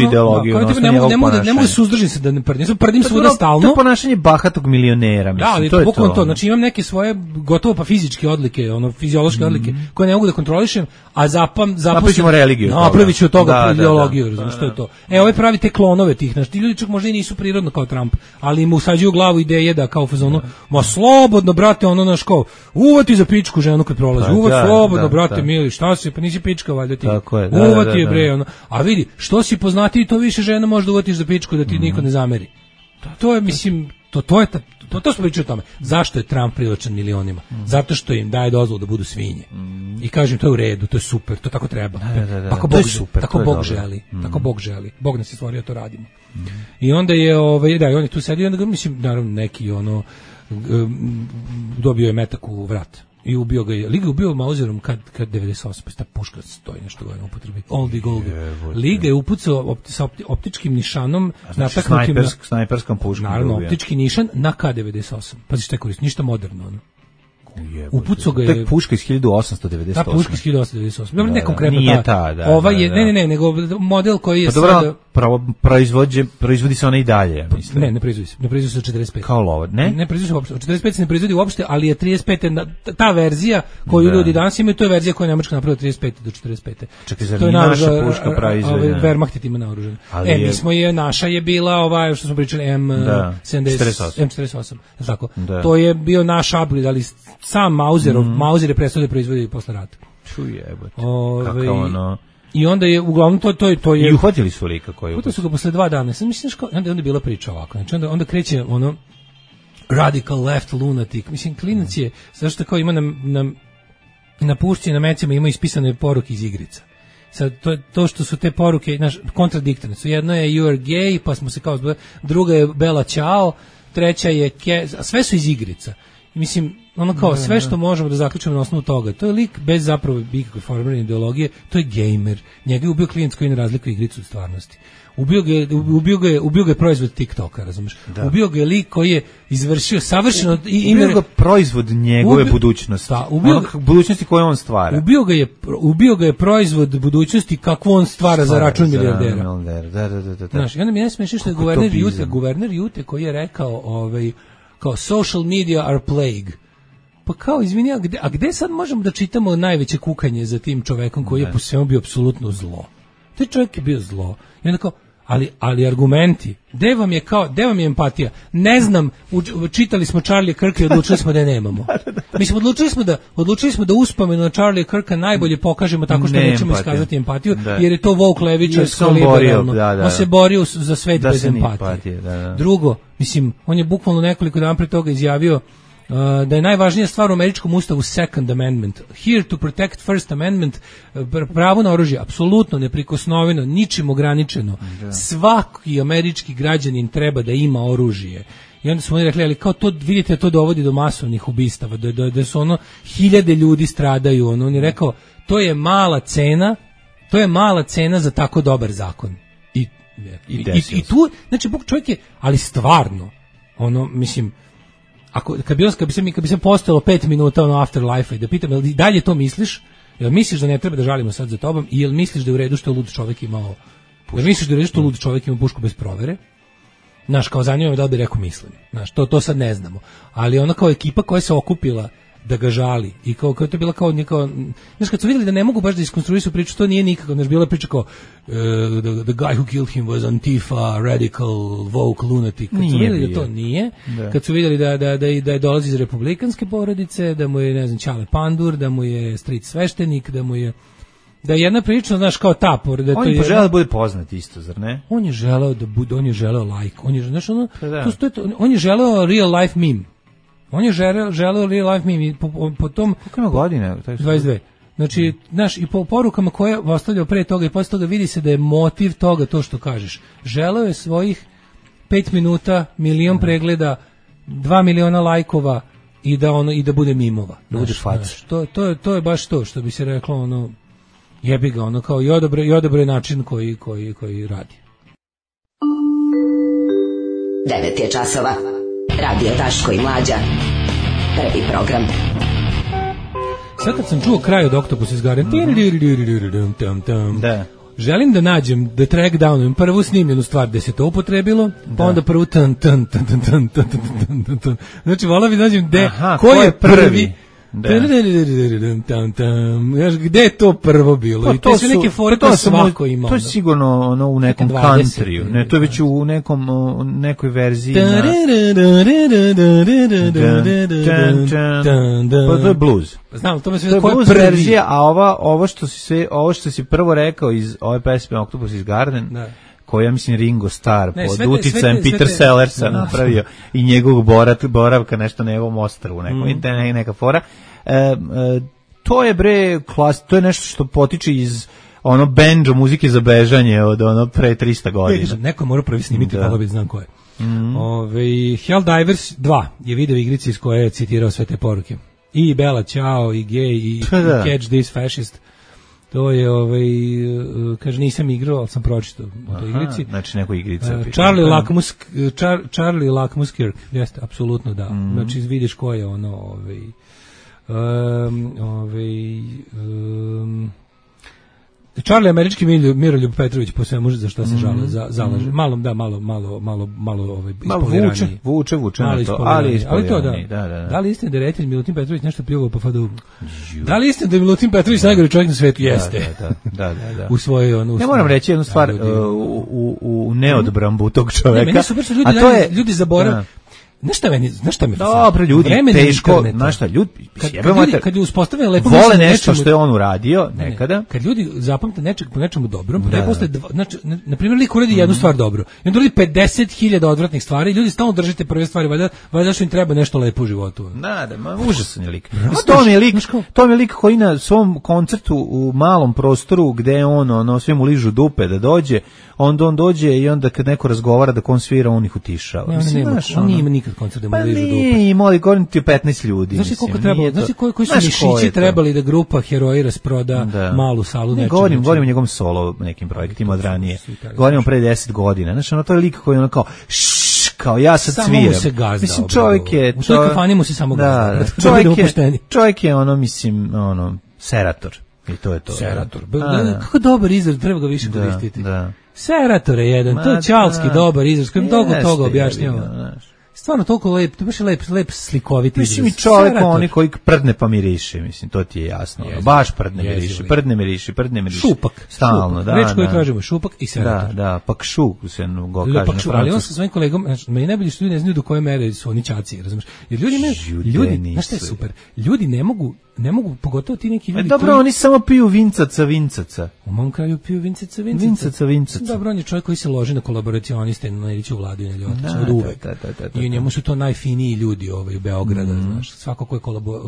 ideologiju. Ne mogu suzdržati se da ne prdim. Ja prdim svuda stalno. To je ponašanje bahatog milionera, mislim. Da, ali to je to. Znači imam neke svoje gotovo pa fizičke odlike, fiziološke odlike koje ne mogu da kontrolišem, a napravićemo religiju. Napraviću od toga ideologiju, razumiješ što je to. Ovaj pravi te klonove tih, znači ti ljudi čak možda i nisu prirodno kao Trump, ali im usađuju u glavu ideje da kao fazonu, ma slobodno brate, naš kao uvati za pičku ženu kad prolazi. Slobodno, brate mili, šta si, pa nisi pička valjda ti. Uvati je bre, A vidi, što si poznatiji, to više žena može da uvatiš za pičku da ti niko ne zameri. To je, mislim, to smo pričali o tome. Zašto je Trump privlačan milionima? Zato što im daje dozvolu da budu svinje. I kažem, to je u redu, to je super, to tako treba. Tako Bog želi. Tako Bog želi. Bog nas je stvorio, to radimo. I onda je, on je tu sedi, onda ga, mislim, naravno, neki, dobio je metak u vrat i ubio ga je. Liga ubio Mauserom kad 98, pa ta puška stoji nešto godina upotrebi. Oldie Goldie. Liga je upucao sa optičkim nišanom, znači snajperskom puškom. Naravno, optički nišan na K98. Pazi šta je koristi, ništa moderno. Upucao ga je... Tek puška iz 1898. Ta puška iz 1898. Dobro, ne konkretno nije ta, da. Ova je, ne, nego model koji je sada... proizvodi se ona i dalje, mislim. Ne proizvodi se. Ne proizvodi se od 45. Kao lovo, ne? Ne proizvodi se uopšte. Od 45 se ne proizvodi uopšte, ali je 35. Ta verzija koju ljudi danas imaju, to je verzija koju je Nemačka napravila od 35. do 45. Čekaj, zar nije naša puška proizvodna? Wehrmacht ima naoružan. Naša je bila što smo pričali, M48. Tako. To je bio naš upgrade, ali sam Mauser je prestao da proizvodi posle rata. Čujebote. Kako I onda je uglavnom to je i uhvatili su lika koji su ga posle 2 dana. Sam mislim onda je bila priča ovako. Znači onda kreće radical left lunatic. Mislim klinac je zašto kao ima na pušci na mecima ima ispisane poruke iz igrica. Sad to što su te poruke kontradiktorne su. Jedno je you are gay, pa smo se kao druga je Bella Ciao, treća je sve su iz igrica. Mislim, kao sve što možemo da zaključimo na osnovu toga, to je lik bez zapravo ikakve formirane ideologije, to je gamer. Njega je ubio klijent koji ne razlikuje igricu od stvarnosti. Ubio ga je proizvod TikToka, razumiješ? Ubio ga je lik koji je izvršio savršeno... Ubio ga proizvod njegove budućnosti. Budućnosti koje on stvara. Ubio ga je proizvod budućnosti kakvu on stvara za račun milijardera. Znaš, i onda mi ne smiješ što je guverner Jute koji je rekao kao social media are plague. Pa kao, izvini, a gde sad možemo da čitamo najveće kukanje za tim čovekom koji je po svemu bio apsolutno zlo? Taj čovjek je bio zlo. I onda kao, ali argumenti, gde vam je empatija? Ne znam, čitali smo Charlie Kirka i odlučili smo da je nemamo. Mislim, odlučili smo da uspomenu na Charlie Kirka najbolje pokažemo tako što nećemo iskazati empatiju, jer je to woke levičarsko liberalno. On se borio za svet bez empatije. Drugo, mislim, on je bukvalno nekoliko dana pre toga izjavio da je najvažnija stvar u američkom ustavu Second Amendment. Here to protect First Amendment, pravo na oružje, apsolutno neprikosnoveno, ničim ograničeno. Svaki američki građanin treba da ima oružje. I onda su oni rekli, ali kao to, vidite, to dovodi do masovnih ubistava, da su ono, 1000 ljudi stradaju, ono, on je rekao, to je mala cena za tako dobar zakon. I tu, znači, čovjek je, ali stvarno, ono, mislim, kad bi se postojalo 5 minuta ono afterlife-a i da pitam, jel dalje to misliš? Jel misliš da ne treba da žalimo sad za tobom i jel misliš da je u redu što lud čovjek imao pušku? Jel misliš da je u redu što lud čovjek ima pušku bez provere? Znaš, kao zanima me da li bi rekao mislim. Znaš, to sad ne znamo. Ali ona kao ekipa koja se okupila da ga žali i kao to je bila kao neka, znaš, kad su vidjeli da ne mogu baš da iskonstruišu priču, to nije nikako, znaš, bila priča kao the guy who killed him was Antifa, radical, woke, lunatic. Kad su vidjeli da to nije, kad su vidjeli da dolazi iz republikanske porodice, da mu je, ne znam, Ćale Pandur, da mu je stric sveštenik, da je jedna prilično, znaš, kao ta porodica. On je poželeo da bude poznat isto, zar ne? On je želeo da bude, on je želeo like, on je, znaš, ono, on je želeo real life meme. On je želeo real life meme po tom... Kako ima godine? 22. Znači, znaš, i po porukama koje je ostavljao pre toga i posle toga vidi se da je motiv toga to što kažeš. Želeo je svojih 5 minuta, 1 milion pregleda, 2 miliona lajkova i da bude mimova. Da bude fac. To je baš to što bi se reklo, ono, jebi ga, ono, kao i odabro je način koji radi. 9 je časova. Radio Daško i Mlađa. Prvi program. Sad kad sam čuo kraj od Octopus iz Garden, da. Želim da nađem The Track Down, prvu snimljenu stvar gde se to upotrebilo, pa onda prvu tan. Znači, volao bi da nađem ko je prvi. Gde je to prvo bilo? I to su neke fore koje svako ima. To je sigurno ono u nekom countryu. Ne, to je već u nekoj verziji. Pa to je blues. Znam, to je blues verzija, a ovo što si prvo rekao iz ove pesme Octopus iz Garden, koja, mislim, Ringo Starr pod uticajem Peter Sellersa napravio i njegovog boravka nešto na njegovom ostrvu, neka fora. To je to je nešto što potiče iz ono banjo muzike za bežanje od ono pre 300 godina. Neko mora prvi snimiti, pa bi znam ko je. Helldivers 2 je video igrica iz koje je citirao sve te poruke. I Bella Ciao, i Gay, i Catch This Fascist. To je, kaže, nisam igrao, ali sam pročitao o toj igrici. Znači, neko igrica. Charlie Lackmus Kirk, jeste, apsolutno da. Znači, vidiš ko je ono, Charlie američki Miroljub Petrović, po svemu za što se zalaže. Malo ispoliraniji. Vuče na to, ali to da li istina da je reditelj Milutin Petrović nešto pljuvao po Fadu? Da li istina da je Milutin Petrović najgori čovjek na svetu? Jeste. Da. U svojoj ja moram reći jednu stvar u neodbrambu tog čoveka. Meni su ljudi zaboravili. Znaš šta mi dobro, ljudi, teško, znaš šta, ljudi, kad uspostavljaju lepo vole nešto što je on uradio nekada. Kad ljudi zapamte po nečemu dobrom, posle, znači, na primjer, lik uradi jednu stvar dobro, i on uradi 50.000 odvratnih stvari, ljudi stalno držite prve stvari, valjda što im treba nešto lepo u životu. Užasan je lik. To mi je lik koji na svom koncertu u malom prostoru, gde on sve mu ližu dupe da dođe, onda on dođe i onda kad neko razgovara da on svira, on ih utišava. On nije ima nikad koncert da mu ližu dupe. Pa nije imao, govorim ti 15 ljudi. Znaš koliko trebalo, znaš koji su mišići trebali da grupa heroji rasproda malu salu nečega. Govorim o njegovom solo nekim projektima od ranije. Govorim pre 10 godina. Znaš, ono to je lik koji ono kao ja sad sviram. Samo mu se gazda. Mislim, čovjek je... U toj kafani mu se samo gazda. Čovjek je ono, mislim, serator. I to je to. Serator. Kako dobar izraz, treba ga više koristiti. Serator je jedan, to je čalski dobar izraz, kojim toga objašnjava. Stvarno toliko lep, to baš je lep slikoviti izraz. Mislim, i čovjek oni koji prdne pa miriše, mislim, to ti je jasno. Baš prdne miriše. Šupak. Stalno, da. Reč koju tražimo, šupak i serator. Da, pakšu se go kaže na francuskom. Ali on sa svojim kolegom, meni najbolje što ljudi ne znaju do koje mere su oni ćaci, razumiješ? Jer ljudi, znaš šta je super? Ljudi ne mogu, pogotovo ti neki ljudi. Dobro, oni samo piju vincaca. U mom kraju piju vincaca. Vincaca. Dobro, on je čovjek koji se loži na kolaboracioniste, na Iliću Vladu i na Ljotića, od uvek. I I njemu su to najfiniji ljudi u Beograda, znaš. Svako ko je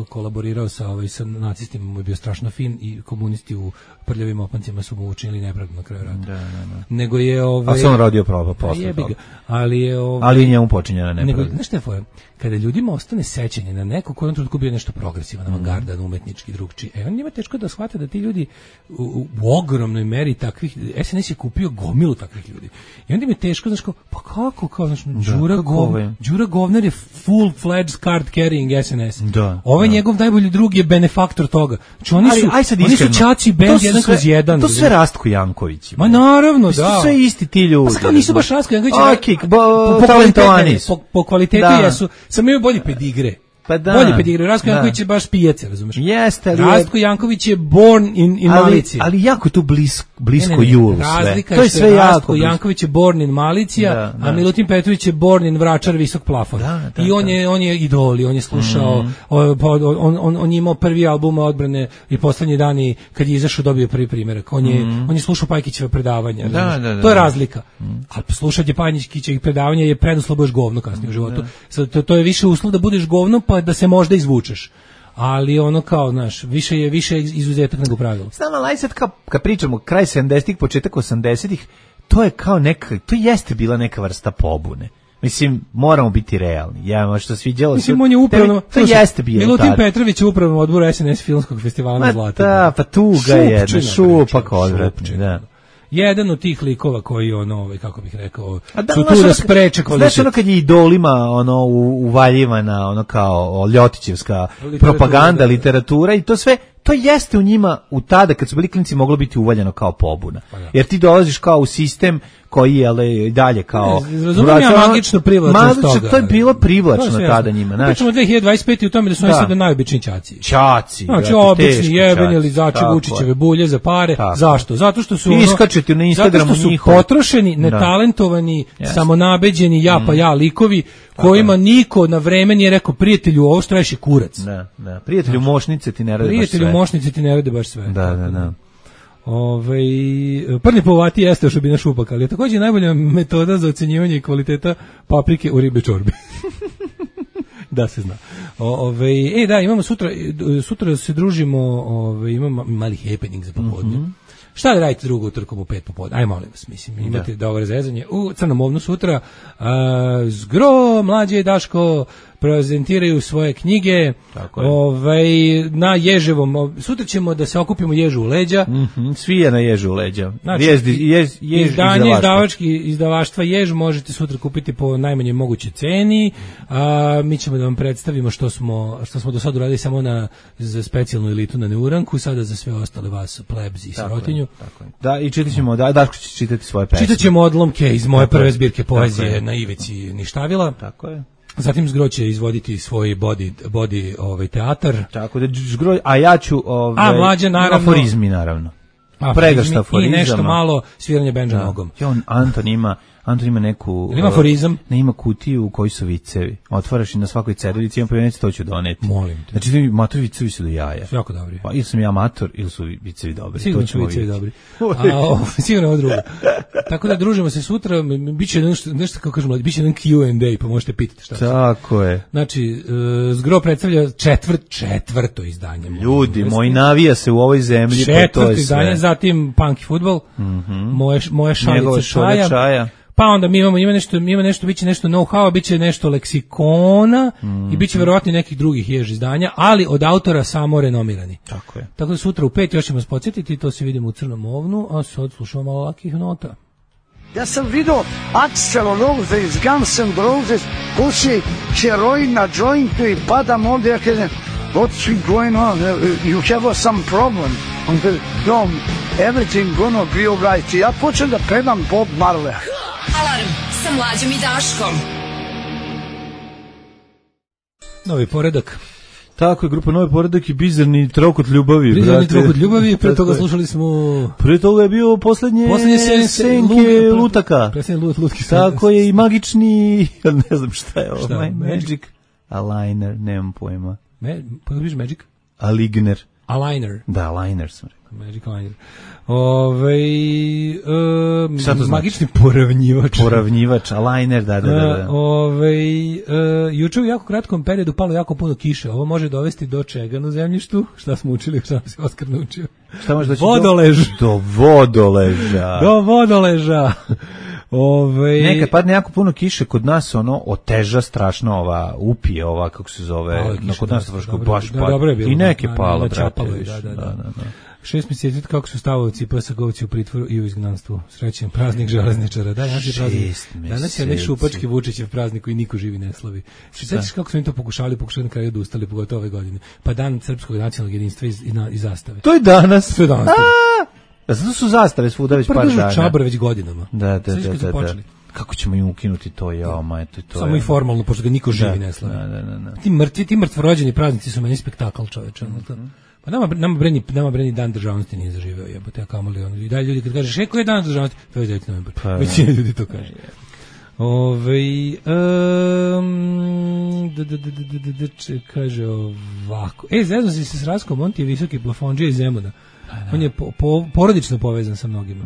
kolaborirao sa nacistima mu je bio strašno fin i komunisti u prljavim opancima su mu učinili nepravdu na kraju rata. Da. Nego je A sam radio pravo posle toga. Ali je ali njemu počinjena nepravda. Znaš šta je fora? Kada ljudima ostane sećanje na neko koji je u trenutku bio nešto progresivan, avangardan, umetnički, drugčiji, on njima teško da shvate da ti ljudi u ogromnoj meri takvih, SNS je kupio gomilu takvih ljudi. I onda im je teško, znaš, pa kako, znaš, Đura Govnar je full-fledged card carrying SNS. Ovaj njegov najbolji drug je benefaktor toga. Znači oni su Čači band 1/1. To sve Rastko Janković. Ma naravno, da. To sve isti ti ljudi. Pa nisu baš Rastko Janković. Po kvalitetu jesu. Samo imaju bolji pedigre. Pa da. Bolji pedigre. Rastko Janković je baš pijace, razumeš? Jeste, ali Rastko Janković je born in Malicija. Ali jako je tu blisko julu sve. Razlika je što je Rastko Janković je born in Malicija, a Milutin Petrović je born in Vračar visok plafon. I on je idol, on je slušao, on je imao prvi album odbrane i poslednji dani kad je izašao dobio prvi primerak. On je slušao Pajkićeva predavanja. To je razlika. A slušanje Pajkićevih predavanja je preduslov budeš govno kasnije u životu. To je više uslov da budeš govno pa da se možda izvučeš. Ali ono kao, znaš, više je izuzetak nego pravilo. Znam, ali sad kad pričamo kraj 70-ih, početak 80-ih, to je kao to jeste bila neka vrsta pobune. Mislim, moramo biti realni. Ja, što sviđalo se. Mislim, on je upravno, to jeste bilo. Milutin Petrović je upravno odbor SNS filmskog festivala na Zlatu. Da, pa tuga je, šupak odvratni, da. Jedan od tih likova koji kako bih rekao, su tu da spreče kvalitet. Znaš kad je idolima uvaljivana kao Ljotićevska propaganda, literatura i to sve, to jeste u njima u tada kad su bili klinci moglo biti uvaljeno kao pobuna. Jer ti dolaziš kao u sistem koji je dalje kao... Razumijem ja magično privlačnost toga. To je bilo privlačno tada njima. Pričamo 2025 i u tome da su oni sada najobičniji ćaci. Znači obični jebeni lizači Vučićeve bulje za pare. Zašto? Zato što su iskačete na Instagramu njihovi. Potrošeni, netalentovani, samonabeđeni, ja likovi kojima niko na vreme nije rekao prijatelju ovo što radiš je kurac. Da. Prijatelju mošnice ti ne rade baš sve. Prijatelju mošnice ti ne rade baš sve. Da. Prni povati jeste ošobina šupak, ali je također najbolja metoda za ocenjivanje kvaliteta paprike u ribe čorbi. Da se zna. Da, imamo sutra se družimo, imamo mali happening za popodne. Šta da radite drugo utorkom u 5 popodne? Aj, molim vas, mislim, imate dobro zezanje. U Crnom ovnu sutra Zgro, Mlađe i Daško prezentiraju svoje knjige. Na Ježevom. Sutra ćemo da se okupimo Ježu u leđa. Svi je na Ježu u leđa. Izdanje izdavaštva Jež možete sutra kupiti po najmanje mogućoj ceni. Mi ćemo da vam predstavimo što smo do sada uradili samo za specijalnu elitu na Neuranku, sada za sve ostale vas plebs i sirotinju. Da, i čitat Daško će čitati svoje pesme. Čitat ćemo odlomke iz moje prve zbirke poezije na Ivici Ništavila. Tako je. Zatim Zgro će izvoditi svoj body teatar. Tako da Zgro, a ja ću Mlađa naravno. Aforizmi naravno. Pregršta aforizama. I nešto malo sviranje bendža nogom. Anton ima neku... Ima aforizam? Ne, ima kutiju u kojoj su vicevi. Otvaraš i na svakoj ceduljici imam povjerenici, to ću doneti. Molim te. Znači, matovi vicevi su do jaja. Su jako dobri. Pa ili sam ja mator, ili su vicevi dobri. Sigurno su vicevi dobri. Sigurno ovo drugo. Tako da družimo se sutra, biće nešto kako kažemo, biće jedan Q&A, pa možete pitati šta. Tako je. Znači, Zgro predstavlja četvrto izdanje. Ljudi, moj navija se u ovoj zemlji, pa to je sve. Izdanje, zatim punk i fudbal, moje šalice čaja. Pa onda ima nešto, biće nešto know-how, biće nešto leksikona i biće verovatno nekih drugih Jež izdanja, ali od autora samo renomirani. Tako je. Tako da sutra u 5 još ćemo se podsjetiti, to se vidimo u Crnom ovnu, a sad slušamo malo lakih nota. Ja sam vidio Axl Rose iz Guns N' Roses, puši heroin na jointu i padam ovdje, ja kažem, what's going on? You have some problem. On kaže, no, everything gonna be alright. Ja počnem da pevam Bob Marley. Alarm sa Mlađom i Daškom. Novi poredak. Tako je, grupa Novi poredak i Bizarni trokut ljubavi. Bizarni trokut ljubavi, pre toga slušali smo... Pre toga je bio poslednje senke lutaka. Tako je i magični, ne znam šta je ovo, Magic Aligner, nemam pojma. Pogledaš Magic? Aligner. Aligner. Da, Aligner sam rekao. Magic liner. Magični poravnjivač. Poravnjivač, a liner, da. Juče u jako kratkom periodu palo jako puno kiše. Ovo može dovesti do čega na zemljištu? Šta smo učili, šta nam se Oskar naučio? Šta može doći? Vodolež. Do vodoleža. Do vodoleža. Nekad padne jako puno kiše, kod nas ono oteža strašno ova upije, ova kako se zove, kod nas baš pada. I neke palo, brate. 6 mjeseci kako su stavovci PSG-ovci u pritvoru i u izgnanstvu. Srećan praznik železničara. Danas je praznik. Danas je nek šupački Vučićev praznik koji niko živi ne slavi. Sećaš kako su im to pokušali na kraju odustali, pogotovo ove godine. Pa dan srpskog nacionalnog jedinstva i zastave. To je danas. To je danas. Zato su zastave svuda već par dana. Čabar već godinama. Da. Kako ćemo im ukinuti to, to samo i formalno, pošto ga niko živi ne slavi. Ti mrtvorođeni praznici su meni spektakl, čoveče. Pa nama breni dan državnosti nije zaživeo, jebote, a kamoli ono. I dalje ljudi kad kažeš, koji je dan državnosti? To je 9. novembar. Većina ljudi to kaže. Kaže ovako. Zezno si se s Raskom, on ti je visoki plafondžija iz Zemuna. On je porodično povezan sa mnogima.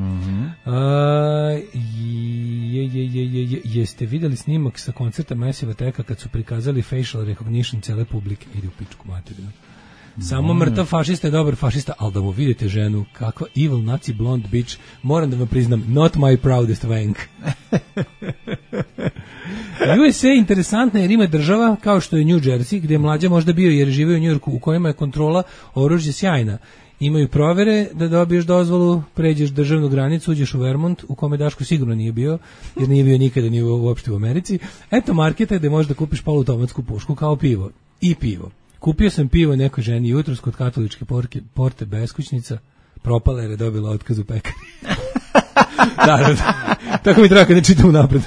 Jeste vidjeli snimak sa koncerta Massive Attacka kad su prikazali facial recognition cele publike? Ide u pičku materinu. Samo mrtav fašista je dobar fašista, ali da mu vidite ženu, kakva evil nazi blonde bitch, moram da vam priznam, not my proudest wank. USA je interesantna jer ima država kao što je New Jersey, gdje je mlađa možda bio jer žive u New Yorku, u kojima je kontrola oružja sjajna. Imaju provere da dobiješ dozvolu, pređeš državnu granicu, uđeš u Vermont, u kome Daško sigurno nije bio, jer nije bio nikada ni uopšte u Americi. Eto marketa gde možeš da kupiš poluautomatsku pušku kao pivo. I pivo. Kupio sam pivo nekoj ženi jutros kod katoličke porte beskućnica, propala jer je dobila otkaz u pekari. Da. Tako mi treba kad ne čitam napred.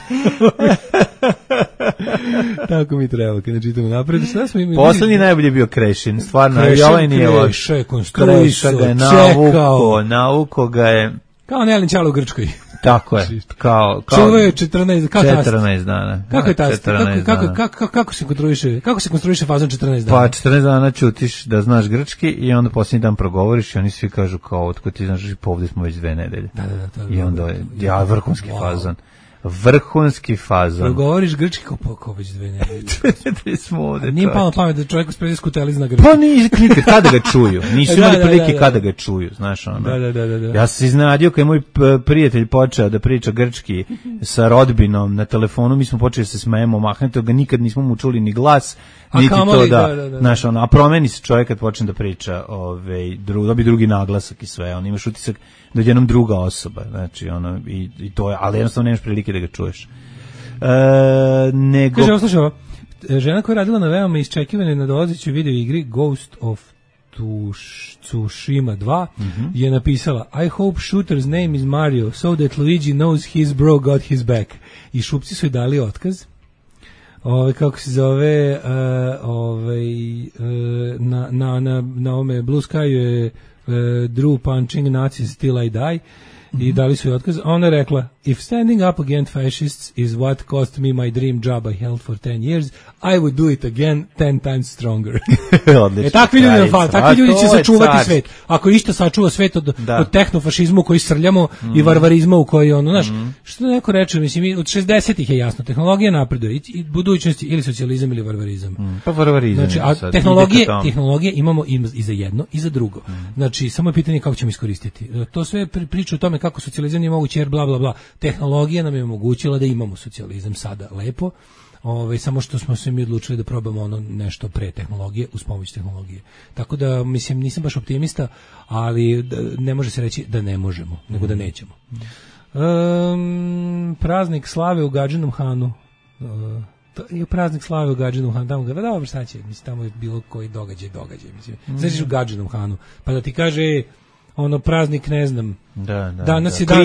Tako mi treba kad ne čitam napred. Poslednji najbolji je bio Krešin, stvarno. Kreša ga je navuko ga je. Kao Nelin Čalo u Grčkoj. Tako je. Čuvaju 14 dana. Kako je tast? Kako se konstruiše fazon 14 dana? Pa 14 dana ćutiš da znaš grčki i onda posljednji dan progovoriš i oni svi kažu kao otko ti znaš pa ovdje smo već 2 nedelje. Da. I onda je vrhunski fazon. Vrhunski fazon. Progovoriš grčki kao već 2 nedelje. Smo ovdje. Nije palo pamet da čovjek spredi skuteli zna grčki. Pa nikad kada ga čuju. Nisu imali prilike kada ga čuju, znaš ono. Da. Ja sam se iznenadio kad je moj prijatelj počeo da priča grčki sa rodbinom na telefonu, mi smo počeli se smejemo, mahnete ga, nikad nismo mu čuli ni glas, niti to da. Znaš ono, a promeni se čovjek kad počne da priča, dobi drugi naglasak i sve, on imaš utisak da je jednom druga osoba, znači ono, i to je, ali jednostavno nemaš prilike da ga čuješ. Kaže, slušaj, žena koja je radila na veoma iščekivane na dolazećoj video igri Ghost of Tsushima 2 je napisala I hope shooter's name is Mario so that Luigi knows his bro got his back. I šupci su joj dali otkaz. Kako se zove na ome Blue Sky je Drew punching Nazis till I die i dali su joj otkaz. Ona je rekla if standing up against fascists is what cost me my dream job I held for 10 years, I would do it again 10 times stronger. Takvi ljudi će sačuvati svet. Ako išta sačuva svet od tehnofašizma u koji srljamo i varvarizma u koji ono, znaš, što neko reče, mislim, od 60-ih je jasno, tehnologija napreduje i budućnosti ili socijalizam ili varvarizam. Pa varvarizam. Znači, a tehnologije imamo i za jedno i za drugo. Znači, samo je pitanje kako ćemo iskoristiti. To sve priča o tome kako socijalizam nije moguće jer bla bla bla. Tehnologija nam je omogućila da imamo socijalizam sada lepo, samo što smo se mi odlučili da probamo ono nešto pre tehnologije uz pomoć tehnologije. Tako da, mislim, nisam baš optimista, ali ne može se reći da ne možemo, nego da nećemo. Praznik slave u Gadžinom Hanu. Je praznik slave u Gadžinom Hanu. Tamo ga, dobro, sad će, mislim, tamo je bilo koji događaj, mislim. Znači u Gadžinom Hanu, pa da ti kaže ono praznik, ne znam, Danas je dan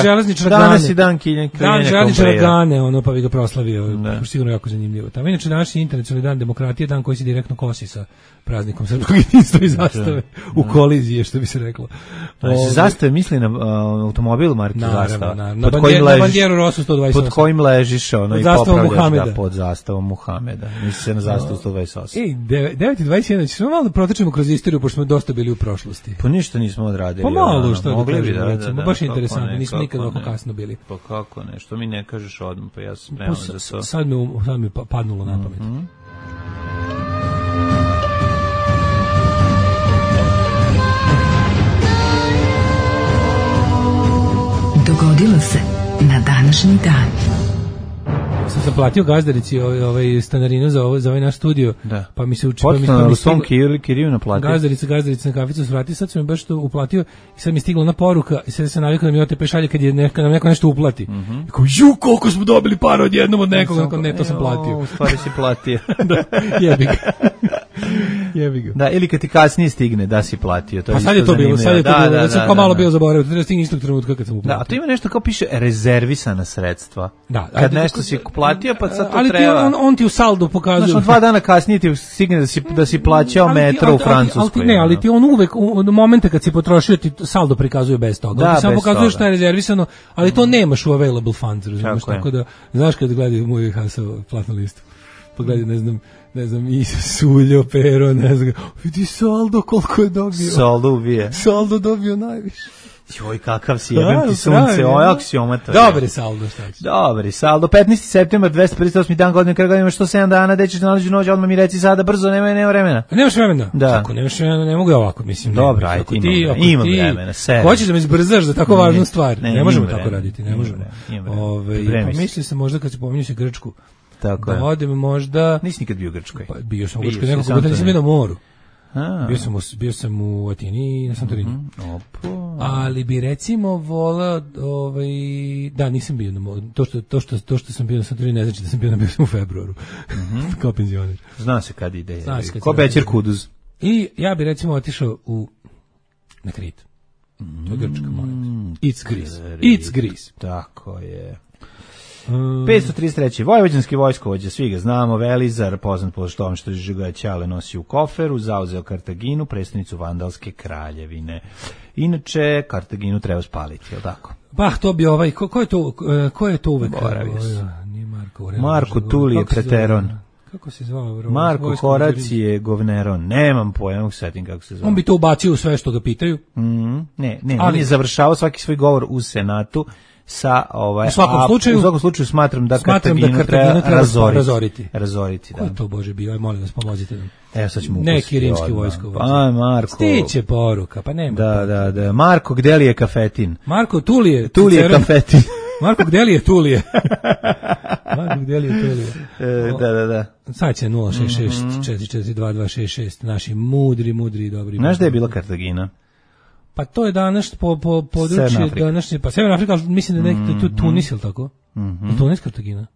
železničara Gane. Danas je dan kiljenja železničara Gane, ono pa bi ga proslavio. Sigurno jako zanimljivo. Tamo inače današnji internacionalni dan demokratije, dan koji se direktno kosi sa praznikom srpskog jedinstva i zastave u koliziji, što bi se reklo. Zastave misli na automobil marke Zastava. Na bandjeru Rosu 128. Pod kojim ležiš, ono, i popravljaš pod zastavom Muhameda. Misli se na zastavu 128. 9:21, ćemo malo da protrčimo kroz istoriju, pošto smo dosta bili u prošlosti. Pa ništa nismo odradili. Pa malo što mogli bi da. Baš interesantno, nismo nikad ovako kasno bili. Pa kako ne, što mi ne kažeš odmah, pa ja sam spreman za to. Sad mi padnulo na pamet. Dogodilo se na današnji dan. Sam platio gazdarici stanarinu za ovaj naš studio, pa mi se u svom kiriju naplatio. Gazdarica na kaficu svrati, sad sam mi baš to uplatio i sad mi je stigla ona poruka i sad se navikao da mi OTP šalje kad je nam neko nešto uplati. I kao, koliko smo dobili para odjednom od nekoga, ne, to sam platio. U stvari si platio. Jebi ga. Da, ili kad ti kasnije stigne da si platio. Pa sad je to bilo, da sam kao malo bio zaboravio, treba stigne istog trenutka kad sam uplatio. Da, a to ima nešto kao piše rezervisana sredstva. Da, kad nešto si platio, pa sad to ali treba. Ali on ti u saldu pokazuje. Znači, 2 dana kasnije ti stigne da si plaćao metro u Francuskoj. Ali ti on uvek, u momente kad si potrošio, ti saldo prikazuje bez toga. Da, ti samo pokazuje šta je rezervisano, ali to nemaš u available funds, razumiješ? Tako da, znaš kad gledaju moj Hasov platnu listu, pogledaj, ne znam, i Suljo, Pero, ne znam, vidi saldo koliko je dobio. Saldo dobio najviše. Joj, kakav si, jebem ti sunce, ojak si omata. Dobri saldo, šta ćeš? Dobri saldo, 15. septembar, 258. dan godine, kada imaš 107 dana, da ćeš nalađu noć, odmah mi reci sada, brzo, nema vremena. Nemaš vremena? Da. Kako nemaš vremena, ne mogu ja ovako, mislim. Dobro, ajde, imam vremena, sve. Hoćeš da me izbrzaš za tako važnu stvar? Ne možemo tako raditi, ne možemo. Mislio sam možda kad se pominju se Grčku, tako da odem možda... Nisi nikad bio u Grčkoj? Bio sam u Grčkoj, nekako godina nisam bio na moru. Bio sam u Atini i na Santorini. Ali bi recimo voleo, da, nisam bio na moru. To što sam bio na Santorini ne znači da sam bio u februaru. Kao penzioner. Zna se kad ide. Ko Bećer Kuduz. I ja bi recimo otišao na Krit. To je Grčka, molim. It's Greece. Tako je. 533. Vojvođanski vojskovođa, svi ga znamo, Velizar, poznat po tome što ga Ćale nosi u koferu, zauzeo Kartaginu, prestonicu Vandalske kraljevine. Inače, Kartaginu treba spaliti, je li tako? Pa, to bi ko je to uvek? Nije Marko Tulije Preteron. Kako se zvao? Marko Horacije Govneron. Nemam pojma, mogu setim kako se zvao. On bi to ubacio u sve što ga pitaju. Ne, on je završavao svaki svoj govor u Senatu sa u svakom slučaju smatram da Kartaginu treba razoriti. Ko je to, Bože, bio? Molim vas, pomozite nam. Evo sad ćemo neki rimski vojskovođa. Pa, Marko. Stiće poruka, pa nema. Da. Marko, gde li je kafetin? Marko Tulije kafetin. Marko, gde li je Tulije? Da. Sad će 066 442 naši mudri i dobri. Znaš da je bila Kartagina? Pa to je danas po području današnje, pa Severna Afrika, mislim da je to Tunis, ili tako? Tunis, Kartagina?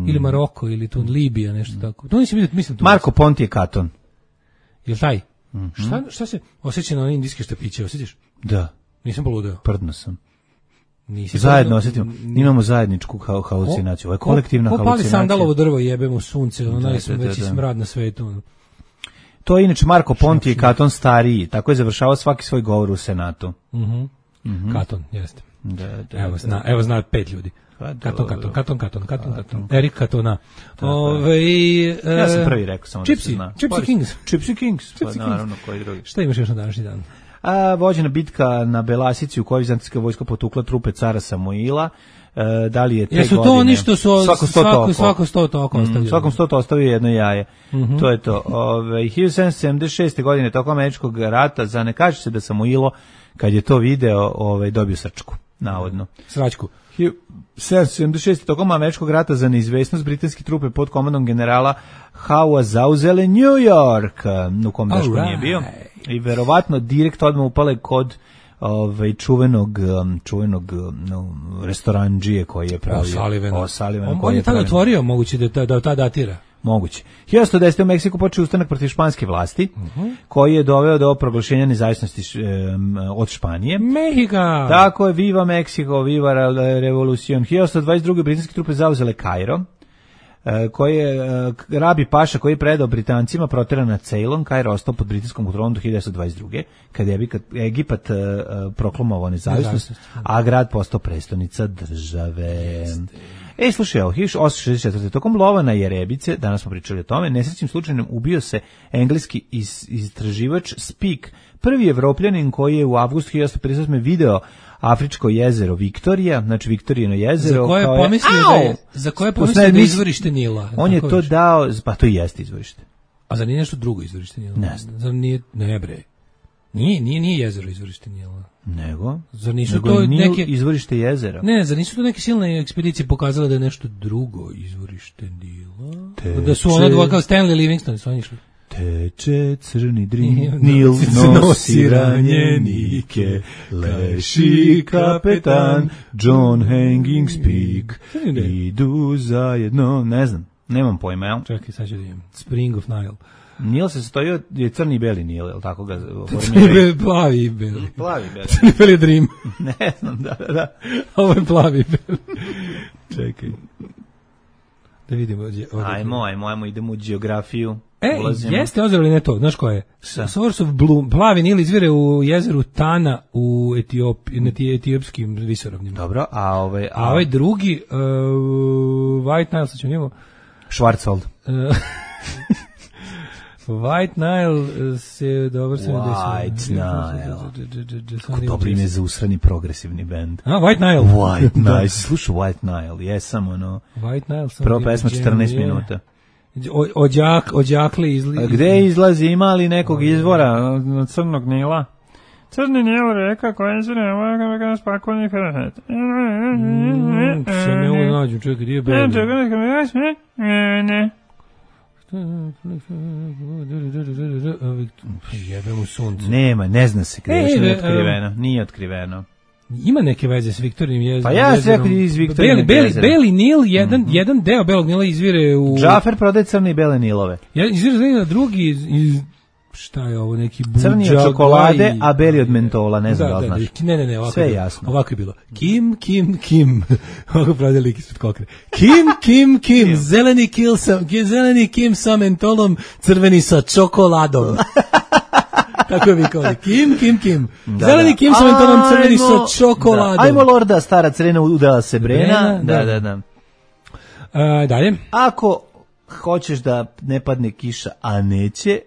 Ili Maroko, ili Libija, nešto tako. Tunis je, mislim, Tunis. Marko Pontije Katon. Jel taj? Šta se osjeća na one indijske štapiće, osjetiš? Da. Nisam poludeo. Prdno sam. Zajedno osjetimo, imamo zajedničku halucinaciju. Ovo je kolektivna halucinacija. Ko pali sandalovo drvo, jebemo sunce, najveći smrad na svetu. To je inače Marko Pontije i Katon stariji, tako je završavao svaki svoj govor u Senatu. Katon, jeste. Evo zna 5 ljudi. Katon. Erik Katona. Ja sam prvi rekao, samo da se zna. Gypsy Kings. Pa naravno, koji drugi. Šta imaš još na današnji dan? Vođena bitka na Belasici u kojoj vizantijska vojska potukla trupe cara Samuila. Da li je te godine? Jesu to oni što su svako 100 toko ostavljeno? Svakom 100 ostavio jedno jaje. To je to. 1776. godine tokom američkog rata, ne kaže se da Samuilo, kad je to video, dobio srčku, navodno. Sračku. 1776. tokom američkog rata za neizvesnost britanske trupe pod komandom generala Howa zauzele New York, u kom Daško nije bio. I verovatno direkt odmah upale kod čuvenog restoranđije koji je pravio. O'Sullivan. On je tada otvorio, moguće da ta datira. Moguće. 1110. u Meksiku počeo ustanak protiv španske vlasti, koji je doveo do proglašenja nezavisnosti od Španije. Mehika! Tako je, viva Meksiko, viva revolucion. 1122. britanske trupe zauzele Kairo, koji je Rabi Paša, koji je predao Britancima, proteran na Ceylon. Kairo ostao pod britanskom kontrolom do 1922. kad je Egipat proklamovao nezavisnost, a grad postao prestonica države. Slušaj, 1864. Tokom lova na jerebice, danas smo pričali o tome, nesrećnim slučajem ubio se engleski istraživač Speke, prvi Evropljanin koji je u avgustu 1858. video afričko jezero Viktorija, znači Viktorijino jezero. Za koje je pomislio da je izvorište Nila. On je to dao, pa to i jeste izvorište. A zar nije nešto drugo izvorište Nila? Ne znam. Zar nije, ne bre. Nije jezero izvorište Nila. Nego? Zar nisu to neke izvorište jezera? Ne, zar nisu to neke silne ekspedicije pokazale da je nešto drugo izvorište Nila? Da su ona dva kao Stanley Livingstone su oni išli. Teče crni Nil, nosi ranjenike, leši kapetan, John Hanging Speke, idu zajedno, ne znam, nemam pojma, jel? Čekaj, sad ću da imam. Spring of Nile. Nil se stojio, je crni i beli Nil, jel tako ga formiraju? Plavi i beli. Plavi i beli. Crni beli je Dream. Ne znam, da. Ovo je plavi i beli. Čekaj. Da vidimo. Ajmo, idemo u geografiju. Jeste ozero ili ne to? Znaš ko je? Source of Blue. Plavi Nil izvire u jezeru Tana u etiopskim visoravnima. Dobro, a ovaj drugi, White Nile, sad ćemo njemo. Schwarzwald. White Nile se dobro se White Nile. Kako dobro ime za usrani progresivni band. White Nile. White Nile. Slušaj White Nile, jesam ono. White Nile. Prva pesma 14 minuta. Odjakle izlazi. Gde izlazi, ima li nekog izvora od Crnog Nila? Crni Nil reka koja izvire ovakav spakovni hrhet. Se ne mogu nađu, čekaj, gdje je beli? Ne. Jebem u suncu. Nema, ne zna se gde, još nije otkriveno. Nije otkriveno. Ima neke veze s Viktorijim jezerom. Pa ja se rekao iz Viktorijim jezera. Beli Nil, jedan deo Belog Nila izvire u... Džafer prodaje crne i bele Nilove. Izvire za drugi iz... Šta je ovo, neki buđa... Crni od čokolade, a beli od mentola, ne znam da li znaš. Ne, ovako sve je jasno. Ovako je bilo. Kim. Ovako pravda lik ispred kokre. Kim. Zeleni Kim sa mentolom, crveni sa čokoladom. Tako je vikao. Kim. Zeleni Kim sa mentolom, crveni sa čokoladom. Ajmo Lorda, stara crena udala se Brena. Da. Dalje. Ako hoćeš da ne padne kiša, a neće,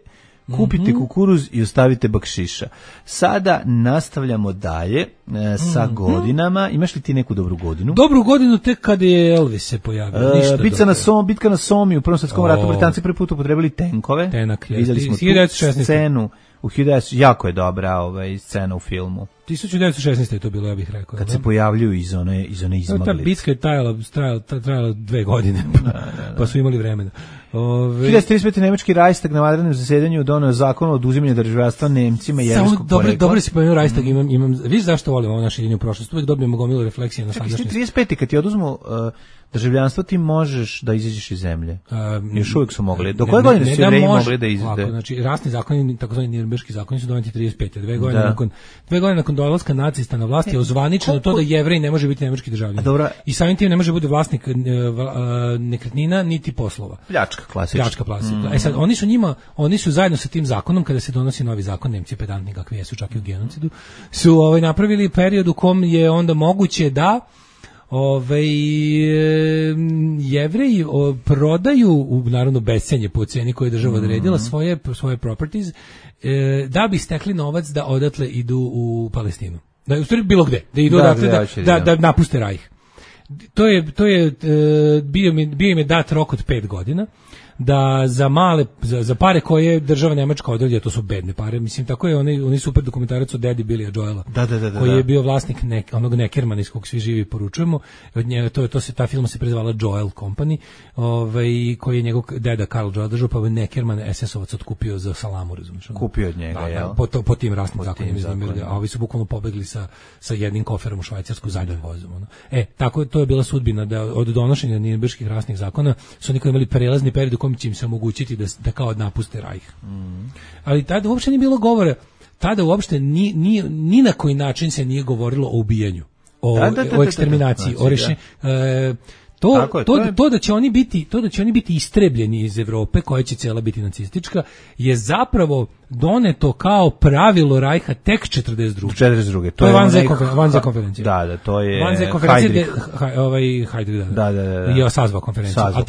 kupite kukuruz i ostavite bakšiša. Sada nastavljamo dalje sa godinama. Imaš li ti neku dobru godinu? Dobru godinu tek kad je Elvis se pojavio. Bitka na Somi u Prvom svjetskom ratu. Britanci prvi put upotrebili tenkove. Vidjeli smo tu scenu. Jako je dobra scena u filmu. 1916. je to bilo, ja bih rekao. Kad se pojavljuju iz one izmaglice. Ta bitka je trajala 2 godine, pa su imali vremena. 1935. nemački Reichstag na vanrednom zasedanju doneo zakon o oduzimanju državljanstva Nemcima jevrejskog porekla. Dobro si pomenuo Reichstag, vidiš zašto volim ovo naše jedinje u prošlost, uvijek dobijemo gomilu refleksije na sadašnjost. 35. kad ti oduzmu državljanstvo, ti možeš da izađeš iz zemlje. Još uvijek su mogli. Do koje godine su Jevreji mogli da izađu? Znači, rasni zakoni, takozvani Nirnberški zakoni su doneti 35. Dve godine nakon dolaska nacista na vlast je ozvaničeno to da Jevrej ne može biti nemački državljanin. I samim tim ne može biti vlasnik nekretnina niti poslova. Pljačka klasična. Sad, oni su zajedno sa tim zakonom, kada se donosi novi zakon, Nemci pedantni kakvi jesu čak i u genocidu, su napravili period u kom je onda moguće da Jevreji prodaju naravno bescenje po ceni koju je država odredila svoje properties da bi stekli novac da odatle idu u Palestinu. Da, u stvari bilo gde, da idu da napuste Rajh. To je bio im je dat rok od 5 godina da za pare koje država Nemačka određuje, to su bedne pare, mislim, tako je oni super dokumentarac od Daddy Billya Joela, koji je bio vlasnik onog Neckermana iz kog svi živi poručujemo, od njega ta firma se prezvala Joel Company, koji je njegov deda Karl Joel držao, pa je Neckerman SS-ovac otkupio za salamu, razumiješ? Kupio od njega, jel? Po tim rasnim zakonima, a ovi su bukvalno pobegli sa jednim koferom u Švajcarsku zadnjim vozom. Tako, to je bila sudbina da od donošenja Nirnberških rasnih zakona su oni koji imali prelazni period u kom će im se omogućiti da kao napuste Rajh. Ali tada uopšte nije bilo govora, tada uopšte ni na koji način se nije govorilo o ubijanju, o eksterminaciji, o rešenju. To da će oni biti istrebljeni iz Evrope, koja će cela biti nacistička, je zapravo doneto kao pravilo Rajha tek 42. To je Wannsee konferencija. Da, to je Wannsee konferencija Heydrich, da. Je sazvao konferenciju. A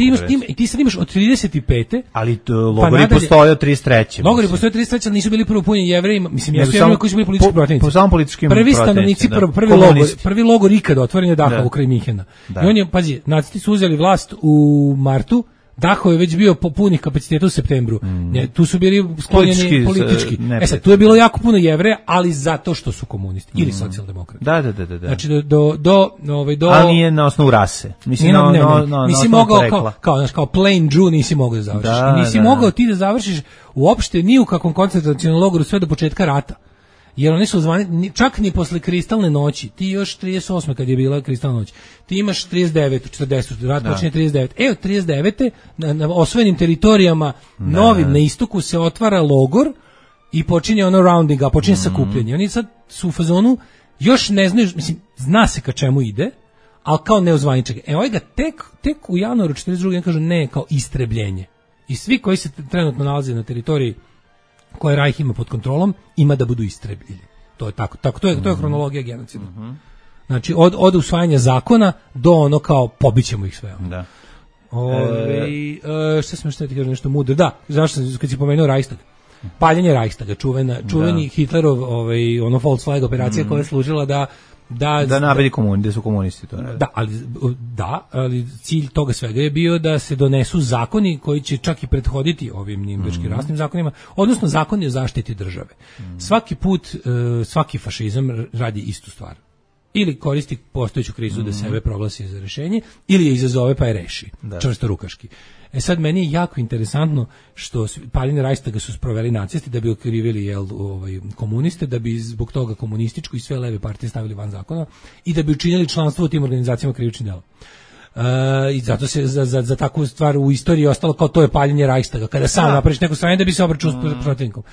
ti sad imaš od 35. Ali logori postoje od 33. Logori postoje od 33, ali nisu bili prvo punjeni Jevrejima, mislim jesu Jevreji koji su bili politički protivnici. Po samo političkim prvi stanovnici, prvi logor ikada otvoren je Dachau kraj Minhena. I on je, pazi, nacisti su uzeli vlast u martu, Dachau je već bio po punih kapaciteta u septembru. Tu su bili sklonjeni politički. Sad, tu je bilo jako puno Jevreja, ali zato što su komunisti ili socijaldemokrati. Da. Znači do ali nije na osnovu rase. Mislim nisi mogao kao plain Jew nisi mogao da završiš. Nisi mogao ti da završiš uopšte ni u kakvom koncentracionom logoru sve do početka rata. Jer oni su zvani, čak ni posle kristalne noći, ti još 38. kad je bila kristalna noć, ti imaš 39. 40. rat počinje 39. Od 39. na osvojenim teritorijama novim na istoku se otvara logor i počinje ono rounding, a počinje sakupljanje. Oni sad su u fazonu, još ne znaju, mislim, zna se ka čemu ide, ali kao neozvaničak. Ovaj ga tek u januaru 42. kažu ne, kao istrebljenje. I svi koji se trenutno nalaze na teritoriji koje Rajh ima pod kontrolom, ima da budu istrebljeni. To je tako. To je hronologija genocida. Znači, od usvajanja zakona do ono kao pobićemo ih sve. Da. Šta sam ti kažem nešto mudro? Da, zašto kad si pomenuo Reichstag? Paljenje Reichstaga, čuveni Hitlerov ono false flag operacija koja je služila da nabedi da su komunisti to. Ali cilj toga svega je bio da se donesu zakoni koji će čak i prethoditi ovim Nirnberškim rasnim zakonima, odnosno zakoni o zaštiti države. Svaki put, svaki fašizam radi istu stvar. Ili koristi postojeću krizu da sebe proglasi za rešenje, ili je izazove pa je reši, čvrsto rukaški. Sad meni je jako interesantno što paljenje Reichstaga su sproveli nacisti da bi okrivili komuniste, da bi zbog toga komunističku i sve leve partije stavili van zakona i da bi učinili članstvo u tim organizacijama krivičnim delom. I zato se za takvu stvar u istoriji ostalo kao to je paljenje Reichstaga, kada sam napraviš neko stranje da bi se obračunao s protivnikom.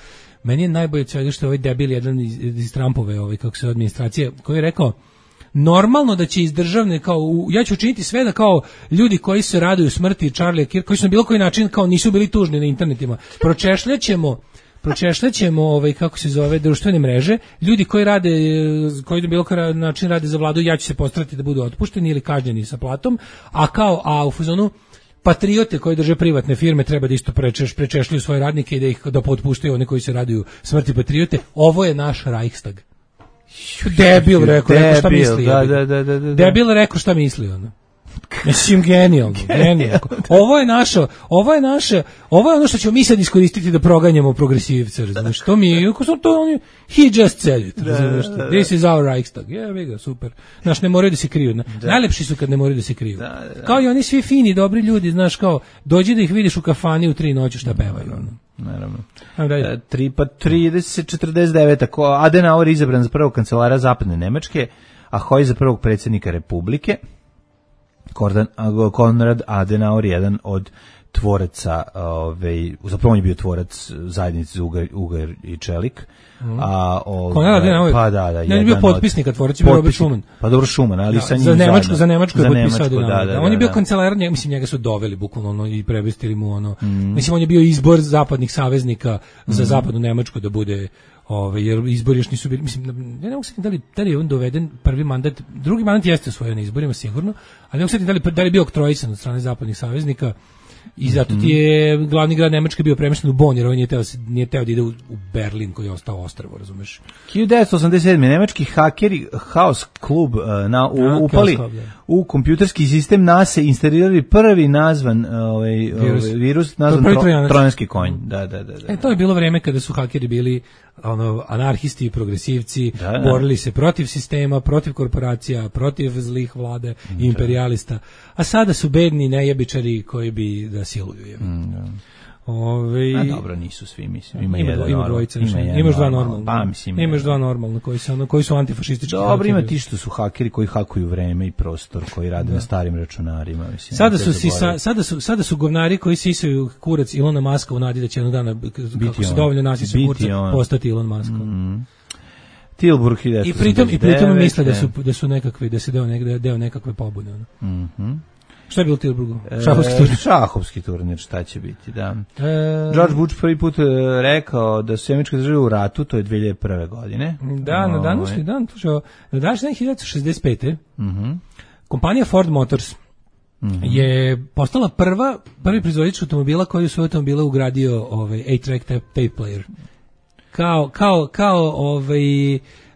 Meni je najbolje od svega što je ovaj debil jedan iz Trumpove administracije koji je rekao normalno da će iz državne ja ću učiniti sve da kao ljudi koji se raduju smrti Charlie Kirk, koji su na bilo koji način kao nisu bili tužni na internetima, pročešljaćemo kako se zove društvene mreže, ljudi koji na bilo koji način rade za vladu, ja ću se postarati da budu otpušteni ili kažnjeni sa platom, a u fazonu patriote koji drže privatne firme treba da isto prečešljuju svoje radnike i da potpuštaju one koji se raduju smrti patriote. Ovo je naš Reichstag. Debil rekao šta misli. Debil rekao šta misli ono. Mislim genijalno. Ovo je ono što ćemo mi sad iskoristiti da proganjamo progresivce, razumiješ? To mi je, he just said it, razumiješ? This is our Reichstag. Super. Znaš, ne moraju da se kriju. Najlepši su kad ne moraju da se kriju. Kao i oni svi fini, dobri ljudi, znaš, kao, dođi da ih vidiš u kafani u 3 noći šta pevaju, ono. Naravno. 30-49. Adenauer izabran za prvog kancelara zapadne Nemačke, a Hoj za prvog predsjednika Republike. Konrad Adenauer, jedan od tvoraca, zapravo on je bio tvorac zajednice Ugar i Čelik. Konrad Adenauer? Pa da. On je bio potpisnika, tvorac je bio Robert Schuman. Pa dobro Schuman, ali sa njim za Nemačku je potpisao Adenauer. On je bio kancelar, mislim njega su doveli bukvalno i prevestili mu ono. Mislim on je bio izbor zapadnih saveznika za zapadnu Nemačku da bude jer izbori još nisu bili, mislim, ja ne mogu sjetiti da li je on doveden prvi mandat, drugi mandat jeste osvojio na izborima sigurno, ali ne mogu sjetiti da li je bio oktrojisan od strane zapadnih saveznika i zato ti je glavni grad Nemačke bio premješten u Bonn, jer on nije teo da ide u Berlin koji je ostao ostrvo, razumeš? 1987. nemački hakeri Chaos Club upali u kompjuterski sistem NASA instalirali prvi nazvan virus nazvan trojanski konj. Da. To je bilo vreme kada su hakeri bili anarhisti i progresivci, borili se protiv sistema, protiv korporacija, protiv zlih vlade i imperialista, a sada su bedni nejebičari koji bi da siluju. A dobro, nisu svi, mislim. Ima dvojica, imaš dva normalna. Pa, mislim. Imaš dva normalna koji su antifašistički. Dobro, ima ti što su hakeri koji hakuju vreme i prostor, koji rade na starim računarima, mislim. Sada su govnari koji sisaju kurac Ilona Maska u nadi da će jednog dana, kako se dovoljno nasisa kurca, postati Elon Musk. Tilburg 1989. I pritom misle da su nekakvi, da se deo nekakve pobude. Šta je bilo u Tilburgu? Šahovski turnir, šta će biti, da. George Bush prvi put rekao da su Američke države u ratu, to je 2001. godine. Da, na današnji dan, na današnji dan 1965. Kompanija Ford Motors je postala prvi proizvođač automobila koji u svoje automobile ugradio 8-track tape player. Kao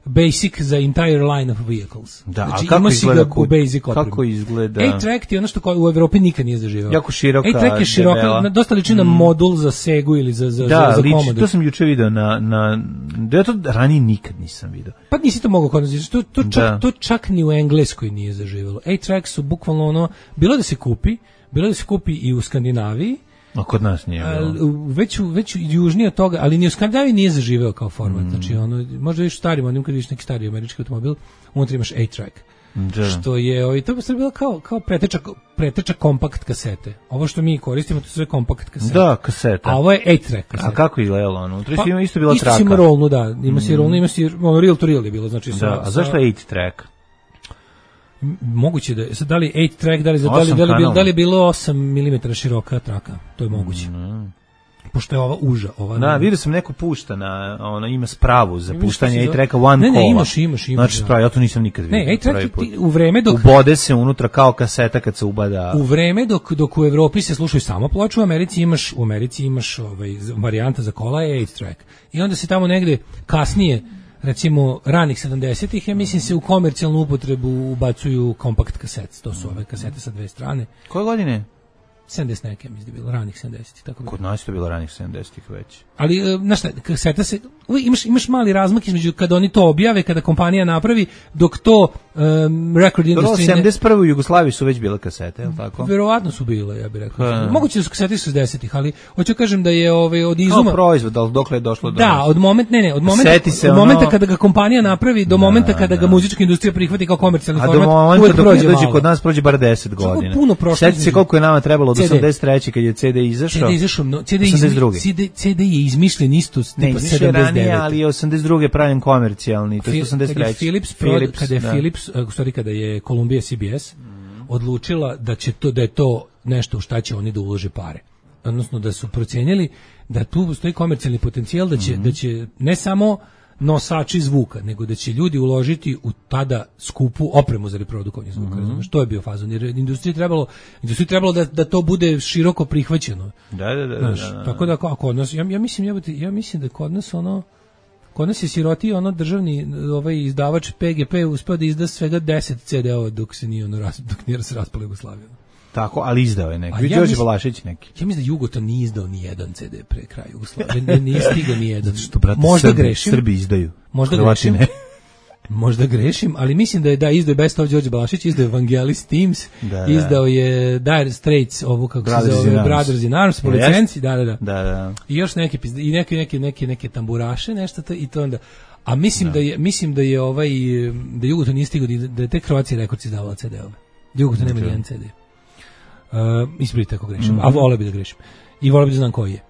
basic za entire line of vehicles. Da, znači, a kako izgleda u basic kako izgleda? 8-track je ono što u Evropi nikad nije zaživeo. Jako široka, 8-track je široka, dosta liči na modul za Segu ili za Commodore. To sam juče video da ja to ranije nikad nisam video. Pa nisi to mogao kod nas, to čak ni u Engleskoj nije zaživelo. 8-track su bukvalno ono, bilo da se kupi i u Skandinaviji, a kod nas nije. Već južnije od toga, ali ni u Skandinaviji nije zaživeo kao format. Znači, možda viš starim, onim kad viš neki stari američki automobil, unutra imaš 8-track. Što je, to bi sve bilo kao preteča kompakt kasete. Ovo što mi koristimo, to su sve kompakt kasete. Da, kaseta. A ovo je 8-track kaseta. A kako izgledalo ono? Unutra ima isto bila traka. Isto ima rolnu, da. Ima si rolnu, ima si reel to reel je bilo. Znači, a zašto je 8-track? Moguće da je, da li 8-track, da li je bilo 8 mm široka traka, to je moguće. Pošto je ova uža. Da, vidio sam neko pušta ima spravu za puštanje 8-tracka one kola. Ne, imaš. Znači spravu, ja to nisam nikad vidio. Ne, 8-track u vreme dok... Ubode se unutra kao kaseta kad se ubada... U vreme dok u Evropi se slušaju samo ploče, u Americi imaš varijanta za kola je 8-track. I onda se tamo negde kasnije, recimo ranih 70-ih, ja mislim se u komercijalnu upotrebu ubacuju kompakt kasete. To su ove kasete sa dve strane. Koje godine? 70 neke, mislim da je bilo ranih 70-ih. Kod nas je to bilo ranih 70-ih već. Ali, znaš šta, kaseta se, imaš mali razmak između kada oni to objave, kada kompanija napravi, dok to record industry... 71. u Jugoslaviji su već bile kasete, je li tako? Verovatno su bile, ja bih rekao. Moguće da su kasete 60-ih, ali hoću kažem da je od izuma... Kao proizvod, ali dokle je došlo do nas? Da, od momenta kada ga kompanija napravi, do momenta kada ga muzička industrija prihvati kao komercijalni format, uvek prođe malo. A do momenta kod nas prođe bar 10 godina. Puno prošlo. Sjeti se koliko je nama trebalo od 83. kad je CD izašao. CD je izmišljen isto tipa 79. Ranije, ali je 82. pravljen komercijalni, to je 83. Kada je Columbia CBS odlučila da je to nešto u šta će oni da ulože pare. Odnosno da su procenjeli da tu postoji komercijalni potencijal, da će ne samo nosači zvuka, nego da će ljudi uložiti u tada skupu opremu za reprodukovanje zvuka. Što je bio fazon? Jer industriji trebalo da to bude široko prihvaćeno. Da. Tako da kod nas, ja mislim da kod nas je siroti državni izdavač PGP uspeo da izda svega 10 CD-ova dok nije se raspala Jugoslavija. Tako, ali izdao je neki. Đorđe Balašić neki. Ja mislim da Jugoton nije izdao ni jedan CD pre kraja Jugoslavije. Nije stigao ni jedan. Možda grešim. Srbi izdaju. Možda grešim, ali mislim da je izdao Best of Đorđe Balašić, izdao je Vangelis Teams, izdao je Dire Straits, ovu kako se zove Brothers in Arms, po licenci, da. I još neke tamburaše, nešto to, i to onda. A mislim da je Jugoton nije stigao, da je tek Croatia Records izdavala CD-ove. Jugoton nema jedan CD. Ispravite ako grešim, a voleo bi da grešim. I voleo bi da znam koji je.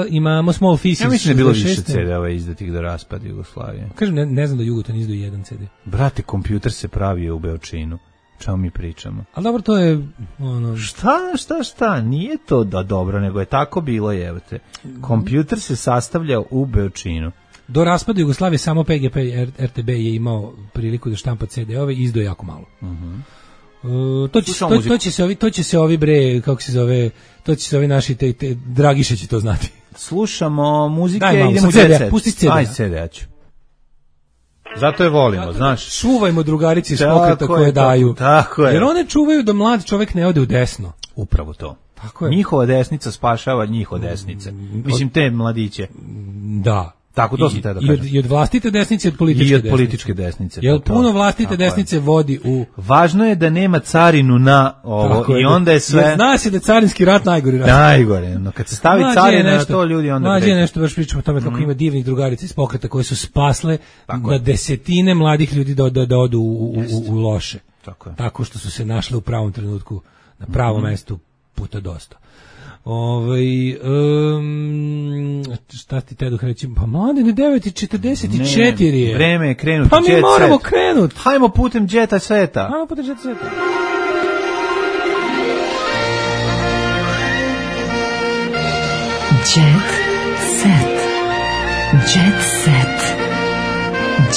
Imamo Small Faces. Ja mislim da je bilo više CD-ova izdatih do raspada Jugoslavije. Kažem, ne znam da Jugoton izdao jedan CD. Brate, kompjuter se pravio u Beočinu. Čemu mi pričamo? Ali dobro, to je... Šta? Nije to da dobro, nego je tako bilo, jevate. Kompjuter se sastavljao u Beočinu. Do raspada Jugoslavije samo PGP RTB je imao priliku da štampa CD-ove i izdao jako malo. To će se ovi bre, kako se zove, to će se ovi naši te Dragiše će to znati. Slušamo muzike, idemo CD, pusti CD. Aj CD ću. Zato je volimo, znaš. Čuvajmo drugarici iz pokreta koje daju. Tako je. Jer one čuvaju da mlad čovjek ne ode u desno. Upravo to. Tako je. Njihova desnica spašava njihove desnice. Mislim te mladiće. Da. Tako, to sam te da kažem. I od vlastite desnice i od političke desnice. I od političke desnice. Jer puno vlastite desnice vodi u... Važno je da nema carinu na ovo i onda je sve... Jer zna se da je carinski rat najgori rat. Najgore, no kad se stavi carina na to ljudi onda... Mlađe je nešto, baš pričamo o tome kako ima divnih drugarica iz pokreta koje su spasle na desetine mladih ljudi da odu u loše. Tako što su se našle u pravom trenutku, na pravom mestu, puta dosta. Šta ti teduh reći? Pa mladine, 9:44 je. Vreme je krenuti. Pa mi moramo krenuti. Hajmo putem džeta sveta. Jet set. Jet set.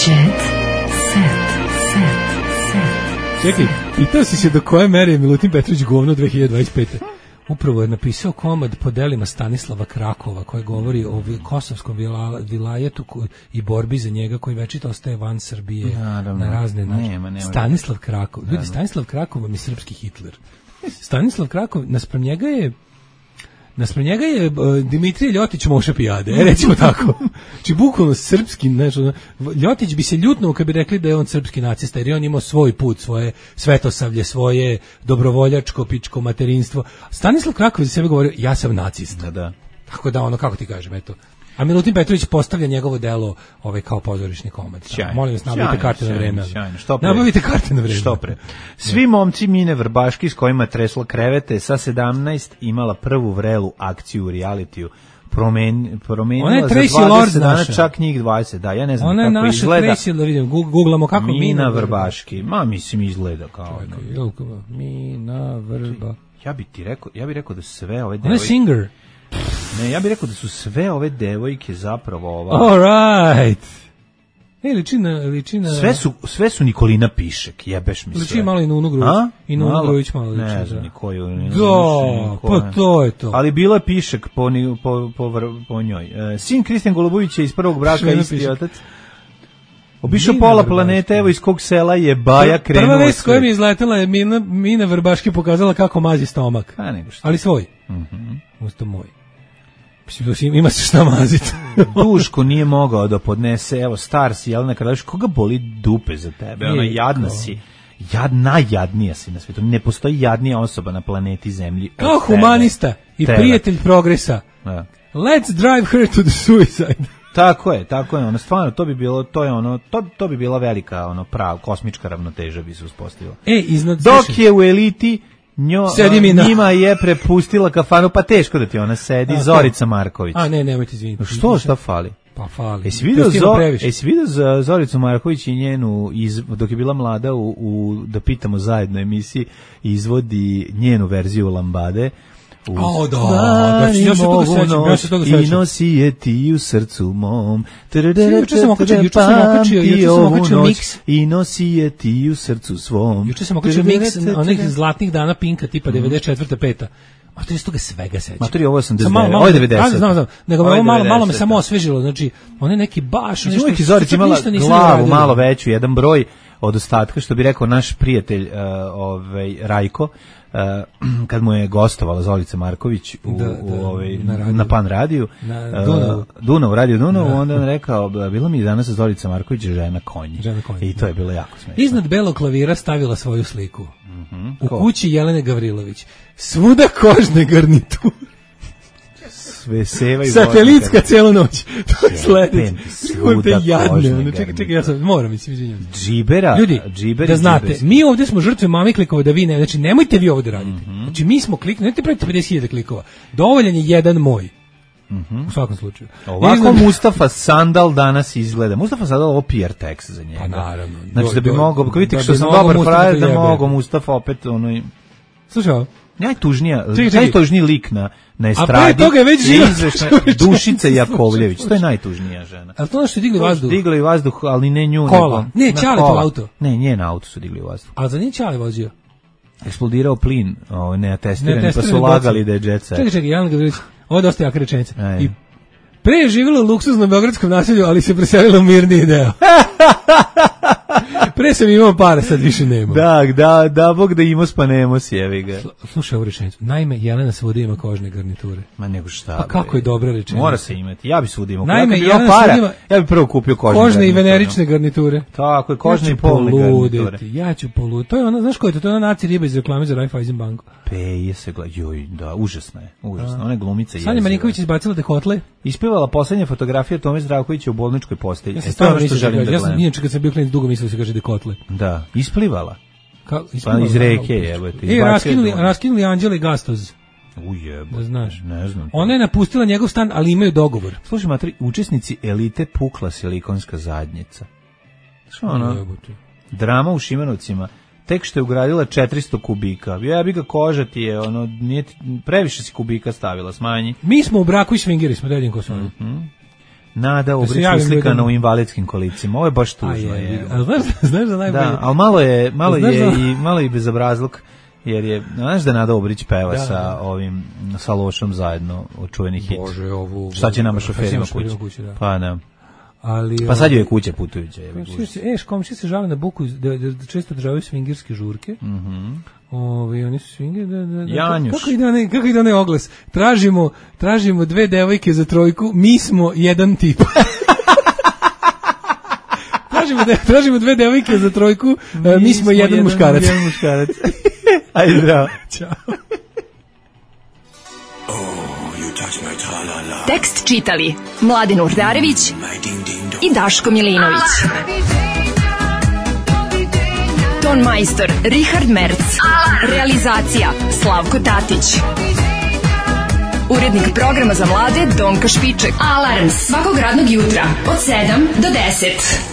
Jet set. Čekaj, pitao si se do koje mere je Milutin Petrović govno 2025. Upravo je napisao komad po delima Stanislava Krakova koji govori o kosovskom vilajetu i borbi za njega koji večito ostaje van Srbije. Naravno. Na razne načine. Stanislav Krakov. Ljudi, Stanislav Krakov vam je srpski Hitler. Stanislav Krakov, naspram njega je Dimitrije Ljotić Moša Pijade, recimo tako. Znači, bukvalno srpski, nešto, Ljotić bi se ljutnuo kad bi rekli da je on srpski nacista, jer je on imao svoj put, svoje svetosavlje, svoje dobrovoljačko, pičko materinstvo. Stanislav Krakov za sebe govorio, ja sam nacista. Da. Tako da, kako ti kažem, eto. A Milutin Petrović postavlja njegovo delo kao pozorišni komad. Molim vas, nabavite karte na vreme. Nabavite karte na vreme. Što pre. Svi momci Mine Vrbaški s kojima tresla krevete sa 17 imala prvu vrelu akciju u realitiju. Promenila za 20 dana čak njih 20. Da, ja ne znam kako izgleda. Ona je naša Tracy, da vidim, googlamo kako Mina Vrbaški. Mislim izgleda kao... Mina Vrba. Ja bih rekao da sve ove devojke... Ona je singer. Ne, ja bih rekao da su sve ove devojke zapravo ova... All right. Ličina... Sve su Nikolina Pišek, jebeš mi sve. Liči malo i Nunu Grujić. I Nunu Grujić malo liči. Ne znam nikoju. Pa to je to. Ali bila je Pišek po njoj. Sin Kristijan Golubović je iz prvog braka, isti otac. Obišao pola planete, evo iz kog sela je Baja krenuo. Prva vest koja mi je izletela je Mina Vrbaški pokazala kako mazi stomak. Ali svoj. Usto moj. Ima se šta maziti. Duško nije mogao da podnese, evo star si, jel nekada viš, koga boli dupe za tebe, ono jadna si, najjadnija si na svijetu, ne postoji jadnija osoba na planeti Zemlji. Kao humanista i prijatelj progresa, let's drive her to the suicide. Tako je, ono stvarno to bi bila velika kosmička ravnoteža bi se uspostavila. Dok je u eliti njima je prepustila kafanu, pa teško da ti ona sedi, Zorica Marković. Nemojte izviniti. Šta fali? Pa fali. Jesi vidio Zoricu Marković i njenu, dok je bila mlada da pitamo zajedno emisiji, izvodi njenu verziju Lambade. Ja se toga sećam. I nosi je ti u srcu mom. Juče sam okačio miks. I nosi je ti u srcu svom. Juče sam okačio miks onih zlatnih dana Pinka tipa 94. 5. A to je toga svega sećam. Maturi, ovo je 89, ovo je 90. Znam. Nego ovo malo me samo osvežilo. Znači, on je neki baš... Znači, Zorica imala glavu malo veću, jedan broj od ostatka, što bi rekao naš prijatelj Rajko, kad mu je gostovala Zorica Marković na Pan radiju, Dunav, radio Dunav, onda on rekao, bila mi je danas Zorica Marković žena konji. I to je bilo jako smiješno. Iznad belog klavira stavila svoju sliku. U kući Jelene Gavrilović. Svuda kožne garniture. Sve sevaju. Satelitska cijelu noć. To je sledeće. Svuda jadne. Čekaj, ja sam, moram, izvinjam. Ljudi, da znate, mi ovdje smo žrtve mami klikova da vi ne, znači nemojte vi ovo da radite. Znači mi smo kliknuli, ne pravite 50.000 klikova. Dovoljan je jedan moj. U svakom slučaju. Ovako Mustafa Sandal danas izgleda. Mustafa Sandal ovo PR tekst za njega. Pa naravno. Znači da bi mogao, vidite što sam dobar frajer, da mogu Mustafa opet Slušaj, najtužniji lik na estradi je Dušica Jakovljević. To je najtužnija žena. Ali to što je digli vazduh? Digli vazduh, ali ne nju. Kola. Ne, Ćale to auto. Ne, njen auto su digli vazduh. A za njih Ćale vozio? Eksplodirao plin, neatestirani, pa su lagali da je jet set. Čekaj, Jelena Gavrilović, ovo je dosta jaka rečenica. I pre je živjela u luksuznom beogradskom naselju, ali se preselila u mirniji deo. Pre sam imao para, sad više nemam. Da, Bog da imao spanemos, jevi ga. Slušaj ovu rečenicu. Naime, Jelena svuda ima kožne garniture. Ma nego šta. Pa kako je dobra rečenica. Mora se imati. Ja bi svuda imao. Naime, Jelena para, ima ja bi prvo kupio kožne i venerične garniture. Tako je, kožne i polne garniture. Ja ću poluditi. To je ona, znaš ko je to? To je ona naci riba iz reklame za Raiffeisen banku. Peje se gleda. Joj, da, užasno je. Ona glumica je. Sanja Marinković izbacila dekotle. Ispevala poslednja fotografija Tome Zdravkovića u bolničkoj postelji. Ja sam što želim da gledam. Inače kad sam bio klinac dugo mislio da se kaže dekotle. Da, isplivala. Pa iz reke je. Raskinuli Anđele Gastoz. Ujebo. Da znaš. Ne znam. Ona je napustila njegov stan, ali imaju dogovor. Slušaj, matri, učesnici elite pukla silikonska zadnjica. Što ono? Drama u Šimanovcima. Tek što je ugradila 400 kubika. Ja bi ga koža ti je, ono, nije, previše si kubika stavila, smanji. Mi smo u braku i svingeri smo, dedim ko su. Nada Obrić uslikana u invalidskim kolicima. Ovo je baš tužno. Znaš da najbolje. Da, ali malo je i bezobrazluk, jer je, znaš da Nada Obrić peva sa Lošom zajedno od čuveni hit. Bože, ovu. Šta će nama šoferima kući? Pa ne. Ali, pa sad je kuća putujuća. Komšije se žale na buku, da često održavaju swingerske žurke. Oni su swingeri, Janjuš. Kako ide onaj oglas? Tražimo 2 devojke za trojku, mi smo jedan tip. Tražimo 2 devojke za trojku, mi smo jedan muškarac. Ajde, zdravo. Ćao. Tekst čitali Mladin Urdarević i Daško Milinović. Ton majstor Richard Merc. Realizacija Slavko Tatić. Urednik programa za mlade Donka Špiček. Alarms svakog radnog jutra od 7 do 10.